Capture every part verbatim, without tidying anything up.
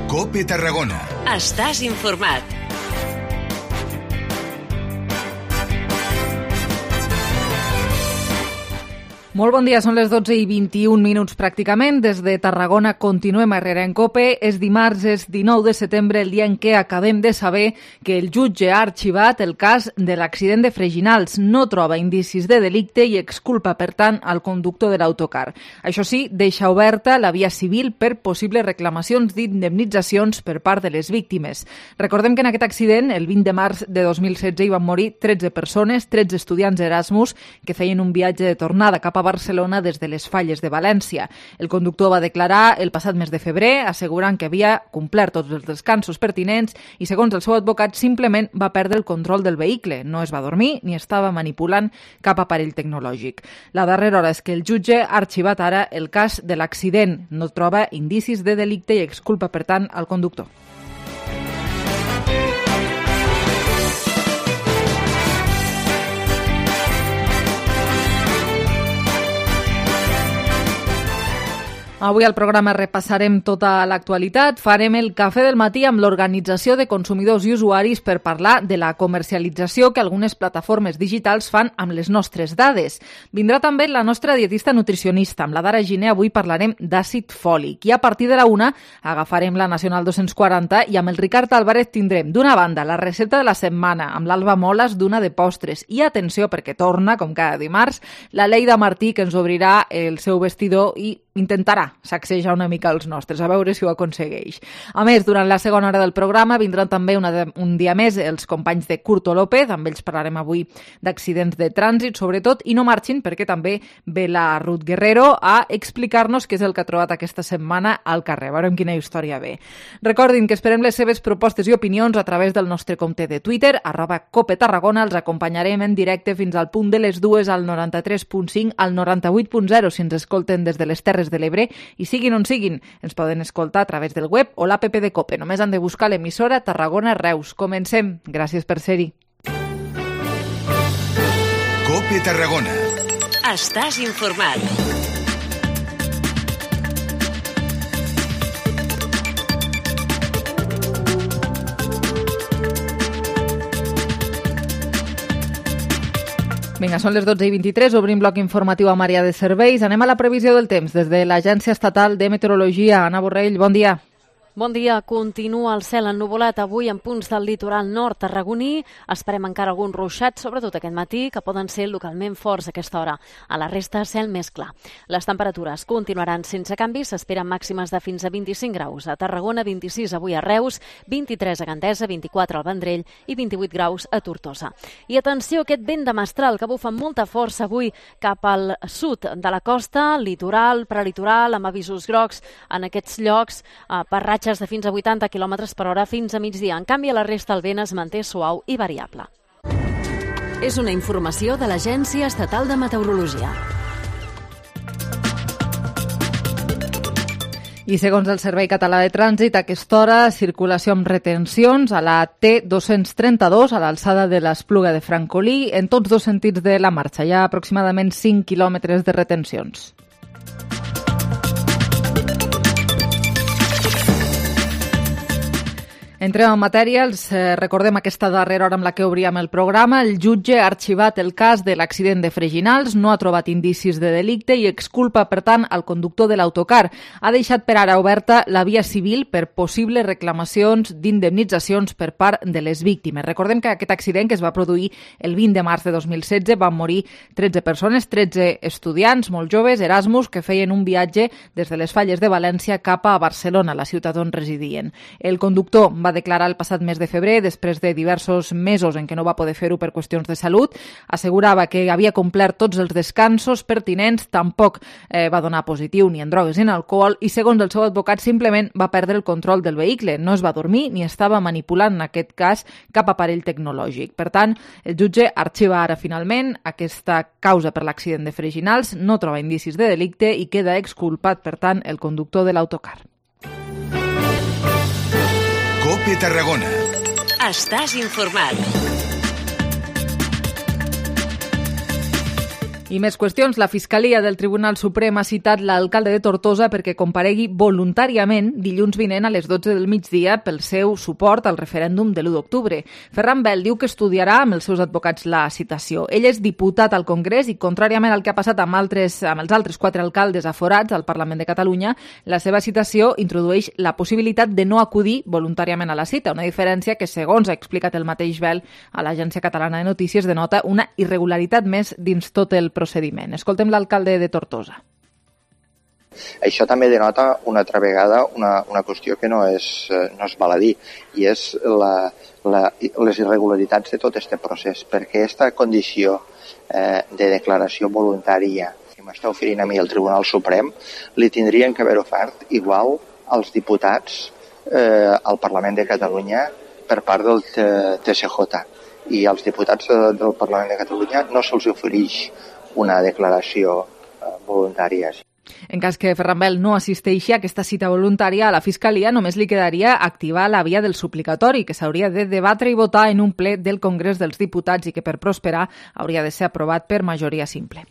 COPE Tarragona. Estàs informat. Molt bon dia, són les dotze i vint-i-un minuts pràcticament. Des de Tarragona continuem a Herrera en COPE. És dimarts, és dinou de setembre, el dia en què acabem de saber que el jutge ha arxivat el cas de l'accident de Freginals. No troba indicis de delicte i exculpa, per tant, al conductor de l'autocar. Això sí, deixa oberta la via civil per possibles reclamacions d'indemnitzacions per part de les víctimes. Recordem que en aquest accident, el vint de març de dos mil setze, hi van morir tretze persones, tretze estudiants Erasmus que feien un viatge de tornada cap a Barcelona des de les Falles de València. El conductor va declarar el passat mes de febrer, assegurant que havia complert tots els descansos pertinents i, segons el seu advocat, simplement va perdre el control del vehicle. No es va dormir ni estava manipulant cap aparell tecnològic. La darrera hora és que el jutge ha arxivat ara el cas de l'accident. No troba indicis de delicte i exculpa, per tant, al conductor. Avui al programa repassarem tota l'actualitat. Farem el cafè del matí amb l'Organització de Consumidors i Usuaris per parlar de la comercialització que algunes plataformes digitals fan amb les nostres dades. Vindrà també la nostra dietista nutricionista. Amb la Dara Giner avui parlarem d'àcid fòlic. I a partir de la una agafarem la Nacional dos-cents quaranta i amb el Ricard Álvarez tindrem, d'una banda, la recepta de la setmana, amb l'Alba Moles d'una de postres. I atenció, perquè torna, com cada dimarts, la Leida Martí, que ens obrirà el seu vestidor i intentarà sacsejar una mica els nostres, a veure si ho aconsegueix. A més, durant la segona hora del programa vindran també una de, un dia més els companys de Curto López, amb ells parlarem avui d'accidents de trànsit, sobretot, i no marxin perquè també ve la Ruth Guerrero a explicar-nos què és el que ha trobat aquesta setmana al carrer. Veurem quina història ve. Recordin que esperem les seves propostes i opinions a través del nostre compte de Twitter, arroba Cope Tarragona. Els acompanyarem en directe fins al punt de les dues al noranta-tres punt cinc, al noranta-vuit punt zero si ens escolten des de les Terres de l'Ebre, i siguin on siguin, ens poden escoltar a través del web o l'app de COPE. Només han de buscar l'emissora Tarragona Reus. Comencem. Gràcies per ser-hi. COPE Tarragona. Estàs informat. Vinga, són les dotze i vint-i-tres, obrim bloc informatiu a Maria de Serveis. Anem a la previsió del temps des de l'Agència Estatal de Meteorologia. Anna Borrell, bon dia. Bon dia. Continua el cel ennuvolat avui en punts del litoral nord tarragoní. Esperem encara alguns ruixats, sobretot aquest matí, que poden ser localment forts a aquesta hora. A la resta, cel més clar. Les temperatures continuaran sense canvis. S'esperen màximes de fins a vint-i-cinc graus. A Tarragona, vint-i-sis avui a Reus, vint-i-tres a Gandesa, vint-i-quatre al Vendrell i vint-i-vuit graus a Tortosa. I atenció a aquest vent de mestral que bufa amb molta força avui cap al sud de la costa, litoral, prelitoral, amb avisos grocs en aquests llocs eh, per ratxes de fins a vuitanta quilòmetres per hora fins a migdia. En canvi, a la resta el vent es manté suau i variable. És una informació de l'Agència Estatal de Meteorologia. I segons el Servei Català de Trànsit, a aquesta hora, circulació amb retencions a la T dos-cents trenta-dos, a l'alçada de l'Espluga de Francolí, en tots dos sentits de la marxa. Hi ha aproximadament cinc quilòmetres de retencions. Entrem en matèria, els eh, recordem aquesta darrera hora amb la que obríem el programa. El jutge ha arxivat el cas de l'accident de Freginals, no ha trobat indicis de delicte i exculpa, per tant, al conductor de l'autocar. Ha deixat per ara oberta la via civil per possibles reclamacions d'indemnitzacions per part de les víctimes. Recordem que aquest accident, que es va produir el vint de març de dos mil setze, van morir tretze persones, tretze estudiants molt joves, Erasmus, que feien un viatge des de les Falles de València cap a Barcelona, la ciutat on residien. El conductor va declarar el passat mes de febrer, després de diversos mesos en què no va poder fer-ho per qüestions de salut. Assegurava que havia complert tots els descansos pertinents, tampoc eh, va donar positiu ni en drogues ni en alcohol i, segons el seu advocat, simplement va perdre el control del vehicle. No es va dormir ni estava manipulant, en aquest cas, cap aparell tecnològic. Per tant, el jutge arxiva ara finalment aquesta causa per l'accident de Freginals, no troba indicis de delicte i queda exculpat, per tant, el conductor de l'autocar. COPE Tarragona. Estàs informat. I més qüestions. La Fiscalia del Tribunal Suprem ha citat l'alcalde de Tortosa perquè comparegui voluntàriament dilluns vinent a les dotze del migdia pel seu suport al referèndum de l'u d'octubre. Ferran Bel diu que estudiarà amb els seus advocats la citació. Ell és diputat al Congrés i, contràriament al que ha passat amb, altres, amb els altres quatre alcaldes aforats al Parlament de Catalunya, la seva citació introdueix la possibilitat de no acudir voluntàriament a la cita, una diferència que, segons ha explicat el mateix Bel a l'Agència Catalana de Notícies, denota una irregularitat més dins tot el procediment. Escoltem l'alcalde de Tortosa. Això també denota una altra vegada una, una qüestió que no és, no és baladí, i és la, la, les irregularitats de tot aquest procés, perquè aquesta condició eh, de declaració voluntària que m'està oferint a mi el Tribunal Suprem li tindrien que haver ofert igual als diputats eh, al Parlament de Catalunya per part del T S J, i als diputats del Parlament de Catalunya no se'ls ofereix una declaració voluntària. En cas que Ferran Bel no assisteixi a aquesta cita voluntària, a la Fiscalia només li quedaria activar la via del suplicatori, que s'hauria de debatre i votar en un ple del Congrés dels Diputats i que per prosperar hauria de ser aprovat per majoria simple.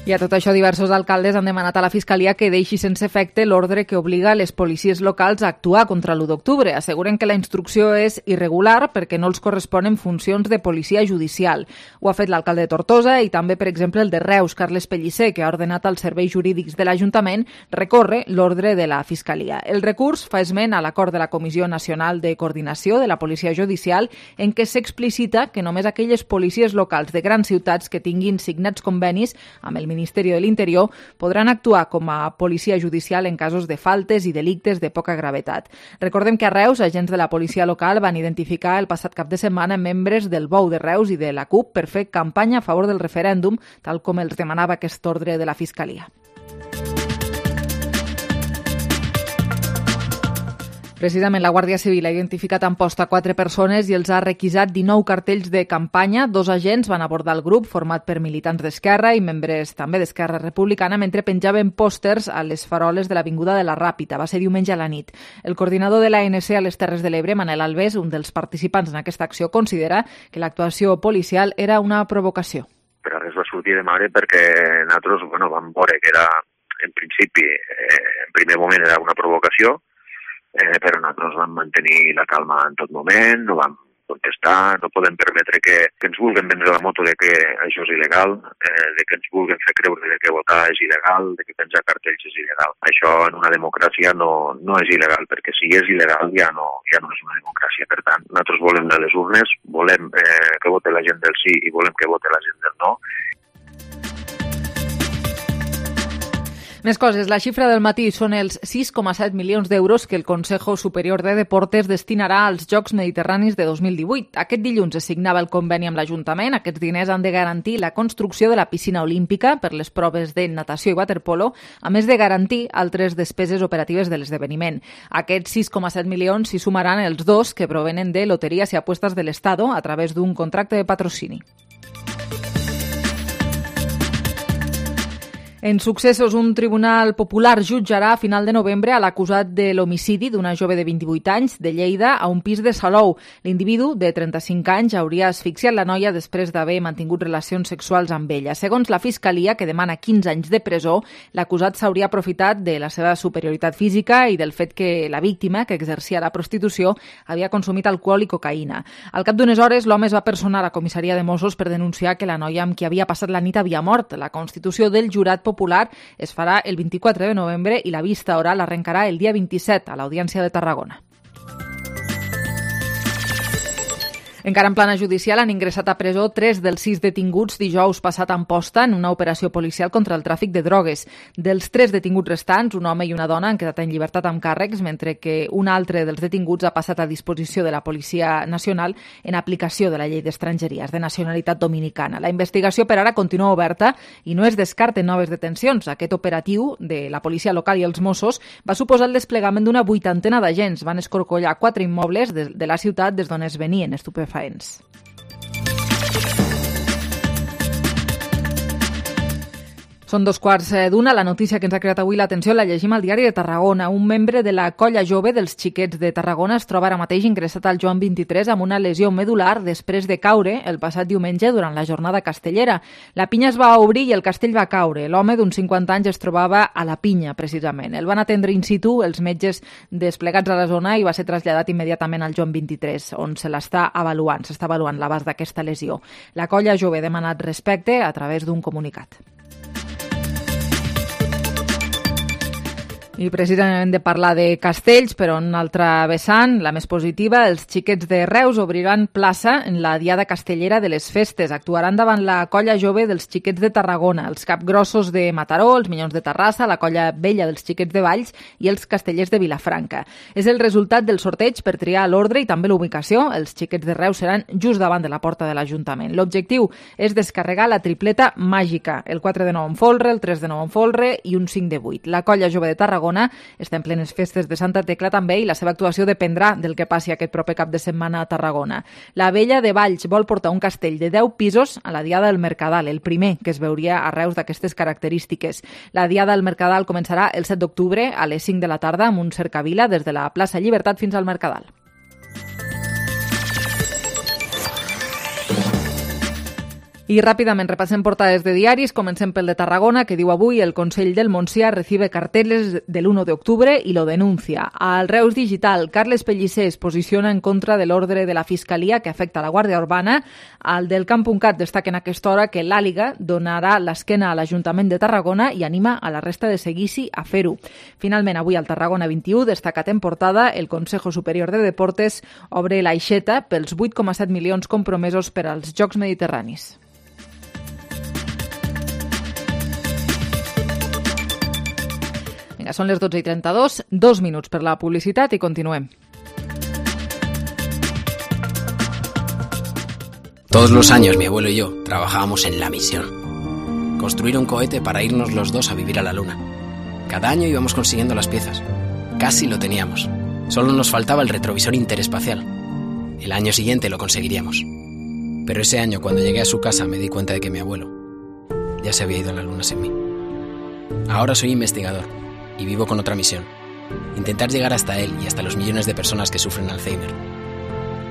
I a tot això, diversos alcaldes han demanat a la Fiscalia que deixi sense efecte l'ordre que obliga les policies locals a actuar contra l'u d'octubre. Asseguren que la instrucció és irregular perquè no els corresponen funcions de policia judicial. Ho ha fet l'alcalde de Tortosa i també, per exemple, el de Reus, Carles Pellicer, que ha ordenat als serveis jurídics de l'Ajuntament recórrer l'ordre de la Fiscalia. El recurs fa esment a l'acord de la Comissió Nacional de Coordinació de la Policia Judicial en què s'explicita que només aquelles policies locals de grans ciutats que tinguin signats convenis amb el Ministeri de l'Interior podran actuar com a policia judicial en casos de faltes i delictes de poca gravetat. Recordem que a Reus, agents de la policia local van identificar el passat cap de setmana membres del Bou de Reus i de la C U P per fer campanya a favor del referèndum, tal com els demanava aquest ordre de la Fiscalia. Precisament, la Guàrdia Civil ha identificat a Amposta quatre persones i els ha requisat dinou cartells de campanya. Dos agents van abordar el grup, format per militants d'Esquerra i membres també d'Esquerra Republicana, mentre penjaven pòsters a les faroles de l'Avinguda de la Ràpita. Va ser diumenge a la nit. El coordinador de l'A N C a les Terres de l'Ebre, Manel Alves, un dels participants en aquesta acció, considera que l'actuació policial era una provocació. Per a res va sortir de mare perquè nosaltres bueno, vam veure que era, en principi, eh, en primer moment era una provocació, Eh, però nosaltres vam mantenir la calma en tot moment, no vam contestar, no podem permetre que, que ens vulguin vendre la moto de que això és il·legal, eh, de que ens vulguin fer creure de que votar és il·legal, de que penjar cartells és il·legal. Això en una democràcia no, no és il·legal, perquè si és il·legal ja no, ja no és una democràcia. Per tant, nosaltres volem anar a les urnes, volem eh, que vote la gent del sí i volem que vote la gent del no. Més coses. La xifra del matí són els sis coma set milions d'euros que el Consejo Superior de Deportes destinarà als Jocs Mediterranis de dos mil divuit. Aquest dilluns es signava el conveni amb l'Ajuntament. Aquests diners han de garantir la construcció de la piscina olímpica per les proves de natació i waterpolo, a més de garantir altres despeses operatives de l'esdeveniment. Aquests sis coma set milions s'hi sumaran els dos que provenen de Loterías y Apuestas del Estado a través d'un contracte de patrocini. En successos, un tribunal popular jutjarà a final de novembre a l'acusat de l'homicidi d'una jove de vint-i-vuit anys de Lleida a un pis de Salou. L'individu, de trenta-cinc anys, hauria asfixiat la noia després d'haver mantingut relacions sexuals amb ella. Segons la Fiscalia, que demana quinze anys de presó, l'acusat s'hauria aprofitat de la seva superioritat física i del fet que la víctima, que exercia la prostitució, havia consumit alcohol i cocaïna. Al cap d'unes hores, l'home es va personar a la comissaria de Mossos per denunciar que la noia amb qui havia passat la nit havia mort. La constitució del jurat popular es farà el vint-i-quatre de novembre i la vista oral arrencarà el dia vint-i-set a l'Audiència de Tarragona. Encara en plana judicial han ingressat a presó tres dels sis detinguts dijous passat a Amposta en una operació policial contra el tràfic de drogues. Dels tres detinguts restants, un home i una dona han quedat en llibertat amb càrrecs, mentre que un altre dels detinguts ha passat a disposició de la Policia Nacional en aplicació de la llei d'estrangeries de nacionalitat dominicana. La investigació per ara continua oberta i no es descarten noves detencions. Aquest operatiu de la policia local i els Mossos va suposar el desplegament d'una vuitantena d'agents. Van escorcollar quatre immobles de, de la ciutat des d'on es venien estupefaents. Són dos quarts d'una. La notícia que ens ha creat avui l'atenció la llegim al diari de Tarragona. Un membre de la colla jove dels xiquets de Tarragona es troba ara mateix ingressat al Joan vint-i-tres amb una lesió medular després de caure el passat diumenge durant la jornada castellera. La pinya es va obrir i el castell va caure. L'home d'uns cinquanta anys es trobava a la pinya, precisament. El van atendre in situ els metges desplegats a la zona i va ser traslladat immediatament al Joan vint-i-tres, on se l'està avaluant, s'està avaluant l'abast d'aquesta lesió. La colla jove ha demanat respecte a través d'un comunicat. I precisament hem de parlar de castells, però en una altra vessant, la més positiva, els xiquets de Reus obriran plaça en la Diada Castellera de les Festes. Actuaran davant la colla jove dels xiquets de Tarragona, els capgrossos de Mataró, els Minyons de Terrassa, la colla vella dels xiquets de Valls i els castellers de Vilafranca. És el resultat del sorteig per triar l'ordre i també l'ubicació. Els xiquets de Reus seran just davant de la porta de l'Ajuntament. L'objectiu és descarregar la tripleta màgica, el quatre de nou en folre, el tres de nou en folre i un cinc de vuit. La colla jove de Tarragona està en plenes festes de Santa Tecla també i la seva actuació dependrà del que passi aquest proper cap de setmana a Tarragona. La vella de Valls vol portar un castell de deu pisos a la Diada del Mercadal, el primer que es veuria a Reus d'aquestes característiques. La Diada del Mercadal començarà el set d'octubre a les cinc de la tarda amb un cercavila des de la plaça Llibertat fins al Mercadal. I ràpidament repassem portades de diaris. Comencem pel de Tarragona, que diu avui el Consell del Montsià recibe carteles del uno de octubre y lo denuncia. Al Reus Digital, Carles Pellicer es posiciona en contra de l'ordre de la Fiscalia que afecta a la Guàrdia Urbana. Al del Camp.cat destaca en aquesta hora que l'Àliga donarà l'esquena a l'Ajuntament de Tarragona i anima a la resta de seguici a fer-ho. Finalment, avui al Tarragona vint-i-u, destacat en portada, el Consejo Superior de Deportes obre l'aixeta pels vuit coma set milions compromesos per als Jocs Mediterranis. Vinga, són les dotze i trenta-dos, dos minuts per la publicitat i continuem. Todos los años mi abuelo y yo trabajábamos en la misión. Construir un cohete para irnos los dos a vivir a la luna. Cada año íbamos consiguiendo las piezas. Casi lo teníamos. Solo nos faltaba el retrovisor interespacial. El año siguiente lo conseguiríamos. Pero ese año, cuando llegué a su casa, me di cuenta de que mi abuelo ya se había ido a la luna sin mí. Ahora soy investigador y vivo con otra misión. Intentar llegar hasta él y hasta los millones de personas que sufren Alzheimer.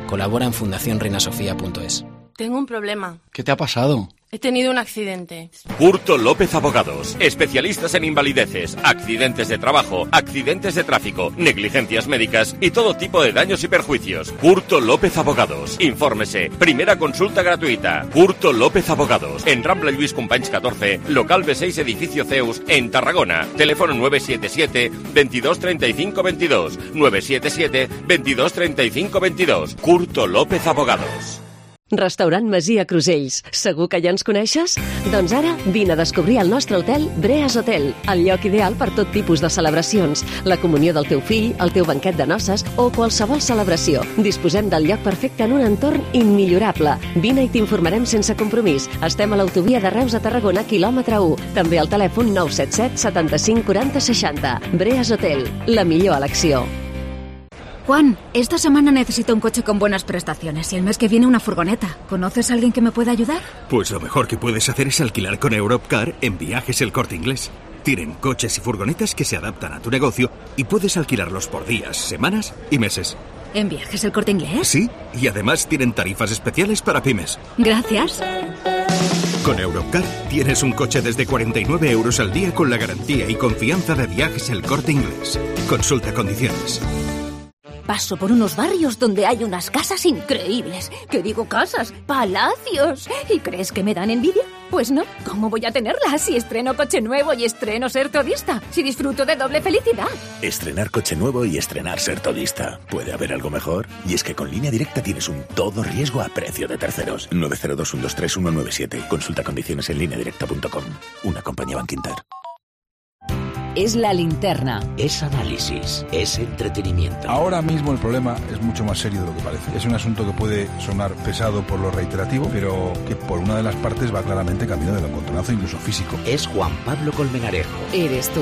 Colabora en fundación reina sofía punto es. Tengo un problema. ¿Qué te ha pasado? He tenido un accidente. Curto López Abogados. Especialistas en invalideces, accidentes de trabajo, accidentes de tráfico, negligencias médicas y todo tipo de daños y perjuicios. Curto López Abogados. Infórmese. Primera consulta gratuita. Curto López Abogados. En Rambla Lluís Companys catorce, local B seis, edificio Zeus, en Tarragona. Teléfono nueve siete siete, veintidós treinta y cinco veintidós. nueve siete siete, veintidós treinta y cinco veintidós. Curto López Abogados. Restaurant Masia Crusells. Segur que ja ens coneixes? Doncs ara vine a descobrir el nostre hotel Breas Hotel, el lloc ideal per tot tipus de celebracions, la comunió del teu fill, el teu banquet de noces o qualsevol celebració. Disposem del lloc perfecte en un entorn immillorable. Vine i t'informarem sense compromís. Estem a l'autovia de Reus a Tarragona, quilòmetre u. També al telèfon nou set set, setanta-cinc, quaranta, seixanta. Breas Hotel, la millor elecció. Juan, esta semana necesito un coche con buenas prestaciones y el mes que viene una furgoneta. ¿Conoces a alguien que me pueda ayudar? Pues lo mejor que puedes hacer es alquilar con Europcar en Viajes El Corte Inglés. Tienen coches y furgonetas que se adaptan a tu negocio y puedes alquilarlos por días, semanas y meses. ¿En Viajes El Corte Inglés? Sí, y además tienen tarifas especiales para pymes. Gracias. Con Europcar tienes un coche desde cuarenta y nueve euros al día con la garantía y confianza de Viajes El Corte Inglés. Consulta condiciones. Paso por unos barrios donde hay unas casas increíbles. ¿Qué digo casas? ¡Palacios! ¿Y crees que me dan envidia? Pues no. ¿Cómo voy a tenerlas si estreno coche nuevo y estreno ser todista? Si disfruto de doble felicidad. Estrenar coche nuevo y estrenar ser todista. ¿Puede haber algo mejor? Y es que con Línea Directa tienes un todo riesgo a precio de terceros. nueve cero dos, uno dos tres, uno nueve siete. Consulta condiciones en línea directa punto com. Una compañía Bankinter. Es la linterna. Es análisis, es entretenimiento. Ahora mismo el problema es mucho más serio de lo que parece. Es un asunto que puede sonar pesado por lo reiterativo, pero que por una de las partes va claramente camino del encontronazo, incluso físico. Es Juan Pablo Colmenarejo. Eres tú.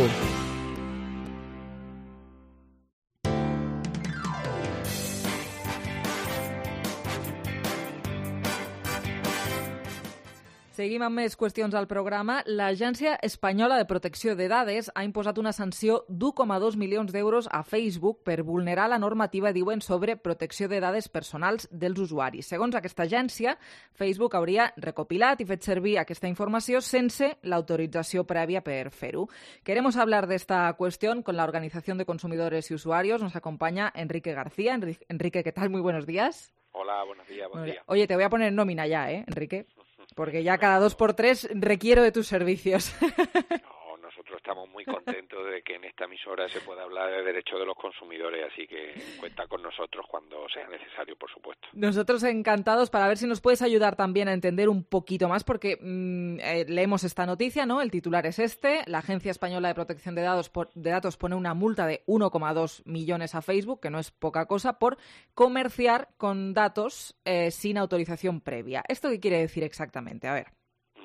Seguim amb més qüestions al programa. L'Agència Espanyola de Protecció de Dades ha imposat una sanció d'u coma dos milions d'euros a Facebook per vulnerar la normativa, diuen, sobre protecció de dades personals dels usuaris. Segons aquesta agència, Facebook hauria recopilat i fet servir aquesta informació sense l'autorització prèvia per fer-ho. Queremos hablar de esta cuestión con la Organización de Consumidores y Usuarios. Nos acompaña Enrique García. Enrique, ¿qué tal? Muy buenos días. Hola, buenos días, buen día. Oye, te voy a poner en nómina ya, ¿eh, Enrique? Porque ya cada dos por tres requiero de tus servicios. No, nosotros estamos muy contentos de que en esta emisora se pueda hablar de derechos de los consumidores, así que cuenta con nosotros cuando sea necesario, por supuesto. Nosotros encantados, para ver si nos puedes ayudar también a entender un poquito más, porque mmm, eh, leemos esta noticia, ¿no? El titular es este: la Agencia Española de Protección de Datos, por, de Datos pone una multa de uno coma dos millones a Facebook, que no es poca cosa, por comerciar con datos eh, sin autorización previa. ¿Esto qué quiere decir exactamente? A ver.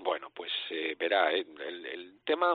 Bueno, pues eh, verá, el, el, el tema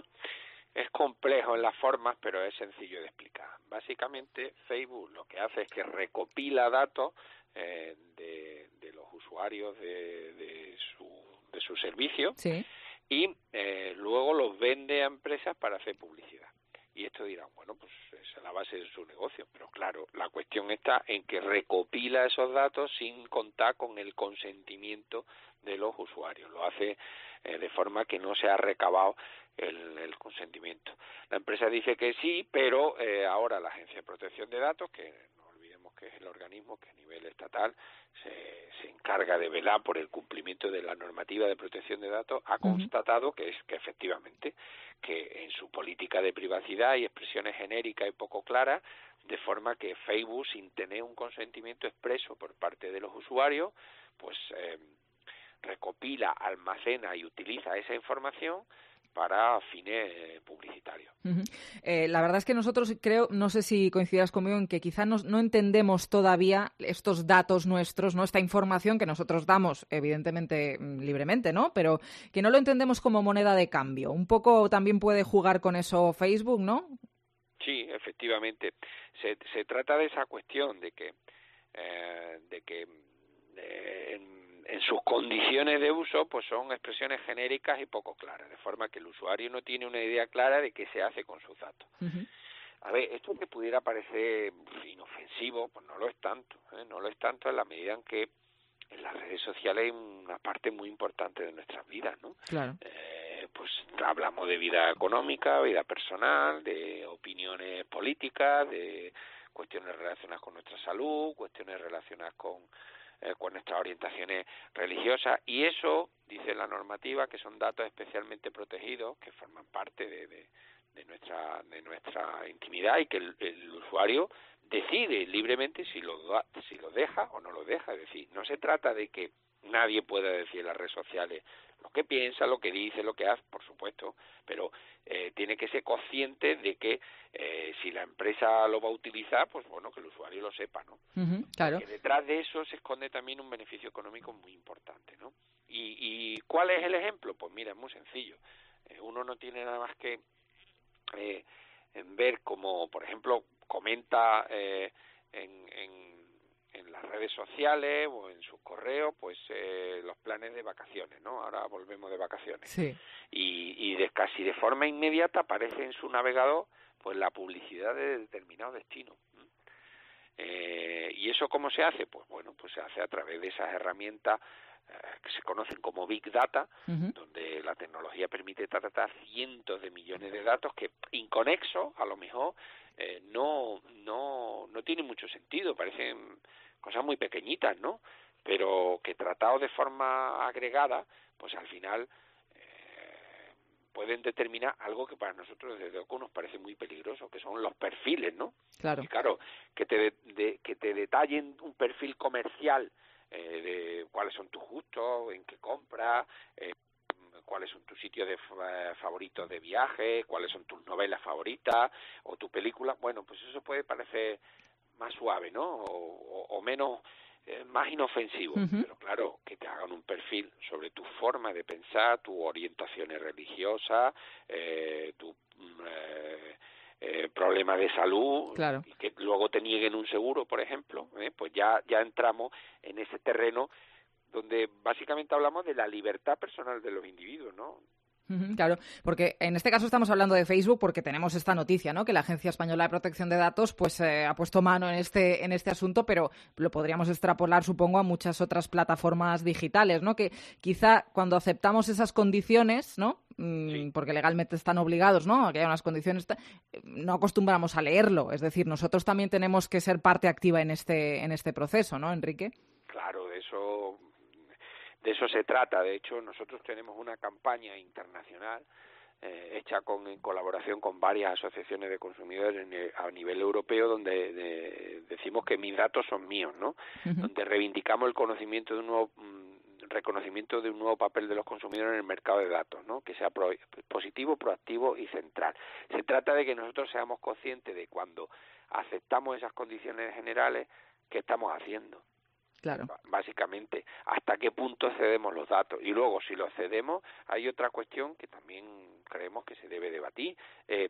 es complejo en las formas, pero es sencillo de explicar. Básicamente, Facebook lo que hace es que recopila datos eh, de, de los usuarios de, de, su, de su servicio, sí, y eh, luego los vende a empresas para hacer publicidad. Y esto dirán, bueno, pues esa es la base de su negocio. Pero claro, la cuestión está en que recopila esos datos sin contar con el consentimiento de los usuarios. Lo hace eh, de forma que no se ha recabado el, el consentimiento. La empresa dice que sí, pero eh, ahora la Agencia de Protección de Datos, que no olvidemos que es el organismo que a nivel estatal se, se encarga de velar por el cumplimiento de la normativa de protección de datos, ha constatado que es que efectivamente que en su política de privacidad hay expresiones genéricas y poco claras, de forma que Facebook, sin tener un consentimiento expreso por parte de los usuarios, pues eh, recopila, almacena y utiliza esa información para fines eh, publicitarios. Uh-huh. Eh, la verdad es que nosotros creo, no sé si coincidirás conmigo, en que quizá nos, no entendemos todavía estos datos nuestros, ¿no? Esta información que nosotros damos, evidentemente, libremente, ¿no? Pero que no lo entendemos como moneda de cambio. Un poco también puede jugar con eso Facebook, ¿no? Sí, efectivamente. Se, se trata de esa cuestión de que, eh, de que eh, en en sus condiciones de uso, pues son expresiones genéricas y poco claras, de forma que el usuario no tiene una idea clara de qué se hace con sus datos. Uh-huh. A ver, esto que pudiera parecer inofensivo, pues no lo es tanto, ¿eh? No lo es tanto en la medida en que en las redes sociales hay una parte muy importante de nuestras vidas, ¿no? Claro. Eh, pues hablamos de vida económica, vida personal, de opiniones políticas, de cuestiones relacionadas con nuestra salud, cuestiones relacionadas con Eh, con nuestras orientaciones religiosas, y eso, dice la normativa, que son datos especialmente protegidos, que forman parte de, de, de nuestra de nuestra intimidad, y que el, el usuario decide libremente si lo, si lo deja o no lo deja. Es decir, no se trata de que nadie pueda decir en las redes sociales lo que piensa, lo que dice, lo que hace, por supuesto, pero eh, tiene que ser consciente de que eh, si la empresa lo va a utilizar, pues bueno, que el usuario lo sepa, ¿no? Uh-huh, claro. Porque detrás de eso se esconde también un beneficio económico muy importante, ¿no? ¿Y, y cuál es el ejemplo? Pues mira, es muy sencillo. Eh, uno no tiene nada más que eh, en ver como, por ejemplo, comenta eh, en, en en las redes sociales o en sus correos, pues eh, los planes de vacaciones, ¿no? Ahora volvemos de vacaciones. Sí. Y, y de casi de forma inmediata aparece en su navegador pues la publicidad de determinado destino. Eh, ¿Y eso cómo se hace? Pues bueno, pues se hace a través de esas herramientas eh, que se conocen como Big Data, uh-huh, donde la tecnología permite tratar cientos de millones de datos que, inconexos, a lo mejor eh, no, no, no tienen mucho sentido, parecen cosas muy pequeñitas, ¿no? Pero que tratados de forma agregada, pues al final eh, pueden determinar algo que para nosotros desde luego nos parece muy peligroso, que son los perfiles, ¿no? Claro. Y claro, que te, de, de, que te detallen un perfil comercial eh, de cuáles son tus gustos, en qué compras, eh, cuáles son tus sitios de eh, favoritos de viaje, cuáles son tus novelas favoritas o tu película. Bueno, pues eso puede parecer más suave, ¿no? O, o, o menos, eh, más inofensivo. Uh-huh. Pero claro, que te hagan un perfil sobre tu forma de pensar, tus orientaciones religiosas, eh, tu eh, eh, problema de salud, claro, y que luego te nieguen un seguro, por ejemplo, ¿eh? Pues ya, ya entramos en ese terreno donde básicamente hablamos de la libertad personal de los individuos, ¿no? Claro, porque en este caso estamos hablando de Facebook porque tenemos esta noticia, ¿no? Que la Agencia Española de Protección de Datos pues eh, ha puesto mano en este en este asunto, pero lo podríamos extrapolar, supongo, a muchas otras plataformas digitales, ¿no? Que quizá cuando aceptamos esas condiciones, ¿no? Sí. Porque legalmente están obligados, ¿no? A que haya unas condiciones, no acostumbramos a leerlo. Es decir, nosotros también tenemos que ser parte activa en este en este proceso, ¿no, Enrique? Claro, de eso. De eso se trata. De hecho, nosotros tenemos una campaña internacional eh, hecha con, en colaboración con varias asociaciones de consumidores en el, a nivel europeo, donde de, decimos que mis datos son míos, ¿no? Uh-huh. Donde reivindicamos el conocimiento de un nuevo mm, reconocimiento de un nuevo papel de los consumidores en el mercado de datos, ¿no? Que sea pro, positivo, proactivo y central. Se trata de que nosotros seamos conscientes de cuando aceptamos esas condiciones generales, ¿qué estamos haciendo? Claro. Básicamente, hasta qué punto cedemos los datos. Y luego, si los cedemos, hay otra cuestión que también creemos que se debe debatir. Eh,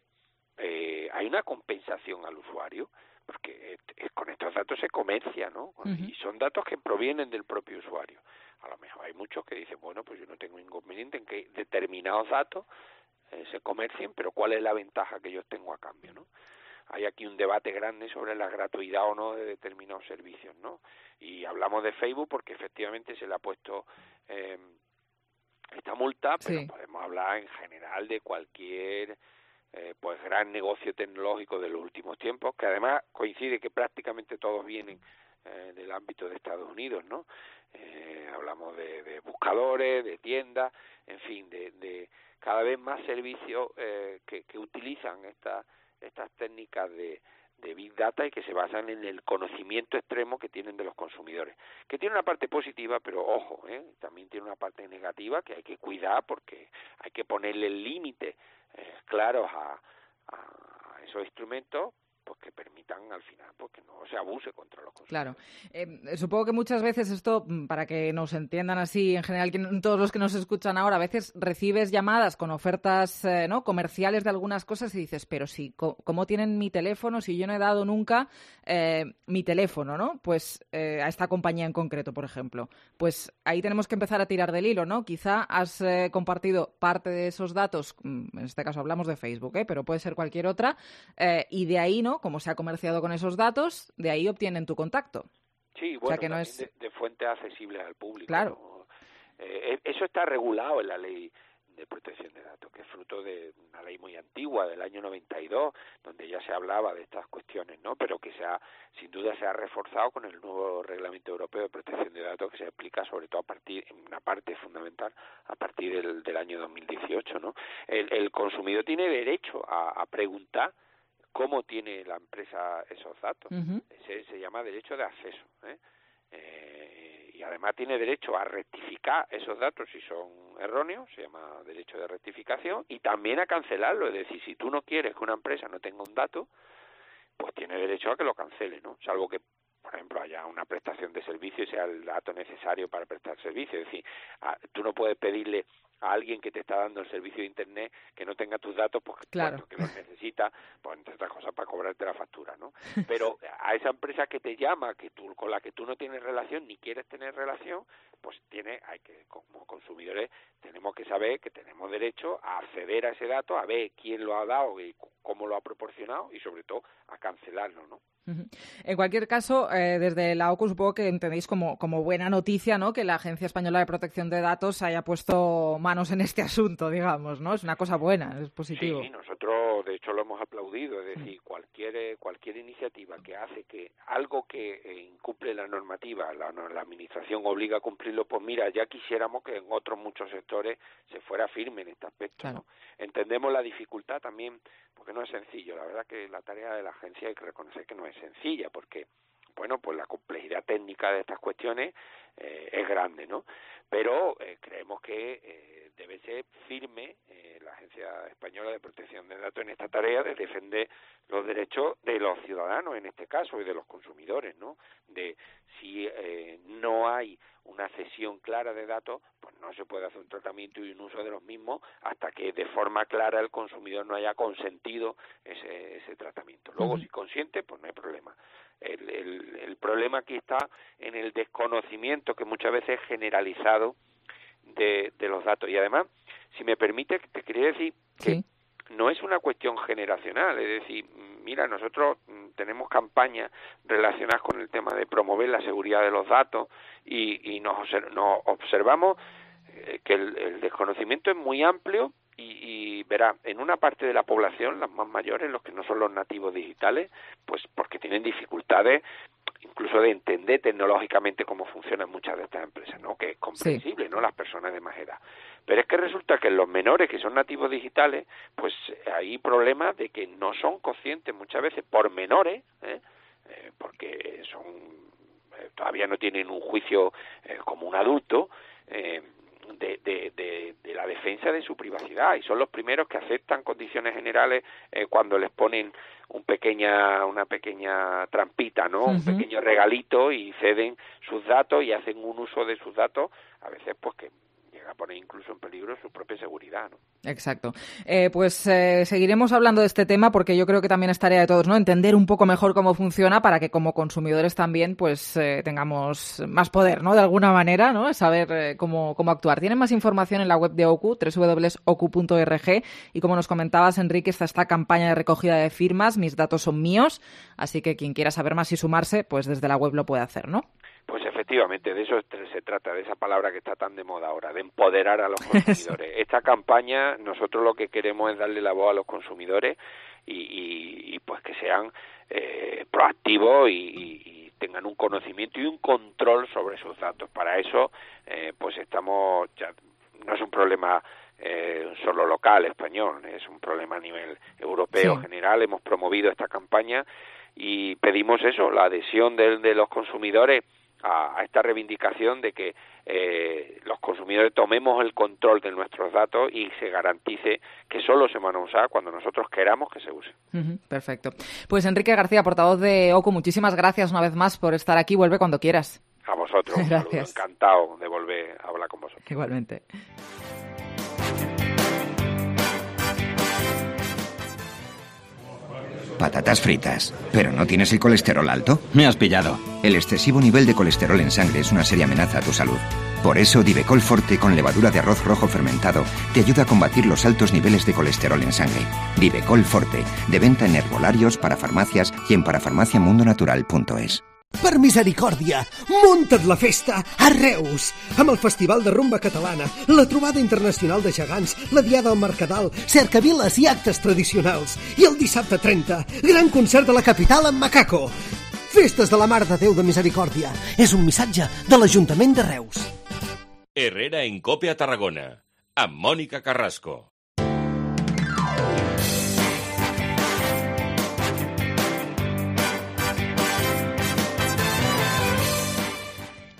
eh, hay una compensación al usuario, porque eh, con estos datos se comercia, ¿no? Uh-huh. Y son datos que provienen del propio usuario. A lo mejor hay muchos que dicen, bueno, pues yo no tengo inconveniente en que determinados datos eh, se comercien, pero ¿cuál es la ventaja que yo tengo a cambio, no? Hay aquí un debate grande sobre la gratuidad o no de determinados servicios, ¿no? Y hablamos de Facebook porque efectivamente se le ha puesto eh, esta multa, pero sí. Podemos hablar en general de cualquier eh, pues gran negocio tecnológico de los últimos tiempos, que además coincide que prácticamente todos vienen eh, del ámbito de Estados Unidos, ¿no? Eh, hablamos de, de buscadores, de tiendas, en fin, de, de cada vez más servicios eh, que, que utilizan esta estas técnicas de, de Big Data y que se basan en el conocimiento extremo que tienen de los consumidores, que tiene una parte positiva, pero ojo, ¿eh? También tiene una parte negativa que hay que cuidar porque hay que ponerle límites eh, claros a, a esos instrumentos, pues que permitan al final pues que no se abuse contra los consumidores. Claro. Eh, supongo que muchas veces esto, para que nos entiendan así, en general, todos los que nos escuchan ahora, a veces recibes llamadas con ofertas eh, no comerciales de algunas cosas y dices, pero sí, ¿cómo tienen mi teléfono si yo no he dado nunca eh, mi teléfono, ¿no? Pues eh, a esta compañía en concreto, por ejemplo. Pues ahí tenemos que empezar a tirar del hilo, ¿no? Quizá has eh, compartido parte de esos datos, en este caso hablamos de Facebook, ¿eh? Pero puede ser cualquier otra, eh, y de ahí, ¿no? Como se ha comerciado con esos datos, de ahí obtienen tu contacto. Sí, bueno, o sea que no es de, de fuentes accesibles al público. Claro. ¿no? Eh, eso está regulado en la ley de protección de datos, que es fruto de una ley muy antigua, del año noventa y dos, donde ya se hablaba de estas cuestiones, ¿no? Pero que se ha, sin duda se ha reforzado con el nuevo Reglamento Europeo de Protección de Datos, que se aplica sobre todo a partir, en una parte fundamental, a partir del, del año dos mil dieciocho, ¿no? El, el consumidor tiene derecho a, a preguntar cómo tiene la empresa esos datos. Uh-huh. Ese se llama derecho de acceso, ¿eh? Eh, y además tiene derecho a rectificar esos datos si son erróneos, se llama derecho de rectificación, y también a cancelarlo. Es decir, si tú no quieres que una empresa no tenga un dato, pues tiene derecho a que lo cancele, ¿no? Salvo que, por ejemplo, haya una prestación de servicio y sea el dato necesario para prestar servicio. Es decir, a, tú no puedes pedirle a alguien que te está dando el servicio de Internet que no tenga tus datos porque claro. que los necesita, pues entre otras cosas para cobrarte la factura, ¿no? Pero a esa empresa que te llama, que tú con la que tú no tienes relación ni quieres tener relación, pues tiene, hay que, como consumidores, tenemos que saber que tenemos derecho a acceder a ese dato, a ver quién lo ha dado y cómo lo ha proporcionado y sobre todo a cancelarlo, ¿no? En cualquier caso, eh, desde la O C U supongo que entendéis como, como buena noticia, ¿no?, que la Agencia Española de Protección de Datos haya puesto manos en este asunto, digamos, ¿no? Es una cosa buena, es positivo. Sí, nosotros de hecho lo hemos aplaudido, es decir, cualquier cualquier iniciativa que hace que algo que eh, incumple la normativa, la, la administración obliga a cumplirlo, pues mira, ya quisiéramos que en otros muchos sectores se fuera firme en este aspecto, claro. ¿no? Entendemos la dificultad también, porque no es sencillo, la verdad que la tarea de la agencia hay que reconocer que no es sencilla, porque bueno, pues la complejidad técnica de estas cuestiones eh, es grande, ¿no? Pero eh, creemos que eh, debe ser firme eh, la la Agencia Española de Protección de Datos en esta tarea de defender los derechos de los ciudadanos, en este caso, y de los consumidores, ¿no? De si eh, no hay una cesión clara de datos, pues no se puede hacer un tratamiento y un uso de los mismos hasta que de forma clara el consumidor no haya consentido ese, ese tratamiento. Luego, uh-huh. si consiente, pues no hay problema. El, el, el problema aquí está en el desconocimiento que muchas veces es generalizado de, de los datos. Y además, si me permite, te quería decir que sí. no es una cuestión generacional, es decir, mira, nosotros tenemos campañas relacionadas con el tema de promover la seguridad de los datos y, y nos, nos observamos eh, que el, el desconocimiento es muy amplio y, y verá, en una parte de la población, las más mayores, los que no son los nativos digitales, pues porque tienen dificultades incluso de entender tecnológicamente cómo funcionan muchas de estas empresas, ¿no? Que es comprensible, sí. ¿no? Las personas de más edad. Pero es que resulta que en los menores que son nativos digitales, pues hay problemas de que no son conscientes muchas veces por menores, ¿eh? Eh, porque son eh, todavía no tienen un juicio eh, como un adulto, eh, De, de, de, de la defensa de su privacidad, y son los primeros que aceptan condiciones generales eh, cuando les ponen un pequeña, una pequeña trampita, ¿no? Uh-huh. Un pequeño regalito y ceden sus datos y hacen un uso de sus datos, a veces pues que llega a poner incluso en peligro su propia seguridad, ¿no? Exacto. Eh, pues eh, seguiremos hablando de este tema porque yo creo que también es tarea de todos, ¿no? Entender un poco mejor cómo funciona para que como consumidores también pues eh, tengamos más poder, ¿no? De alguna manera, ¿no? Saber eh, cómo, cómo actuar. Tienen más información en la web de O C U, doble u doble u doble u punto o c u punto org, y como nos comentabas, Enrique, está esta campaña de recogida de firmas, Mis datos son míos, así que quien quiera saber más y sumarse, pues desde la web lo puede hacer, ¿no? Pues efectivamente, de eso se trata, de esa palabra que está tan de moda ahora, de empoderar a los consumidores. Esta campaña, nosotros lo que queremos es darle la voz a los consumidores y, y, y pues que sean eh, proactivos y, y, y tengan un conocimiento y un control sobre sus datos. Para eso, eh, pues estamos, ya no es un problema eh, solo local, español, es un problema a nivel europeo sí. general. Hemos promovido esta campaña y pedimos eso, la adhesión de, de los consumidores a, a esta reivindicación de que eh, los consumidores tomemos el control de nuestros datos y se garantice que solo se van a usar cuando nosotros queramos que se use. Uh-huh, perfecto. Pues Enrique García, portavoz de O C U, muchísimas gracias una vez más por estar aquí. Vuelve cuando quieras. A vosotros. Gracias. Saludo, encantado de volver a hablar con vosotros. Igualmente. Patatas fritas. ¿Pero no tienes el colesterol alto? Me has pillado. El excesivo nivel de colesterol en sangre es una seria amenaza a tu salud. Por eso, Divecol Forte con levadura de arroz rojo fermentado te ayuda a combatir los altos niveles de colesterol en sangre. Divecol Forte, de venta en herbolarios, para farmacias y en parafarmaciamundonatural punto es. Per misericòrdia, munta't la festa a Reus! Amb el Festival de Rumba Catalana, la trobada internacional de gegants, la Diada al Mercadal, cercaviles i actes tradicionals. I el dissabte trenta, gran concert de la capital amb Macaco. Festes de la Mare de Déu de Misericòrdia. És un missatge de l'Ajuntament de Reus. Herrera en Cope a Tarragona, amb Mònica Carrasco.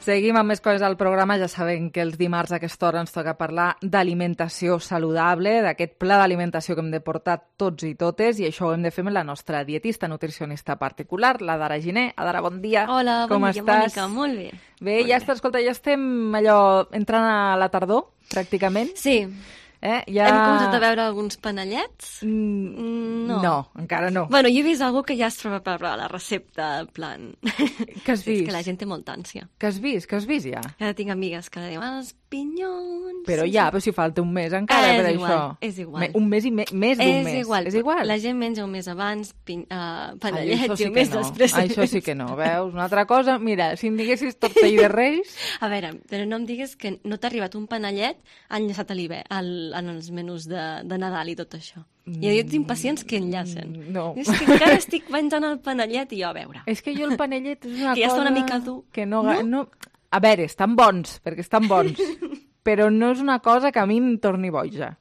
Seguim amb més coses al programa. Ja sabem que els dimarts a aquesta hora ens toca parlar d'alimentació saludable, d'aquest pla d'alimentació que hem de portar tots i totes, i això ho hem de fer amb la nostra dietista nutricionista particular, la Dara Giner. Adara, bon dia. Hola, bon Com dia, estàs? Mònica. Molt bé. Bé, Molt ja bé. està, escolta, ja estem allò entrant a la tardor, pràcticament. Sí. Eh? Ja... Hem començat a veure alguns panellets? Mm, no. No, encara no. Bueno, jo he vist algú que ja es troba per la recepta, en plan... Què has vist? És que la gent té molta ànsia. Què has vist? Què has vist ja? Ja tinc amigues que diuen els pinyons... Però sí, ja, sí. però si falta un mes encara és per igual, això. És igual. Me, un mes i me, més d'un és mes. Igual. És igual. La gent menja un mes abans, pin, uh, Ai, panellets això sí i un que mes no. després. Això sí que no, veus? Una altra cosa, mira, si em diguessis tortell de reis... A veure, però no em digues que no t'ha arribat un panellet enllaçat a l'hivern, al, en els menús de, de Nadal i tot això. Mm. Hi ha dits impacients que enllacen. No. És que encara estic menjant el panellet i jo, a veure. És que jo el panellet és una que ja cosa... està una mica dur. Que no, no? no... A veure, estan bons, perquè estan bons, però no és una cosa que a mi em torni boja.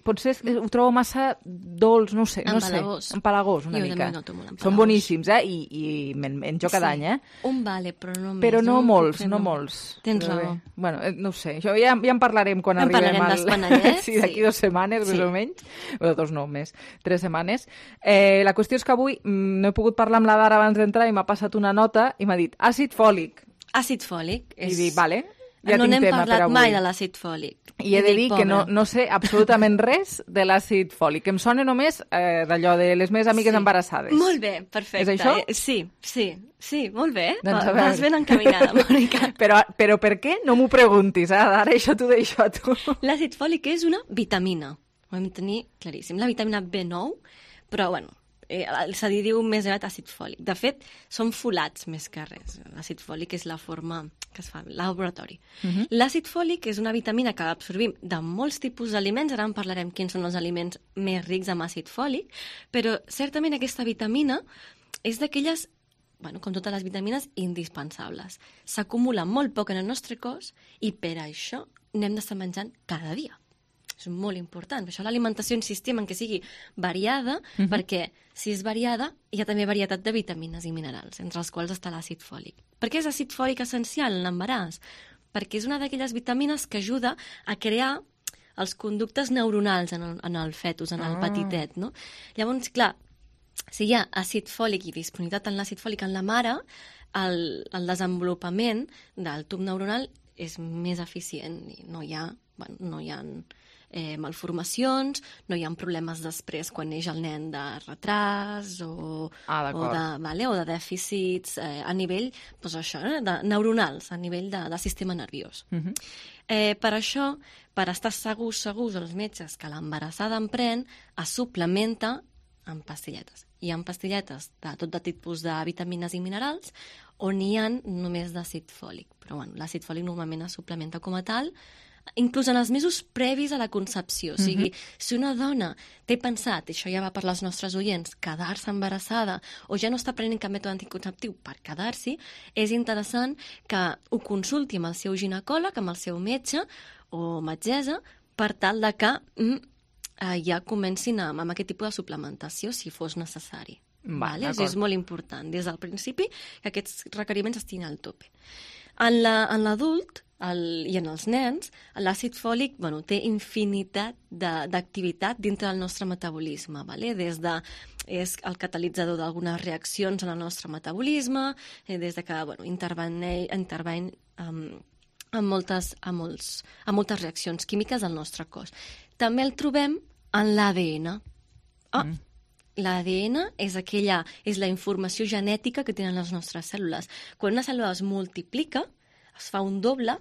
potser ho trobo massa dolç, no sé, no sé. Empalagós. Empalagós, una Jo mica. també noto molt empalagós. Són boníssims, eh? I, i me'n menjo cada Sí. any, eh? Un vale, però no més. Però no Jo molts, potser no no. molts. Tens Però raó. bé. Bueno, eh, no ho sé, això ja, ja en parlarem quan En arribem parlarem al... dels panellets, sí, d'aquí sí. dues setmanes, Sí. més o menys. Bueno, dos no, més. Tres setmanes. Eh, la qüestió és que avui mm, no he pogut parlar amb la Dara abans d'entrar i m'ha passat una nota i m'ha dit àcid fòlic. Àcid fòlic. I dic, vale, ja no tinc n'hem tema per parlat avui. mai de l'àcid fòlic. I he de dir dic, que no, pobra. no sé absolutament res de l'àcid fòlic. Em sona només eh, d'allò de les meves amigues Sí. embarassades. Molt bé, perfecte. És això? Eh, Sí, sí, sí, molt bé. Doncs a Va- veure. Vas ben encaminada, Mònica. Però, però per què? No m'ho preguntis, eh? Ara això t'ho deixo a tu. L'àcid fòlic és una vitamina. Ho hem de tenir claríssim. La vitamina B nou, però, bueno, eh, se li diu més aviat àcid fòlic. De fet, són folats més que res. L'àcid fòlic és la forma que es fa al laboratori. Mhm. L'àcid fòlic és una vitamina que absorbim de molts tipus d'aliments. Ara en parlarem quins són els aliments més rics amb àcid fòlic, però certament aquesta vitamina és d'aquelles, bueno, com totes les vitamines, indispensables. S'acumula molt poc en el nostre cos i per això n'hem d'estar menjant cada dia. És molt important. Per això l'alimentació insistim en que sigui variada, Mhm. perquè si és variada hi ha també varietat de vitamines i minerals, entre els quals està l'àcid fòlic. Per què és àcid fòlic essencial en l'embaràs? Perquè és una d'aquelles vitamines que ajuda a crear els conductes neuronals en el, en el fetus, en el Ah. petitet, no? Llavors, clar, si hi ha àcid fòlic i disponibilitat en l'àcid fòlic en la mare, el, el desenvolupament del tub neuronal és més eficient i no hi ha, bueno, no hi ha eh, malformacions, no hi ha problemes després quan neix el nen de retras o, Ah, o, d'acord. de, vale, o de dèficits eh, a nivell doncs això, eh, de neuronals, a nivell de, de sistema nerviós. Mhm. Eh, per això, per estar segurs, segurs els metges que l'embarassada en pren, es suplementa amb pastilletes. Hi ha pastilletes de tot de tipus de vitamines i minerals on hi ha només d'àcid fòlic. Però bueno, l'àcid fòlic normalment es suplementa com a tal, inclús en els mesos previs a la concepció. O sigui, Mhm. si una dona té pensat, i això ja va per les nostres oients, quedar-se embarassada o ja no està prenent cap mètode anticonceptiu per quedar-s'hi, és interessant que ho consulti amb el seu ginecòleg, amb el seu metge o metgessa, per tal de que mm, eh, ja comencin amb, amb aquest tipus de suplementació si fos necessari. Va, Vale? És, d'acord. és molt important, des del principi, que aquests requeriments estiguin al tope. En la- en l'adult el, i en els nens, l'àcid fòlic bueno, té infinitat de- d'activitat dintre del nostre metabolisme, vale? Des de és el catalitzador d'algunes reaccions en el nostre metabolisme, eh, des de que bueno, intervene, intervene um, en, moltes, en, molts, en moltes reaccions químiques del nostre cos. També el trobem en l'A D N. Ah, mm. L'A D N és aquella, és la informació genètica que tenen les nostres cèl·lules. Quan una cèl·lula es multiplica, es fa un doble,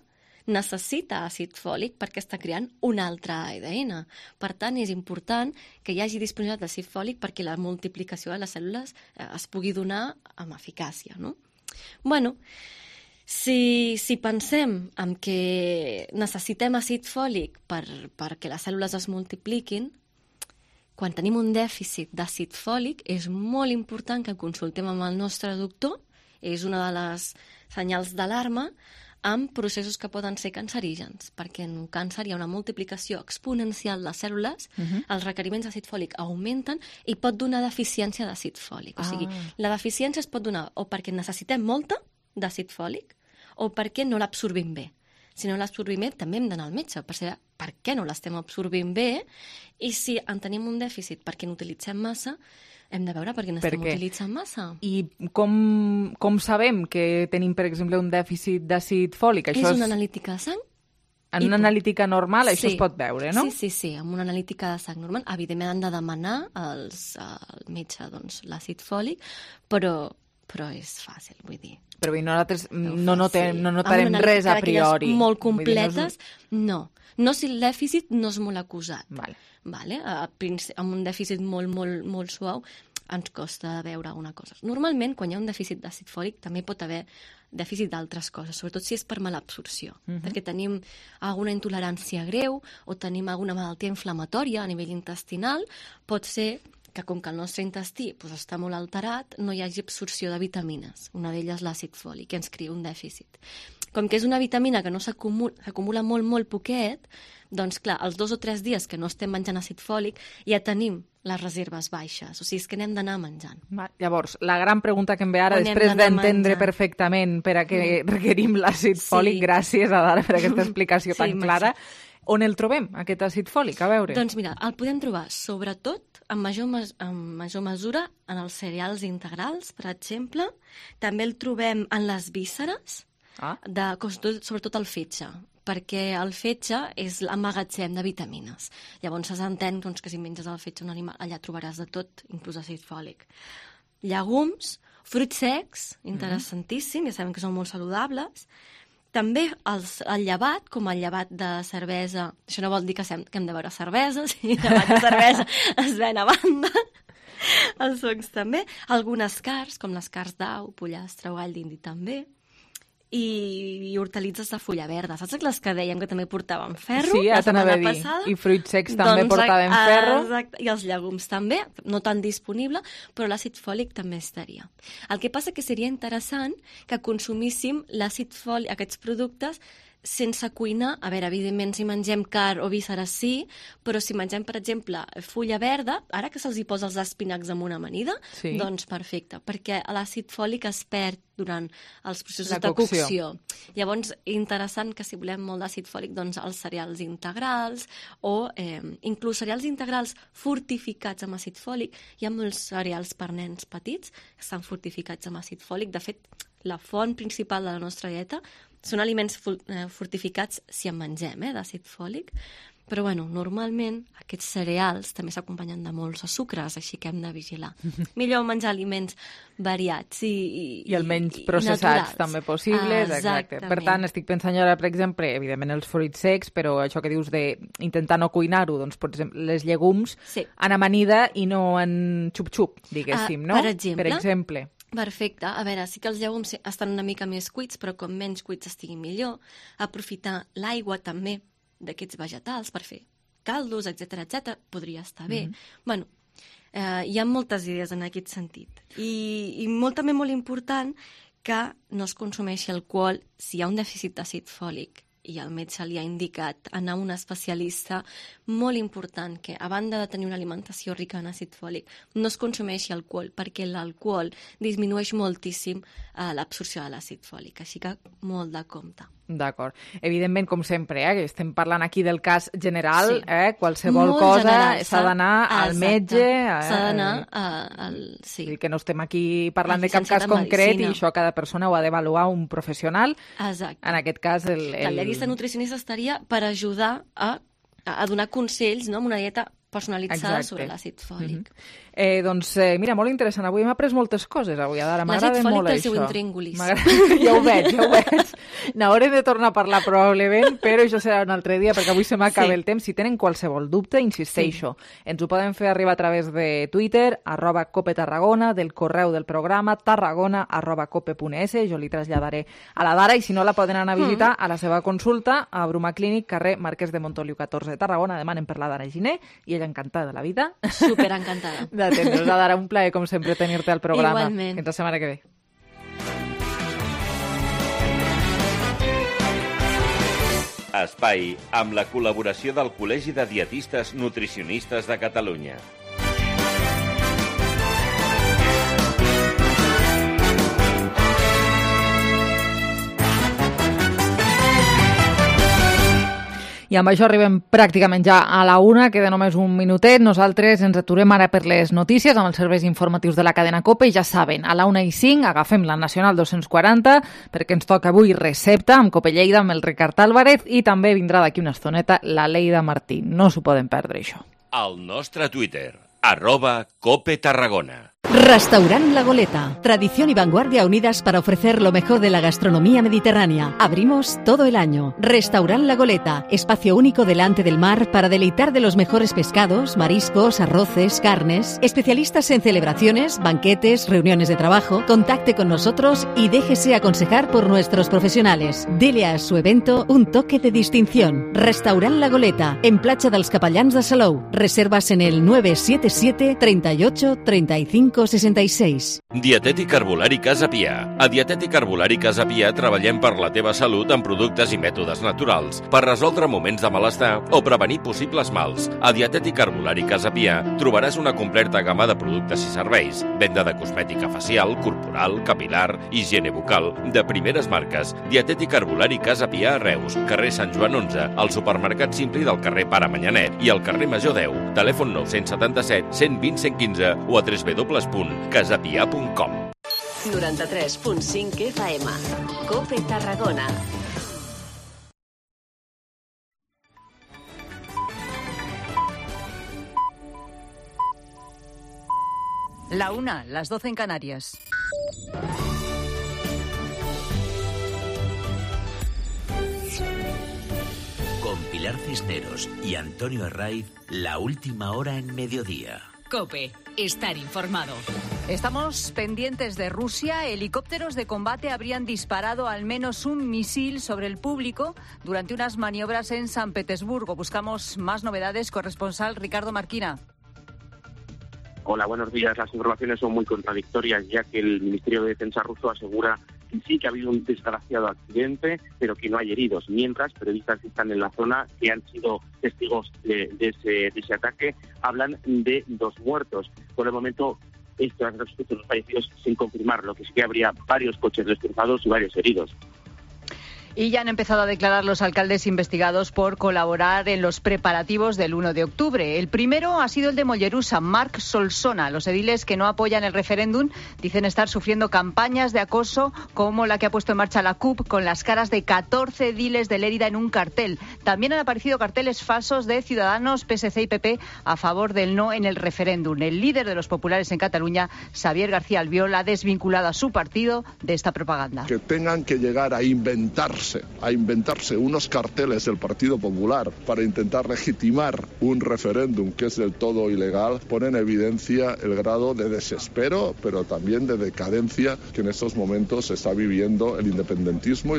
necessita àcid fòlic perquè està creant un altre A D N. Per tant, és important que hi hagi disponibilitat d'àcid fòlic perquè la multiplicació de les cèl·lules eh, es pugui donar amb eficàcia, no? Bueno, si, si pensem en que necessitem àcid fòlic per, perquè les cèl·lules es multipliquin, quan tenim un dèficit d'àcid fòlic és molt important que consultem amb el nostre doctor, és una de les senyals d'alarma, amb processos que poden ser cancerígens, perquè en un càncer hi ha una multiplicació exponencial de cèl·lules, Mhm. els requeriments d'àcid fòlic augmenten i pot donar deficiència d'àcid fòlic. O sigui, Ah. la deficiència es pot donar o perquè necessitem molta d'àcid fòlic o perquè no l'absorbim bé. Si no l'absorbim bé, també hem d'anar al metge per saber per què no l'estem absorbint bé i si en tenim un dèficit perquè n'utilitzem massa, hem de veure per què n'estem què? utilitzant massa. I com, com sabem que tenim, per exemple, un dèficit d'àcid fòlic? És una analítica de sang. En i una pot- analítica normal això Sí. es pot veure, no? Sí, sí, sí, amb una analítica de sang normal. Evidentment han de demanar als, al metge doncs, l'àcid fòlic, però, però és fàcil, vull dir. Però bé, nosaltres no, notem, no Amb notarem una res a analítica d'aquelles priori. molt Vull dir, no és- completes, no. No si el dèficit no és molt acusat. Vale. Vale? A, princi- amb un dèficit molt, molt, molt suau ens costa veure alguna cosa. Normalment, quan hi ha un dèficit d'àcid fòlic, també pot haver dèficit d'altres coses, sobretot si és per malabsorció, Mhm. perquè tenim alguna intolerància greu o tenim alguna malaltia inflamatòria a nivell intestinal, pot ser que com que el nostre intestí doncs, està molt alterat, no hi hagi absorció de vitamines. Una d'elles l'àcid fòlic, que ens crea un dèficit. com que és una vitamina que no s'acumula, s'acumula molt, molt poquet, doncs clar, els dos o tres dies que no estem menjant àcid fòlic ja tenim les reserves baixes, o sigui, és que n'hem d'anar menjant. Va, llavors, la gran pregunta que em ve ara, després d'entendre menjant. perfectament per a què mm. requerim l'àcid fòlic, sí. gràcies a Dara per aquesta explicació sí, tan clara, on el trobem, aquest àcid fòlic? A veure. Doncs mira, el podem trobar sobretot en major, en major mesura en els cereals integrals, per exemple. També el trobem en les vísceres, ah. de, sobretot el fetge, perquè el fetge és l'emmagatzem de vitamines. Llavors s'entén doncs, que si menges el fetge un animal, allà trobaràs de tot, inclús àcid fòlic. Llegums, fruits secs, interessantíssim, ja sabem que són molt saludables. També els, el llevat, com el llevat de cervesa, això no vol dir que, sem, que hem de beure cervesa, si el llevat de cervesa es ven a banda, els fongs també. Algunes carns, com les carns d'au, pollastre o gall d'indi també. I, i hortalitzes de fulla verda. Saps les que dèiem que també portaven ferro? Sí, ja t'anava a dir. Passada? I fruits secs també doncs, portaven a, ferro. Exacte. I els llegums també, no tan disponible, però l'àcid fòlic també estaria. El que passa que seria interessant que consumíssim l'àcid fòlic, aquests productes, sense cuinar. A veure, evidentment, si mengem carn o vísceres sí, però si mengem, per exemple, fulla verda, ara que se'ls hi posa els espinacs amb una amanida, sí. doncs perfecte, perquè l'àcid fòlic es perd durant els processos La de cocció. cocció. Llavors, interessant que si volem molt d'àcid fòlic, doncs els cereals integrals o eh, inclús cereals integrals fortificats amb àcid fòlic. Hi ha molts cereals per nens petits que estan fortificats amb àcid fòlic. De fet, la font principal de la nostra dieta són aliments fortificats si en mengem, eh, d'àcid fòlic. Però, bueno, normalment aquests cereals també s'acompanyen de molts sucres, així que hem de vigilar. Millor menjar aliments variats i, i, I el menys processats naturals. també possibles. Ah, exacte. Per tant, estic pensant ara, per exemple, evidentment els fruits secs, però això que dius d'intentar no cuinar-ho, doncs, per exemple, les llegums sí. en amanida i no en xup-xup, diguéssim, ah, no? Per exemple. Per exemple. Perfecte. A veure, sí que els llegums estan una mica més cuits, però com menys cuits estigui millor. Aprofitar l'aigua també d'aquests vegetals per fer caldos, etcètera, etcètera, podria estar bé. Mm-hmm. Bueno, eh, hi ha moltes idees en aquest sentit. I, i molt, també molt important que no es consumeixi alcohol si hi ha un dèficit d'àcid fòlic i el metge li ha indicat anar a un especialista. Molt important que, a banda de tenir una alimentació rica en àcid fòlic, no es consumeixi alcohol, perquè l'alcohol disminueix moltíssim eh, l'absorció de l'àcid fòlic, així que molt de compte. D'acord. Evidentment, com sempre, eh, que estem parlant aquí del cas general, sí. eh, qualsevol molt cosa general, s'ha d'anar al metge. Eh, s'ha d'anar al... Sí. Que no estem aquí parlant de cap cas concret i això cada persona ho ha d'avaluar un professional. Exacte. En aquest cas, el... el... La dietista nutricionista estaria per ajudar a, a donar consells, no?, amb una dieta personalitzada Exacte. sobre l'àcid fòlic. Mm-hmm. eh, doncs, eh, mira, molt interessant. Avui hem après moltes coses. Avui, Adara, m'agrada molt això. L'àcid fòlic té el seu intríngulis. Ja ho veig, ja ho veig. N'haurem de tornar a parlar probablement, però això serà un altre dia, perquè avui se m'acaba sí. el temps. Si tenen qualsevol dubte, insisteixo. Sí. Ens ho poden fer arribar a través de Twitter, arroba Cope Tarragona, del correu del programa, tarragona arroba cope punt es. Jo li traslladaré a la Dara i si no la poden anar a visitar mm. a la seva consulta a Bruma Clínic, carrer Marquès de Montoliu catorze de Tarragona. Demanen per la Dara Giner i ella encantada de la vida. Super encantada. D'atendre's, Dara, un plaer com sempre tenir-te al programa. Igualment. Fins la setmana que ve. Espai amb la col·laboració del Col·legi de Dietistes Nutricionistes de Catalunya. I amb això arribem pràcticament ja a la una, queda només un minutet. Nosaltres ens aturem ara per les notícies amb els serveis informatius de la cadena COPE i ja saben, a la una i cinc agafem la Nacional dos-cents quaranta perquè ens toca avui recepta amb COPE Lleida amb el Ricard Álvarez i també vindrà d'aquí una estoneta la Leida Martí. No s'ho poden perdre, això. Al nostre Twitter, arroba Cope Tarragona. Restaurant La Goleta. Tradición y vanguardia unidas para ofrecer lo mejor de la gastronomía mediterránea. Abrimos todo el año. Restaurant La Goleta. Espacio único delante del mar para deleitar de los mejores pescados, mariscos, arroces, carnes. Especialistas en celebraciones, banquetes, reuniones de trabajo. Contacte con nosotros y déjese aconsejar por nuestros profesionales. Dele a su evento un toque de distinción. Restaurant La Goleta. En Platja dels Capellans de Salou. Reservas en el nueve siete siete, treinta y ocho, treinta y cinco cinco sesenta y seis. Dietètic Herbolari Casa Pia. A Dietètic Herbolari Casa Pia treballem per la teva salut amb productes i mètodes naturals, per resoldre moments de malestar o prevenir possibles mals. A Dietètic Herbolari Casa Pia trobaràs una completa gamma de productes i serveis, venda de cosmètica facial, corporal, capilar, higiene bucal, de primeres marques. Dietètic Herbolari Casa Pia a Reus, carrer Sant Joan onze, al supermercat Simpli del carrer Pare Manyanet i al carrer Major deu. Telèfon nou setanta set, cent vint, cent quinze o a w w w punt casapia punt com. noranta-tres punt cinc F M. COPE Tarragona. La una, las doce en Canarias. Con Pilar Cisneros y Antonio Herraiz, la última hora en mediodía. COPE, estar informado. Estamos pendientes de Rusia. Helicópteros de combate habrían disparado al menos un misil sobre el público durante unas maniobras en San Petersburgo. Buscamos más novedades. Corresponsal Ricardo Marquina. Hola, buenos días. Las informaciones son muy contradictorias, ya que el Ministerio de Defensa ruso asegura que sí que ha habido un desgraciado accidente, pero que no hay heridos. Mientras, periodistas que están en la zona, que han sido testigos de, de, ese, de ese ataque, hablan de dos muertos. Por el momento, estos respecto a los fallecidos sin confirmar, lo que sí que habría varios coches destrozados y varios heridos. Y ya han empezado a declarar los alcaldes investigados por colaborar en los preparativos del uno de octubre. El primero ha sido el de Mollerusa, Marc Solsona. Los ediles que no apoyan el referéndum dicen estar sufriendo campañas de acoso como la que ha puesto en marcha la C U P con las caras de catorce ediles de Lérida en un cartel. También han aparecido carteles falsos de Ciudadanos, P S C y P P a favor del no en el referéndum. El líder de los populares en Cataluña, Xavier García Albiol, ha desvinculado a su partido de esta propaganda. Que tengan que llegar a inventarse a inventarse unos carteles del Partido Popular para intentar legitimar un referéndum que es del todo ilegal, pone en evidencia el grado de desespero, pero también de decadencia que en estos momentos está viviendo el independentismo.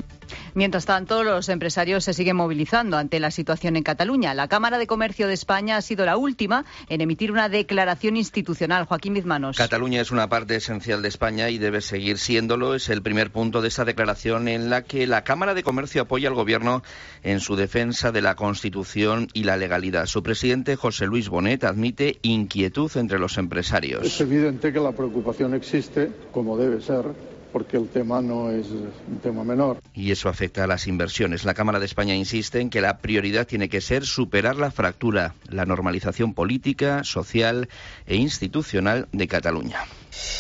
Mientras tanto, los empresarios se siguen movilizando ante la situación en Cataluña. La Cámara de Comercio de España ha sido la última en emitir una declaración institucional. Joaquín Bizmanos. Cataluña es una parte esencial de España y debe seguir siéndolo. Es el primer punto de esta declaración en la que la Cámara de Comercio apoya al Gobierno en su defensa de la Constitución y la legalidad. Su presidente, José Luis Bonet, admite inquietud entre los empresarios. Es evidente que la preocupación existe, como debe ser, porque el tema no es un tema menor. Y eso afecta a las inversiones. La Cámara de España insiste en que la prioridad tiene que ser superar la fractura, la normalización política, social e institucional de Cataluña.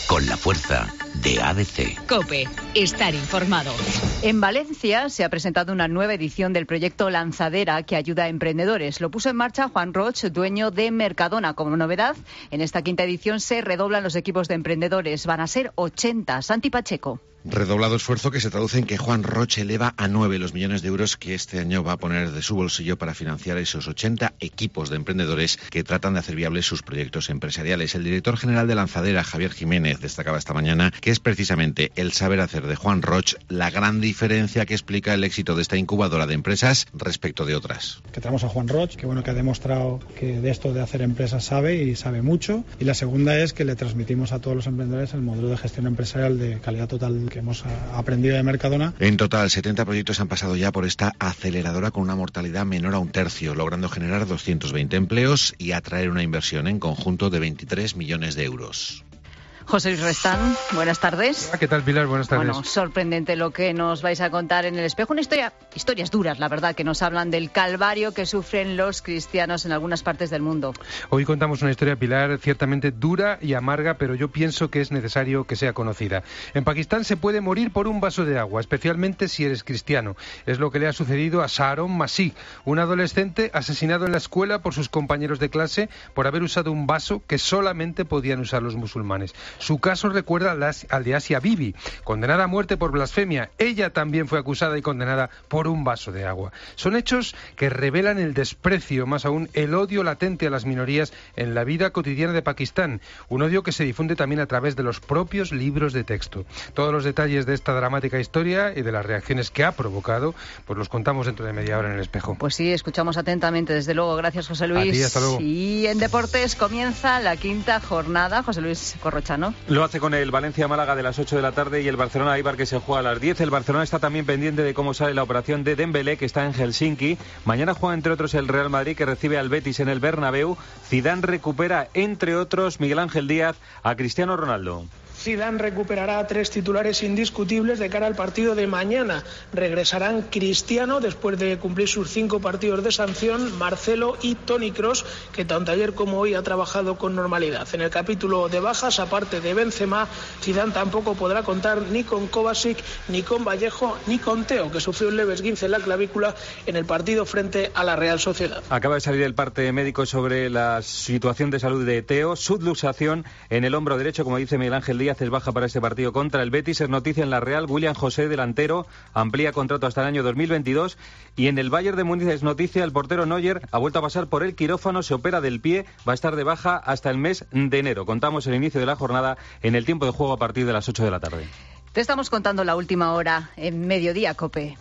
Con la fuerza de A D C. COPE, estar informado. En Valencia se ha presentado una nueva edición del proyecto Lanzadera que ayuda a emprendedores. Lo puso en marcha Juan Roch, dueño de Mercadona. Como novedad, en esta quinta edición se redoblan los equipos de emprendedores. Van a ser ochenta. Santi Pacheco. Redoblado esfuerzo que se traduce en que Juan Roche eleva a nueve los millones de euros que este año va a poner de su bolsillo para financiar esos ochenta equipos de emprendedores que tratan de hacer viables sus proyectos empresariales. El director general de Lanzadera, Javier Jiménez, destacaba esta mañana que es precisamente el saber hacer de Juan Roche la gran diferencia que explica el éxito de esta incubadora de empresas respecto de otras. Que tenemos a Juan Roche, que bueno que ha demostrado que de esto de hacer empresas sabe y sabe mucho. Y la segunda es que le transmitimos a todos los emprendedores el modelo de gestión empresarial de calidad total que hemos aprendido de Mercadona. En total, setenta proyectos han pasado ya por esta aceleradora con una mortalidad menor a un tercio, logrando generar doscientos veinte empleos y atraer una inversión en conjunto de veintitrés millones de euros. José Luis Restán, buenas tardes. ¿Qué tal, Pilar? Buenas tardes. Bueno, sorprendente lo que nos vais a contar en El Espejo. Una historia, historias duras, la verdad, que nos hablan del calvario que sufren los cristianos en algunas partes del mundo. Hoy contamos una historia, Pilar, ciertamente dura y amarga, pero yo pienso que es necesario que sea conocida. En Pakistán se puede morir por un vaso de agua, especialmente si eres cristiano. Es lo que le ha sucedido a Saharon Masih, un adolescente asesinado en la escuela por sus compañeros de clase por haber usado un vaso que solamente podían usar los musulmanes. Su caso recuerda al de Asia Bibi, condenada a muerte por blasfemia. Ella también fue acusada y condenada por un vaso de agua. Son hechos que revelan el desprecio, más aún el odio latente a las minorías en la vida cotidiana de Pakistán. Un odio que se difunde también a través de los propios libros de texto. Todos los detalles de esta dramática historia y de las reacciones que ha provocado, pues los contamos dentro de media hora en El Espejo. Pues sí, escuchamos atentamente, desde luego. Gracias, José Luis. A ti, hasta luego. Y en deportes comienza la quinta jornada. José Luis Corrochano. ¿no? Lo hace con el Valencia-Málaga de las ocho de la tarde y el Barcelona-Eibar que se juega a las diez. El Barcelona está también pendiente de cómo sale la operación de Dembélé, que está en Helsinki. Mañana juega entre otros el Real Madrid, que recibe al Betis en el Bernabéu. Zidane recupera, entre otros, Miguel Ángel Díaz, a Cristiano Ronaldo. Zidane recuperará a tres titulares indiscutibles de cara al partido de mañana. Regresarán Cristiano después de cumplir sus cinco partidos de sanción, Marcelo y Toni Kroos, que tanto ayer como hoy ha trabajado con normalidad. En el capítulo de bajas, aparte de Benzema, Zidane tampoco podrá contar ni con Kovacic, ni con Vallejo, ni con Teo, que sufrió un leve esguince en la clavícula en el partido frente a la Real Sociedad. Acaba de salir el parte médico sobre la situación de salud de Teo, subluxación en el hombro derecho, como dice Miguel Ángel Díaz. Es baja para este partido contra el Betis. Es noticia en la Real. William José, delantero, amplía contrato hasta el año dos mil veintidós. Y en el Bayern de Múnich es noticia, el portero Neuer ha vuelto a pasar por el quirófano, se opera del pie, va a estar de baja hasta el mes de enero. Contamos el inicio de la jornada en el tiempo de juego a partir de las ocho de la tarde. Te estamos contando la última hora en Mediodía, COPE.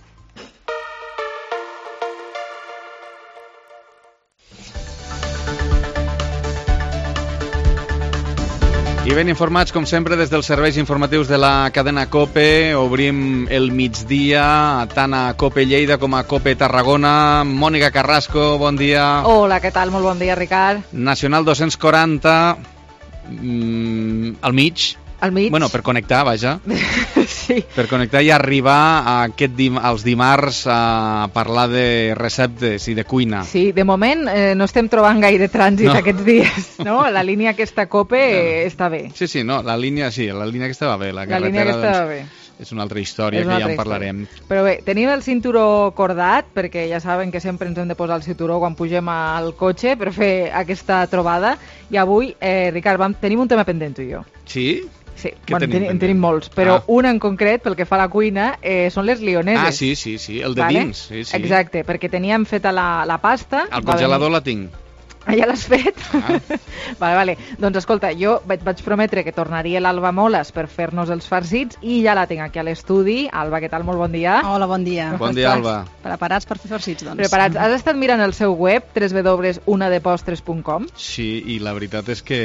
I ben informats, com sempre, des dels serveis informatius de la cadena COPE. Obrim el migdia tant a COPE Lleida com a COPE Tarragona. Mònica Carrasco, bon dia. Hola, què tal? Molt bon dia, Ricard. Nacional dos-cents quaranta, mm, al mig. Al mig. Bueno, per connectar, vaja. Sí. Per connectar i arribar a aquest dim als dimarts a parlar de receptes i de cuina. Sí, de moment eh, no estem trobant gaire trànsit no. aquests dies, no? La línia aquesta COPE eh, està bé. Sí, sí, no, la línia sí, la línia aquesta va bé. La, la línia aquesta doncs, va bé. És una altra història una que ja altra en parlarem. Història. Però bé, tenim el cinturó cordat, perquè ja saben que sempre ens hem de posar el cinturó quan pugem al cotxe per fer aquesta trobada. I avui, eh, Ricard, vam, tenim un tema pendent tu i jo. Sí? Sí, bueno, en, ten, en tenim molts, però ah. un en concret, pel que fa a la cuina, eh, són les lioneses. Ah, sí, sí, sí, el de vale? dins. Sí, sí. Exacte, perquè teníem feta la, la pasta. Al congelador la tinc. Ah, ja l'has fet? Ah. vale, vale. Doncs escolta, jo vaig, vaig prometre que tornaria l'Alba Moles per fer-nos els farcits i ja la tinc aquí a l'estudi. Alba, què tal? Molt bon dia. Hola, bon dia. Bon dia, Alba. Preparats per fer farcits, doncs. Preparats. Has estat mirant el seu web, w w w punt una de postres punt com? Sí, i la veritat és que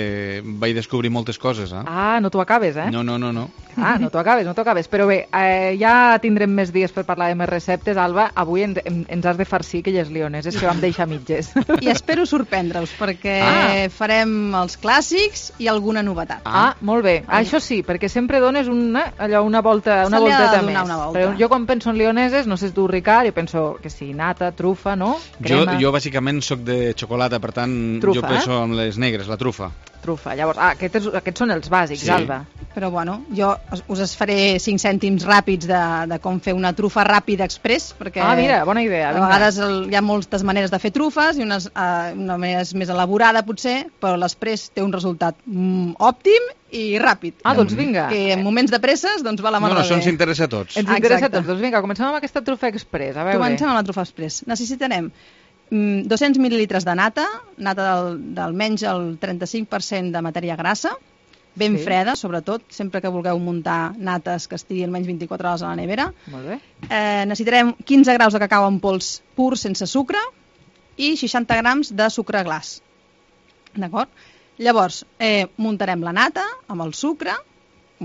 vaig descobrir moltes coses, eh? Ah, no t'ho acabes, eh? No, no, no, no. Ah, no t'ho acabes, no t'ho acabes. Però bé, eh, ja tindrem més dies per parlar de més receptes. Alba, avui en, en, ens has de farcir aquelles lioneses que vam deixar mitges. I espero sorprendre-us, perquè ah. farem els clàssics i alguna novetat. Ah, ah molt bé. Ah, això sí, perquè sempre dones una, allò, una volta, una volteta més. Una volta. Però jo quan penso en lioneses, no sé tu, Ricard, jo penso que sí, nata, trufa, no? Crema. Jo, jo bàsicament sóc de xocolata, per tant, trufa, jo penso eh? en les negres, la trufa. Trufa. Llavors, ah, aquests, aquests són els bàsics, sí. Alba. Però bueno, jo us es faré cinc cèntims ràpids de, de com fer una trufa ràpida express, perquè ah, mira, bona idea. A vegades el, hi ha moltes maneres de fer trufes i unes, uh, una manera més elaborada potser, però l'express té un resultat mm, òptim i ràpid. Ah, doncs vinga. Que en moments de presses, doncs va la mà no, no, de bé. això ens interessa a tots. Ens interessa a tots. Doncs vinga, comencem amb aquesta trufa express. A veure. Comencem amb la trufa express. Necessitarem dos-cents mil·lilitres de nata, nata d'almenys el trenta-cinc per cent de matèria grassa, ben sí. freda, sobretot, sempre que vulgueu muntar nates que estiguin almenys vint-i-quatre hores a la nevera. Molt bé. Eh, necessitarem quinze graus de cacau en pols pur sense sucre i seixanta grams de sucre glaç. D'acord? Llavors, eh, muntarem la nata amb el sucre,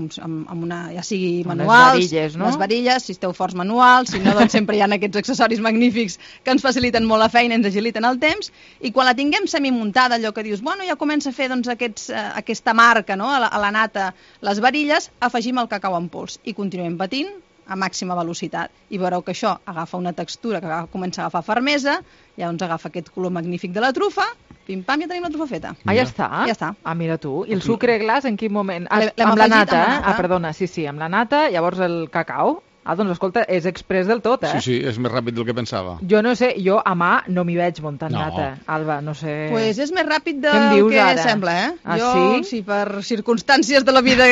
amb, amb una, ja sigui manuals, les varilles, no? les varilles, si esteu forts manuals, si no, doncs sempre hi ha aquests accessoris magnífics que ens faciliten molt la feina, ens agiliten el temps, i quan la tinguem semimuntada, allò que dius, bueno, ja comença a fer doncs, aquests, eh, aquesta marca, no? a, la, a la nata, les varilles, afegim el cacau en pols i continuem batint a màxima velocitat, i veureu que això agafa una textura que comença a agafar fermesa, llavors agafa aquest color magnífic de la trufa, pim-pam, ja tenim la trufa feta. Ah, ja està? Ja està. Ah, mira tu. I el sucre glaç en quin moment? Ah, L'hem amb la nata, amb la eh? nata. Ah, perdona, sí, sí, amb la nata, llavors el cacau. Ah, doncs escolta, és express del tot, eh? Sí, sí, és més ràpid del que pensava. Jo no sé, jo a mà no m'hi veig muntant no. nata, Alba, no sé... Pues és més ràpid del que ara? sembla, eh? Ah, jo, sí? sí, per circumstàncies de la vida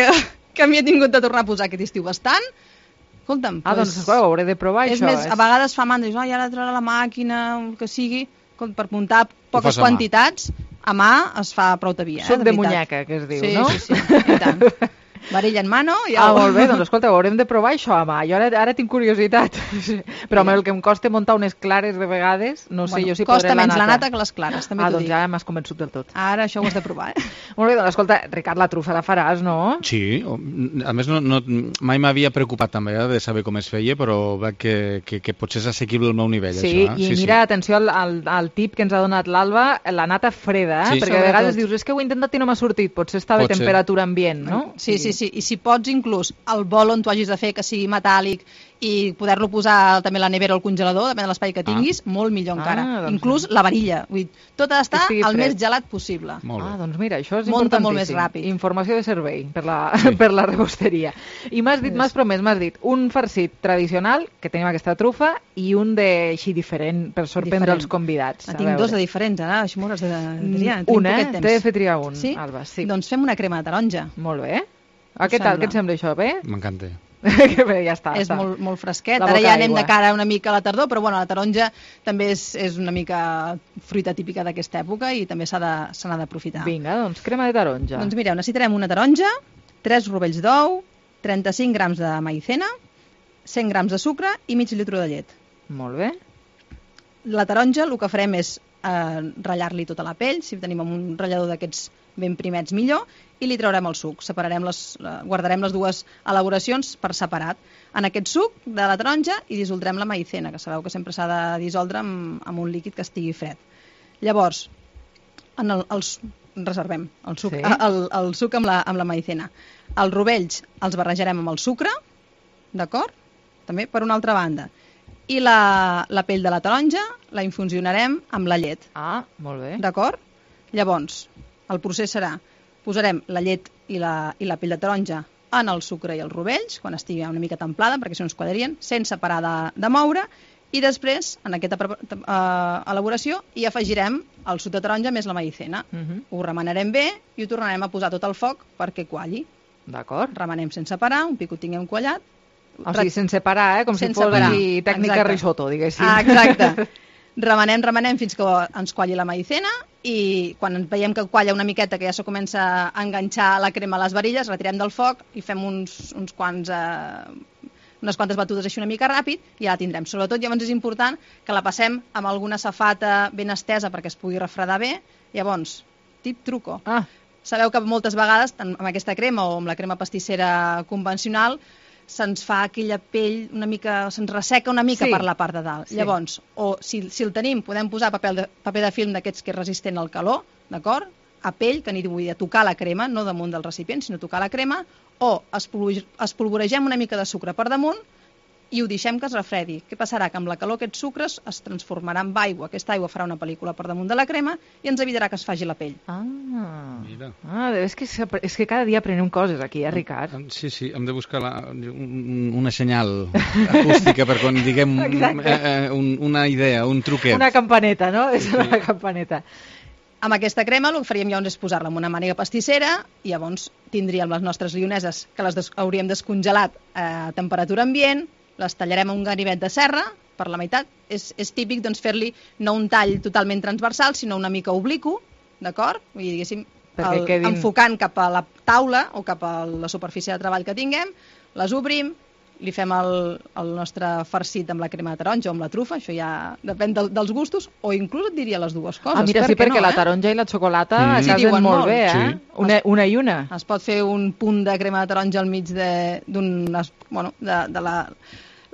que m'hi he tingut de tornar a posar aquest estiu bastant, escolta'm... Ah, pues, doncs escolta, ho hauré de provar, és això. Més, és... A vegades fa mandra, dius, ai, ara traurà la màquina, el que sigui, per muntar poques quantitats, a mà es fa prou de via, eh, Suc de, de veritat. munyeca, que es diu, sí, no? Sí, sí, sí, i tant. Varilla en mano i Ah, au. molt bé, doncs escolta, ho haurem de provar això a mà. Jo ara, ara tinc curiositat. Però amb el que em costa muntar unes clares de vegades, no sé Bueno, jo si costa podré la menys nata. la nata que les clares, també Ah, t'ho doncs dic. ja m'has convençut del tot. Ara això ho has de provar, eh? Molt bé, doncs escolta, Ricard, la trufa la faràs, no? Sí, o- a més no, no, mai m'havia preocupat també eh, de saber com es feia, però veig que, que, que potser és assequible al meu nivell, Sí, això. Eh? i mira, atenció al, al, al tip que ens ha donat l'Alba, la nata freda, eh? Sí. Perquè a vegades Sobretot. dius, és que ho he intentat i no m'ha sortit, potser estava a Pot ser. temperatura ambient, no? Sí, sí, sí. I si pots inclús el bol on tu hagis de fer que sigui metàl·lic i poder-lo posar també a la nevera o al congelador, depèn de l'espai que tinguis, ah. molt millor encara. Ah, doncs Inclús la varilla. Vull dir, tot ha Que d'estar estigui el fred. més gelat possible. Ah, doncs mira, això és Monta importantíssim. molt més ràpid. Informació de servei per la, sí. per la rebosteria. I m'has dit, m'has promès, m'has dit, un farcit tradicional, que tenim aquesta trufa, i un de així diferent, per sorprendre Diferent. els convidats. En A tinc veure. dos de diferents, ara, això m'ho has de triar. Un, eh? T'he de fer triar un, sí? Alba, sí. Doncs fem una crema de taronja. Molt bé. Ah, què tal? Què et sembla això, bé? M'encanta. Que bé, ja està. És està. molt, molt fresquet. La Ara boca ja anem aigua. de cara una mica a la tardor, però bueno, la taronja també és, és una mica fruita típica d'aquesta època i també s'ha de- se n'ha d'aprofitar. Vinga, doncs crema de taronja. Doncs mireu, necessitarem una taronja, tres rovells d'ou, trenta-cinc grams de maïzena, cent grams de sucre i mig litre de llet. Molt bé. La taronja el que farem és eh, ratllar-li tota la pell, si tenim un ratllador d'aquests ben primets millor, i li traurem el suc. Separarem les, eh, guardarem les dues elaboracions per separat. En aquest suc de la taronja hi dissoldrem la maïzena, que sabeu que sempre s'ha de dissoldre amb, amb un líquid que estigui fred. Llavors, en el, els, reservem el suc, Sí. el, el suc amb la, amb la maïzena. Els rovells els barrejarem amb el sucre, d'acord? També per una altra banda. I la, la pell de la taronja la infusionarem amb la llet. Ah, molt bé. D'acord? Llavors, el procés serà, posarem la llet i la, i la pell de taronja en el sucre i els rovells, quan estigui una mica templada, perquè si no es quadrarien, sense parar de, de moure, i després, en aquesta uh, elaboració, hi afegirem el suc de taronja més la maïzena. Uh -huh. Ho remenarem bé i ho tornarem a posar tot al foc perquè qualli. D'acord. Remenem sense parar, un pic ho tinguem quallat. O sigui, sense parar, eh? Com Sense si fos parar. aquí tècnica Exacte. risotto, diguéssim. Ah, exacte. Remenem, remenem fins que ens qualli la maïzena i quan veiem que qualla una miqueta, que ja se comença a enganxar la crema a les varilles, retirem del foc i fem uns, uns quants... Eh, unes quantes batudes així una mica ràpid i ja la tindrem. Sobretot llavors és important que la passem amb alguna safata ben estesa perquè es pugui refredar bé. Llavors, tip truco. Ah. Sabeu que moltes vegades, tant amb aquesta crema o amb la crema pastissera convencional, se'ns fa aquella pell una mica, se'ns resseca una mica Sí. per la part de dalt. Sí. Llavors, o si, si el tenim, podem posar paper de, paper de film d'aquests que és resistent al calor, d'acord? A pell, que n'hi vull dir, a tocar la crema, no damunt del recipient, sinó tocar la crema, o espolvo- espolvoregem una mica de sucre per damunt i ho deixem que es refredi. Què passarà? Que amb la calor aquests sucres es transformarà en aigua. Aquesta aigua farà una pel·lícula per damunt de la crema i ens evitarà que es faci la pell. Ah, Mira. ah és, que, s'apre- és que cada dia aprenem coses aquí, eh, Ricard? Sí, sí, hem de buscar la, un, una senyal acústica per quan diguem Exacte. eh, eh, un, una idea, un truquet. Una campaneta, no? És una campaneta. Amb aquesta crema el que faríem llavors és posar-la en una màniga pastissera i llavors tindríem les nostres lioneses que les des hauríem descongelat a temperatura ambient, les tallarem a un ganivet de serra per la meitat. És, és típic doncs, fer-li no un tall totalment transversal, sinó una mica obliqu, d'acord? Vull dir, diguéssim, Perquè el, quedin- enfocant cap a la taula o cap a la superfície de treball que tinguem, les obrim, li fem el, el nostre farcit amb la crema de taronja o amb la trufa, això ja depèn del, dels gustos, o inclús et diria les dues coses. Ah, mira, sí, per què perquè no, la eh? taronja i la xocolata Mm. mm. Sí, casen diuen molt molt. bé, eh? Sí. Una, una i una. Es pot fer un punt de crema de taronja al mig de- d'un... Bueno, de, de la,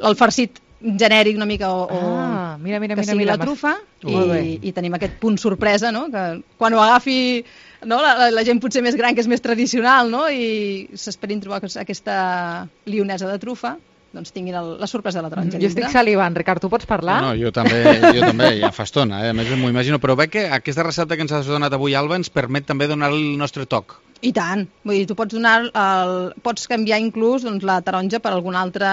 el farcit genèric una mica o, Ah, mira, mira, que mira, sigui mira, la m'has- trufa Molt bé. i, i tenim aquest punt sorpresa, no? Que quan ho agafi no? la, la, la gent potser més gran, que és més tradicional, no? I s'esperin trobar aquesta lionesa de trufa, doncs tinguin el, la sorpresa de la taronja. Jo estic salivant. Ricard, tu pots parlar? No, jo també, jo també, ja fa estona, eh? A més m'ho imagino, però veig que aquesta recepta que ens has donat avui, Alba, ens permet també donar-li el nostre toc. I tant, vull dir, tu pots donar el, pots canviar inclús doncs, la taronja per algun altre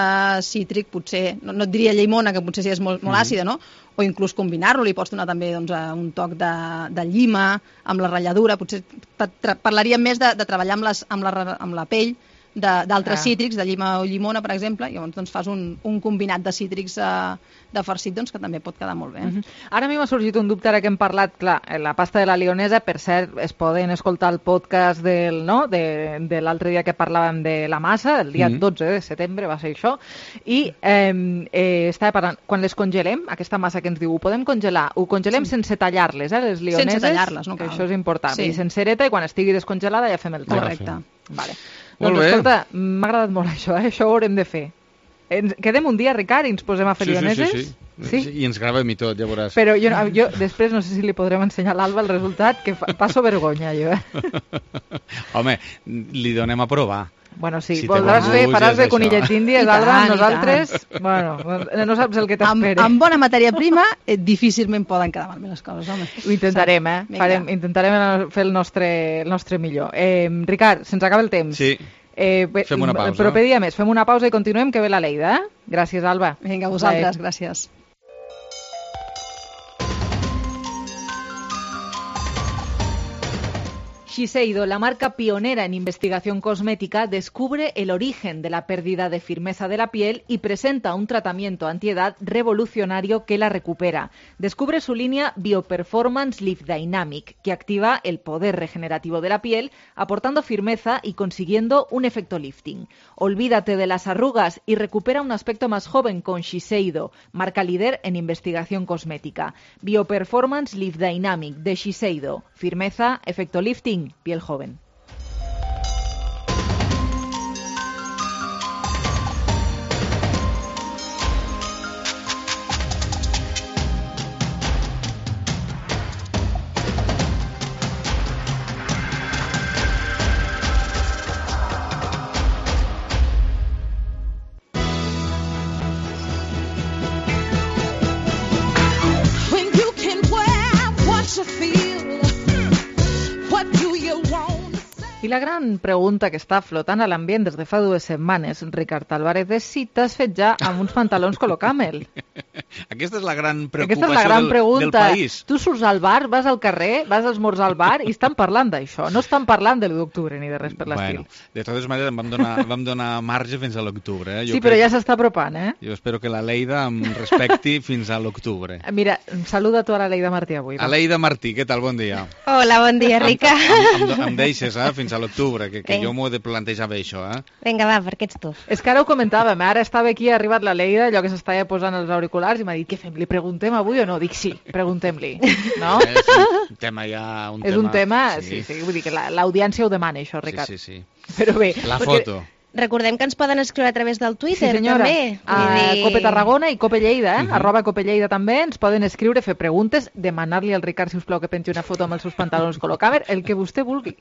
cítric, potser, no, no et diria llimona, que potser sí és molt, molt Mhm. àcida, no? O inclús combinar-lo, li pots donar també doncs, eh, un toc de, de llima, amb la ratlladura, potser pa- tra- parlaríem més de, de treballar amb, les, amb, la, ra- amb la pell, d'altres Ah. cítrics, de llima o llimona, per exemple, i llavors doncs, fas un, un combinat de cítrics eh, de farcit doncs, que també pot quedar molt bé. Uh -huh. Ara a mi m'ha sorgit un dubte ara que hem parlat, clar, la pasta de la lionesa, per cert, es poden escoltar el podcast del, no? de, de l'altre dia que parlàvem de la massa, el dia Mhm. dotze de setembre va ser això, i eh, eh, estava parlant, quan les congelem, aquesta massa que ens diu, ho podem congelar, ho congelem Sí. sense tallar-les, eh, les lioneses, Sense tallar-les, no que cal. això és important, Sí. i sencereta, i quan estigui descongelada ja fem el tall. Correcte. Vale. Molt Doncs bé. escolta, m'ha agradat molt això, eh? Això ho haurem de fer. Ens quedem un dia, Ricard, i ens posem a fer Sí, sí, lioneses? sí, sí, sí. I ens gravem i tot, ja veuràs. Però jo, jo després no sé si li podrem ensenyar a l'Alba el resultat, que fa, passo vergonya, jo. Eh? Home, li donem a provar. Bueno, sí, Si té voldràs bon fer, gust, faràs és de això. conillets índies, I Alba, tant, i nosaltres, bueno, no saps el que Amb, t'espera. amb bona matèria prima, eh, difícilment poden quedar malament les coses, home. Ho intentarem, eh? Vinga. Farem, intentarem fer el nostre, el nostre millor. Eh, Ricard, se'ns acaba el temps. Sí. Eh, bé, Fem una pausa. Però pedia més, fem una pausa i continuem, que ve la Leida, eh? Gràcies, Alba. Vinga, a vosaltres, Bye. gràcies. Shiseido, la marca pionera en investigación cosmética, descubre el origen de la pérdida de firmeza de la piel y presenta un tratamiento antiedad revolucionario que la recupera. Descubre su línea Bioperformance Lift Dynamic, que activa el poder regenerativo de la piel, aportando firmeza y consiguiendo un efecto lifting. Olvídate de las arrugas y recupera un aspecto más joven con Shiseido, marca líder en investigación cosmética. Bioperformance Lift Dynamic de Shiseido. Firmeza, efecto lifting, piel joven. When you can wear what you feel, what do you want? I la gran pregunta que està flotant a l'ambient des de fa dues setmanes, Ricard Álvarez, és si t'has fet ja amb uns pantalons Colocamel. Aquesta és la gran Aquesta preocupació és la gran del, pregunta. del país. Tu surts al bar, vas al carrer, vas a esmorzar al bar i estan parlant d'això. No estan parlant de l'u d'octubre ni de res per l'estil. Bueno, de totes maneres em vam donar, vam donar marge fins a l'octubre. Eh? Jo Sí, però crec- ja s'està apropant, eh? Jo espero que la Leida em respecti fins a l'octubre. Mira, saluda tu a la Leida Martí avui. va. Aleida Martí, què tal? Bon dia. Hola, bon dia, Rica. Em, em, em deixes, eh? Fins a l'octubre, que, que Vinga. jo m'ho he de plantejar bé, això, eh? Vinga, va, perquè ets tu. És que ara ho comentàvem, eh? Ara estava aquí, ha arribat la Leida, allò que s'estava posant els auriculars, i m'ha dit, què fem, li preguntem avui o no? Dic, sí, preguntem-li, no? És un tema ja... Un És tema, un tema, sí, sí, vull dir que la- l'audiència ho demana, això, Ricard. Sí, sí, sí. Però bé... La perquè- foto. Recordem que ens poden escriure a través del Sí, Twitter, senyora. també. A Vull dir- Cope Tarragona i Cope Lleida, eh? Mhm. Arroba Cope Lleida també, ens poden escriure, fer preguntes, demanar-li al Ricard, si us plau, que pengi una foto amb els seus pantalons Colocàmer, el que vostè vulgui.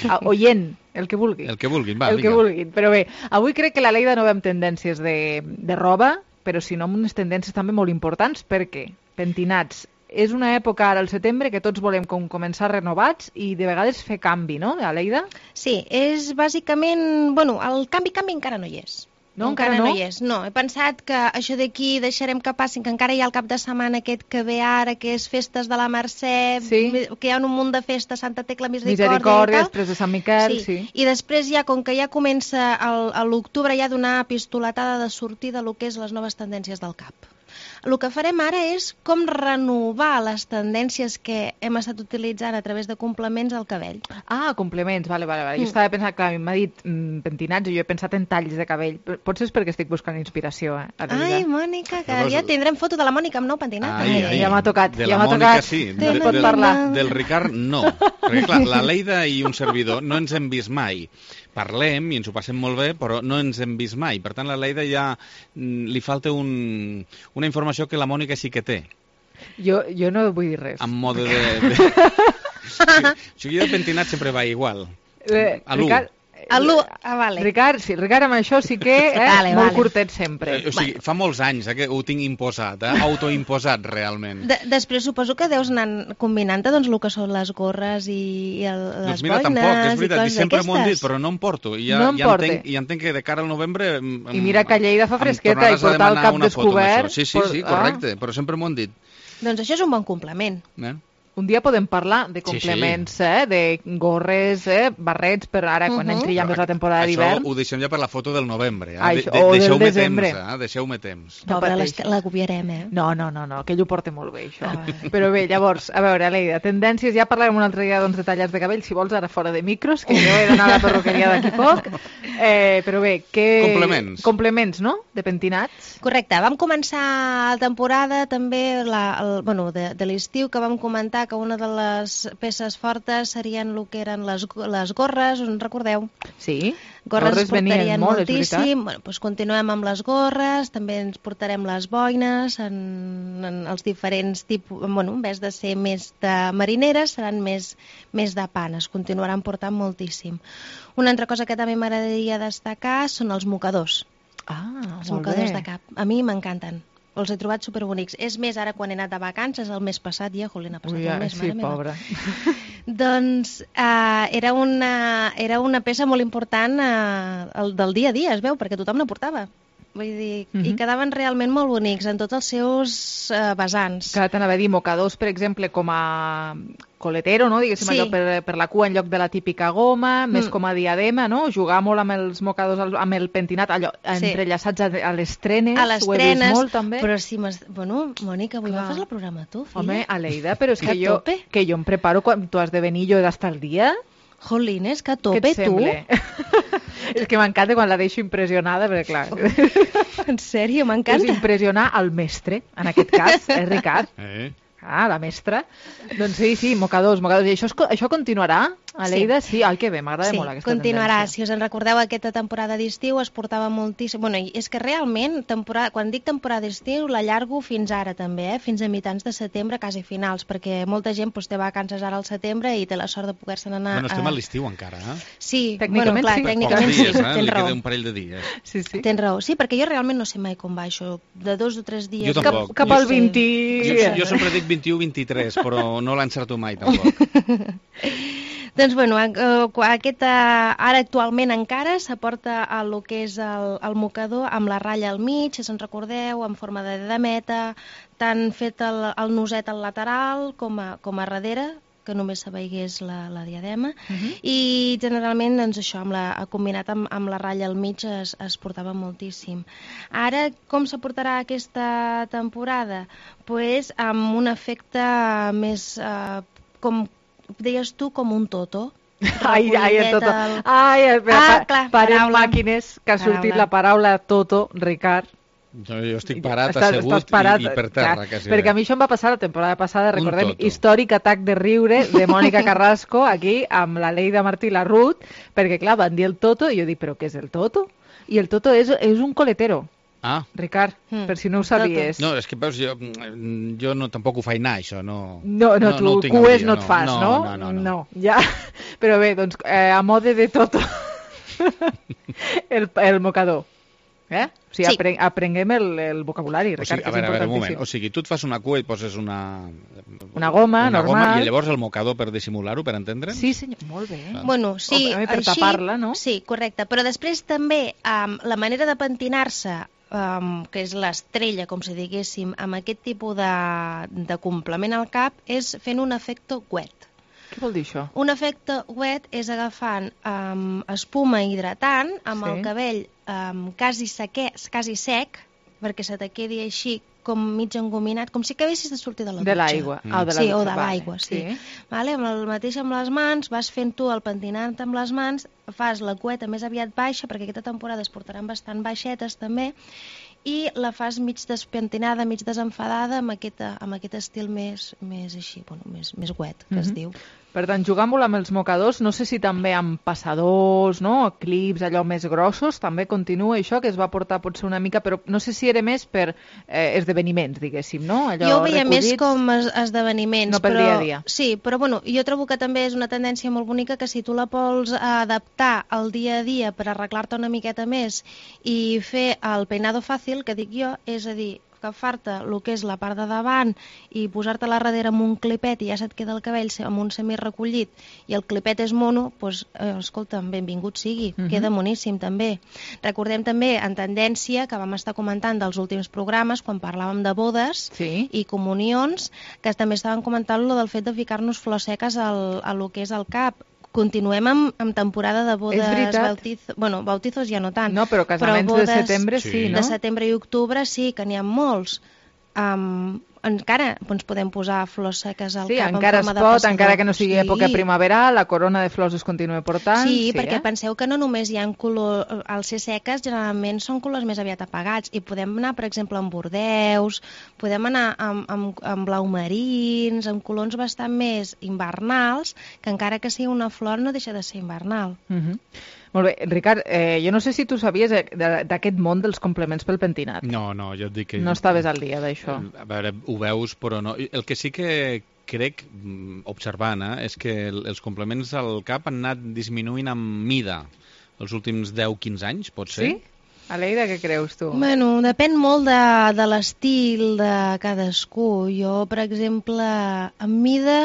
Ah, oient, el que vulgui. El que vulguin, va, el que vinga. vulguin. Però bé, avui crec que la Leida no ve amb tendències de, de roba, però sinó amb unes tendències també molt importants, perquè pentinats. És una època ara al setembre que tots volem com començar renovats i de vegades fer canvi, no, Aleida? Sí, és bàsicament... Bueno, el canvi-canvi encara no hi és. No, encara no? no hi és. No, he pensat que això d'aquí deixarem que passin, que encara hi ha el cap de setmana aquest que ve ara, que és festes de la Mercè, Sí. que hi ha un munt de festes, Santa Tecla, Misericòrdia, Misericòrdia, i tal. després de Sant Miquel, sí. I després ja, com que ja comença el- a l'octubre, ja donar pistoletada de sortida a lo que és les noves tendències del cap. El que farem ara és com renovar les tendències que hem estat utilitzant a través de complements al cabell. Ah, complements, vale, vale, vale. Jo Mm. estava pensant, clar, m'ha dit mm, pentinats i jo he pensat en talls de cabell. Però potser és perquè estic buscant inspiració, eh? Aleida. Ai, Mònica, que Llavors- ja tindrem foto de la Mònica amb nou pentinat. Ai, ai, ja m'ha tocat, de ja la m'ha Mònica, tocat. sí. Te De, pot del, parlar. del Ricard, no. Perquè, clar, la Leida i un servidor no ens hem vist mai. Parlem i ens ho passem molt bé, però no ens hem vist mai. Per tant, la Leida ja mm, li falta un, una informació que la Mònica sí que té, Jo, jo no vull dir res. en mode de... de... o sigui, jo de pentinat sempre va igual. Eh, A l'u. Ricard, A l'u, ah, vale. Ricard, sí, Ricard, amb això sí que, eh, Vale, molt vale. curtet sempre. Eh, o sigui, fa molts anys eh, que ho tinc imposat, eh? autoimposat realment. De després suposo que deus anar combinant-te doncs, el que són les gorres i, i el, les Doncs mira, boines tampoc, és i veritat, i coses sempre m'ho han dit, d'aquestes. però no em porto. I ja, No em ja, porte. entenc, ja entenc que de cara al novembre... em- I em- mira que a Lleida fa em fresqueta i tornaràs a portar el demanar cap una foto amb descobert... això. Sí, sí, sí, por- ah. correcte, però sempre m'ho han dit. Doncs això és un bon complement. Eh? Un dia podem parlar de complements, sí, sí. eh? De gorres, eh? barrets, per ara, quan uh -huh. entri ja més la temporada d'hivern. Això ho deixem ja per la foto del novembre. Eh? Això, de, o de, del desembre. Temps, eh? Deixeu-me temps. No, però la copiarem, eh? No, no, no, no, que ell ho porta molt bé, això. Ah. Però bé, llavors, a veure, Aleida, tendències, ja parlarem un altre dia doncs, de tallats de cabell, si vols, ara fora de micros, que jo he d'anar a la perruqueria d'aquí poc. Eh, però bé, que... Complements. Complements, no?, de pentinats. Correcte, vam començar la temporada també, la, el, bueno, de, de l'estiu, que vam comentar que una de les peces fortes serien el que eren les, les gorres, us en recordeu? Sí, gorres, gorres portarien molt, moltíssim. Bueno, doncs continuem amb les gorres, també ens portarem les boines, en, en els diferents tipus, bueno, en vez de ser més de marineres, seran més, més de panes, continuaran portant moltíssim. Una altra cosa que també m'agradaria destacar són els mocadors. Ah, els mocadors de cap. A mi m'encanten. Els he trobat superbonics. És més, ara quan he anat de vacances, el mes passat, ja, jolín, ha passat Ui, un mes, sí, mare pobra. Doncs uh, era, una, era una peça molt important uh, el, del dia a dia, es veu, perquè tothom la portava. Vull dir, uh -huh. i quedaven realment molt bonics en tots els seus uh, vessants. Que t'anava a dir, mocadors, per exemple, com a coletero, no? Diguéssim, sí. allò per, per la cua en lloc de la típica goma, mm. més com a diadema, no? Jugar molt amb els mocadors, amb el pentinat, allò, sí. entrellaçats a, a les trenes, a les ho he trenes, vist molt, també. Però si m'has... Bueno, Mònica, avui Clar. fas el programa tu, filla. Home, Aleida, però és que, que jo, que jo em preparo quan tu has de venir, jo he d'estar al dia. Jolines, que a tope, tu. És que m'encanta quan la deixo impressionada, perquè clar... En sèrio, m'encanta. És impressionar el mestre, en aquest cas, eh, Ricard? Eh. Ah, la mestra. Doncs sí, sí, mocadors, mocadors. I això, es, això continuarà? Aleida, sí. sí. Ai, que bé, m'agrada sí, molt aquesta continuarà. tendència. Si us en recordeu, aquesta temporada d'estiu es portava moltíssim... Bueno, és que realment, temporada... quan dic temporada d'estiu, l'allargo fins ara també, eh? Fins a mitjans de setembre, quasi finals, perquè molta gent doncs, té vacances ara al setembre i té la sort de poder-se'n anar... Bueno, estem a a l'estiu encara, eh? Sí, tècnicament, bueno, clar, sí. tècnicament dies, sí, eh? tens Li raó. queda un parell de dies. Sí, sí. Tens raó, sí, perquè jo realment no sé mai com va això, de dos o tres dies... Jo tampoc. Cap, cap al vint... Jo, jo sempre dic vint-i-u vint-i-tres, però no l'encerto mai, tampoc. Doncs, bueno, aquest, ara actualment encara s'aporta a lo que és el, el mocador amb la ratlla al mig, si se'n recordeu, en forma de diademeta, tant fet el, el noset al lateral com a, com a darrere, que només se veigués la, la diadema, uh -huh. i generalment doncs, això, amb la, combinat amb, amb la ratlla al mig es, es portava moltíssim. Ara, com se portarà aquesta temporada? Pues amb un efecte més, eh, com deies tu, com un toto. Ai, ai, el toto. Ai, espera, ah, clar, parem màquines, que ha sortit la paraula toto, Ricard. Jo, jo estic parat, estàs, assegut estàs parat, i, i per terra, clar, quasi. Perquè a mi això em va passar la temporada passada, recordem, històric atac de riure de Mònica Carrasco, aquí, amb la Leida Martí i la Ruth, perquè, clar, van dir el toto, i jo dic, però què és el toto? I el toto és, és un coletero. Ah. Ricard, mm. per si no ho sabies. No, és que veus, jo, jo no, tampoc ho faig anar, això, no... No, no, no tu no cues no et fas, no? No, no, no. no. no ja. Però bé, doncs, eh, a mode de toto, el, el mocador. Eh? O sigui, sí. apren aprenguem el, el vocabulari, Ricard, o sigui, a veure, a veure, un moment. O sigui, tu et fas una cua i poses una... Una goma, una normal. Goma, i llavors el mocador per dissimular-ho, per entendre'ns? Sí, senyor, molt bé. Ah. Bueno, sí, o, per tapar-la, no? Sí, correcte. Però després també, um, la manera de pentinar-se, um, que és l'estrella, com si diguéssim, amb aquest tipus de, de complement al cap, és fent un efecte wet. Què vol dir això? Un efecte wet és agafant um, espuma hidratant amb sí. el cabell um, quasi, seque, quasi sec, perquè se te quedi així com mig engominat, com si acabessis de sortir de la dutxa. De l'aigua. Mm. Oh, de sí, o de l'aigua, vale. sí. sí. Vale, amb el mateix amb les mans, vas fent tu el pentinat amb les mans, fas la cueta més aviat baixa, perquè aquesta temporada es portaran bastant baixetes també, i la fas mig despentinada, mig desenfadada, amb aquest, amb aquest estil més, més així, bueno, més, més wet, que mm-hmm. es diu. Per tant, jugar molt amb els mocadors, no sé si també amb passadors, no? Clips allò més grossos, també continua això, que es va portar potser una mica, però no sé si era més per eh, esdeveniments, diguéssim, no? Allò jo ho veia recollits, més com es esdeveniments. No per però, dia a dia. Sí, però bueno, jo trobo que també és una tendència molt bonica que si tu la vols adaptar al dia a dia per arreglar-te una miqueta més i fer el peinado fàcil, que dic jo, és a dir, agafar-te el que és la part de davant i posar-te-la darrere amb un clipet i ja se't queda el cabell amb un semirecollit i el clipet és mono, doncs, eh, escolta'm, benvingut sigui, uh-huh. queda moníssim també. Recordem també en tendència que vam estar comentant dels últims programes quan parlàvem de bodes sí. i comunions, que també estaven comentant lo del fet de ficar-nos flors seques al, a lo que és el cap. Continuem amb, amb temporada de bodes, bautizo, bueno, bautizos ja no tant. No, però casaments però bodes, de setembre sí, no? De setembre i octubre sí, que n'hi ha molts. Um, encara ens podem posar flors seques al sí, cap en encara forma es de pot, passador. encara que no sigui sí. època primaveral, la corona de flors es continua portant. Sí, sí perquè eh? penseu que no només hi ha color... Al ser seques generalment són colors més aviat apagats i podem anar, per exemple, amb bordeus, podem anar amb, amb, amb blau marins, amb colors bastant més invernals, que encara que sigui una flor no deixa de ser invernal. Uh-huh. Molt bé, Ricard, eh, jo no sé si tu sabies d'aquest món dels complements pel pentinat. No, no, jo et dic que... No estaves al dia d'això. A veure, ho veus, però no. El que sí que crec, observant, eh, és que els complements al cap han anat disminuint amb mida els últims deu a quinze anys, pot ser? Sí? Aleida, què creus tu? Bueno, depèn molt de, de l'estil de cadascú. Jo, per exemple, en mida...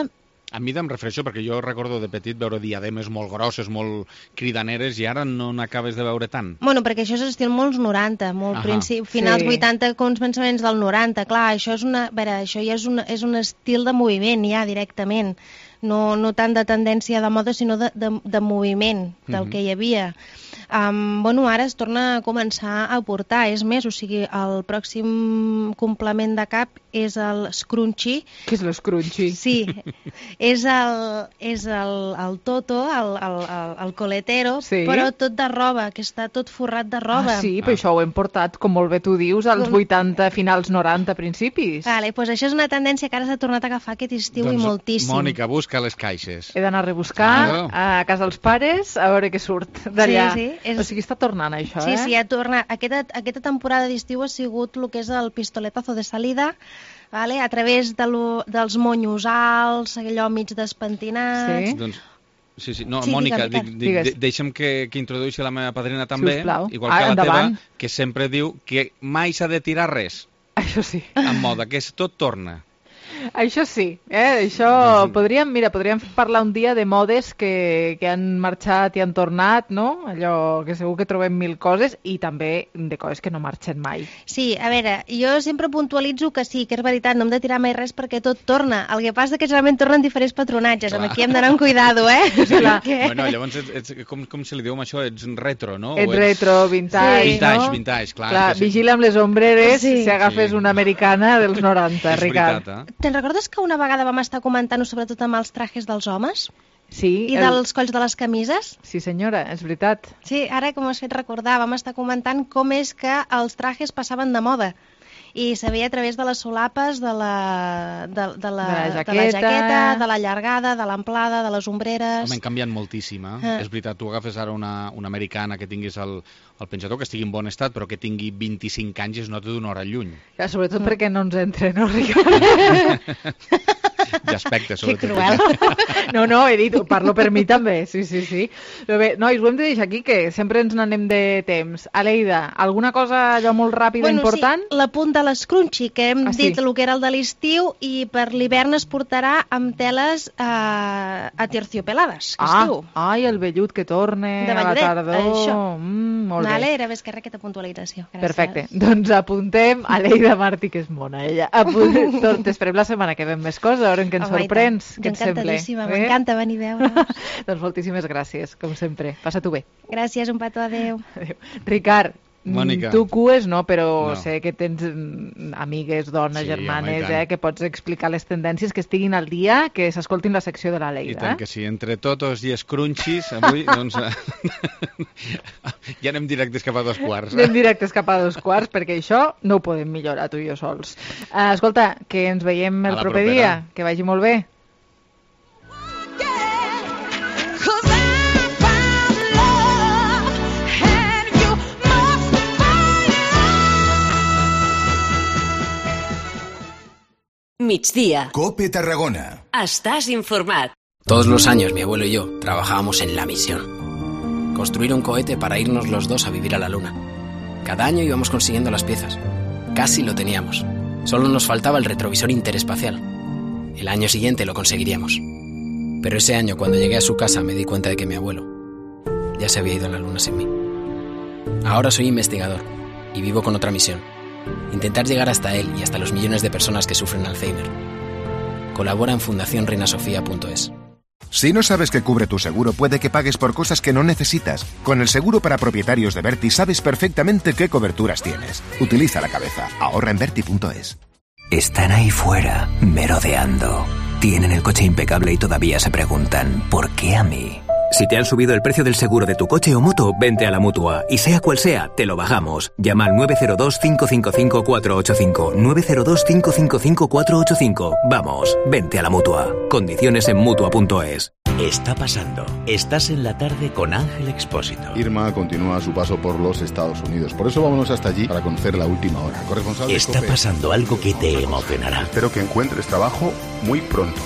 A mi em refereixo perquè jo recordo de petit veure diademes molt grosses, molt cridaneres, i ara no n'acabes de veure tant. Bueno, perquè això és estil molts noranta, molt principi, finals sí. vuitanta, com els pensaments del noranta. Clar, això és una, a veure, això ja és, una, és un estil de moviment ja directament. No, no tant de tendència de moda, sinó de, de, de moviment del mm-hmm. que hi havia. Um, bueno, ara es torna a començar a portar, és més, o sigui, el pròxim complement de cap és el scrunchie. Què és l'escrunchie? Sí, és el, és el, el toto, el, el, el, el coletero, sí? Però tot de roba, que està tot forrat de roba. Ah, sí, però ah. això ho hem portat, com molt bé tu dius, als vuitanta, finals noranta, principis. Vale, doncs això és una tendència que ara s'ha tornat a agafar aquest estiu doncs, i moltíssim. Mònica, busca les caixes. He d'anar a rebuscar ah, a casa dels pares a veure què surt d'allà. Sí, sí. És... O sigui, està tornant això, sí, eh? Sí, sí, ja torna. Aquesta, aquesta temporada d'estiu ha sigut el que és el pistoletazo de salida, vale? A través de lo, dels monyos alts, allò mig despentinats... Sí? Doncs... Sí, sí. No, sí, Mònica, dic, dic, deixa'm que, que introdueixi la meva padrina també, sisplau. Igual ah, que la endavant. teva, que sempre diu que mai s'ha de tirar res. Això sí. En moda, que tot torna. Això sí, eh? Això doncs... podríem, mira, podríem parlar un dia de modes que, que han marxat i han tornat, no? Allò que segur que trobem mil coses i també de coses que no marxen mai. Sí, a veure, jo sempre puntualitzo que sí, que és veritat, no hem de tirar mai res perquè tot torna. El que passa és que generalment tornen diferents patronatges, clar. Amb aquí hem d'anar amb cuidado, eh? Clar. Bueno, llavors, ets, ets, com, com se li diu amb això? Ets retro, no? Ets, ets... retro, vintage, sí. Vintage, no? vintage, clar. Clar, sí. Vigila amb les ombreres sí. Si agafes sí. una americana dels noranta, és Ricard. Veritat, eh? Te'n recordes que una vegada vam estar comentant-ho sobretot amb els trajes dels homes? Sí. I el... dels colls de les camises? Sí, senyora, és veritat. Sí, ara que m'ho has fet recordar, vam estar comentant com és que els trajes passaven de moda. I se veia a través de les solapes, de la, de, de la, de la, jaqueta. de la jaqueta, de la llargada, de l'amplada, de les ombreres... Home, han canviat moltíssim, eh? Ah. És veritat, tu agafes ara una, una americana que tinguis el, el penjador, que estigui en bon estat, però que tingui vint-i-cinc anys es nota d'una hora lluny. Ja, sobretot mm. perquè no ens entra, no, Ricard? D'aspecte, sobretot. Que cruel. No, no, he dit, parlo per mi també, sí, sí, sí. Però bé, nois, ho hem de deixar aquí, que sempre ens n'anem de temps. Aleida, alguna cosa allò molt ràpida, bueno, important? Sí, la punta de l'escrunchi, que hem ah, dit sí. el que era el de l'estiu, i per l'hivern es portarà amb teles eh, aterciopelades, que ah, es diu. Ai, el vellut que torne de a la tardor. Això. Mm, molt vale, bé. Era més que res aquesta puntualització. Gràcies. Perfecte. Doncs apuntem a Aleida Martí, que és mona, ella. Apuntem. T'esperem la setmana que ve més coses, a veure en què ens oh, sorprens. Jo encantadíssima, m'encanta venir a veure. Doncs moltíssimes gràcies, com sempre. Passa-t'ho bé. Gràcies, un petó, adeu. Adéu. Ricard, Mònica. Tu cues no, però no. sé que tens amigues, dones, sí, germanes, home, eh, que pots explicar les tendències, que estiguin al dia, que s'escoltin la secció de la Leida. I tant que sí, entre totos i scrunchies, avui, doncs, ja anem directes cap a dos quarts. Eh? Anem directes cap a dos quarts, perquè això no ho podem millorar tu i jo sols. Uh, escolta, que ens veiem el proper propera. dia, que vagi molt bé. Migdia. COPE Tarragona. Estás informat. Todos los años mi abuelo y yo trabajábamos en la misión. Construir un cohete para irnos los dos a vivir a la luna. Cada año íbamos consiguiendo las piezas. Casi lo teníamos. Solo nos faltaba el retrovisor interespacial. El año siguiente lo conseguiríamos. Pero ese año, cuando llegué a su casa, me di cuenta de que mi abuelo ya se había ido a la luna sin mí. Ahora soy investigador y vivo con otra misión. Intentar llegar hasta él y hasta los millones de personas que sufren Alzheimer. Colabora en fundación reina sofía punto es. Si no sabes qué cubre tu seguro, puede que pagues por cosas que no necesitas. Con el seguro para propietarios de Berti sabes perfectamente qué coberturas tienes. Utiliza la cabeza. Ahorra en Berti punto es. Están ahí fuera, merodeando. Tienen el coche impecable y todavía se preguntan, ¿por qué a mí? Si te han subido el precio del seguro de tu coche o moto, vente a la Mutua. Y sea cual sea, te lo bajamos. Llama al nueve cero dos, cinco cinco cinco, cuatro ocho cinco. nueve cero dos, cinco cinco cinco, cuatro ocho cinco. Vamos, vente a la Mutua. Condiciones en Mutua punto es. Está pasando. Estás en la tarde con Ángel Expósito. Irma continúa su paso por los Estados Unidos. Por eso vámonos hasta allí para conocer la última hora. Corresponsal Está Cope. pasando algo que te emocionará. Espero que encuentres trabajo muy pronto.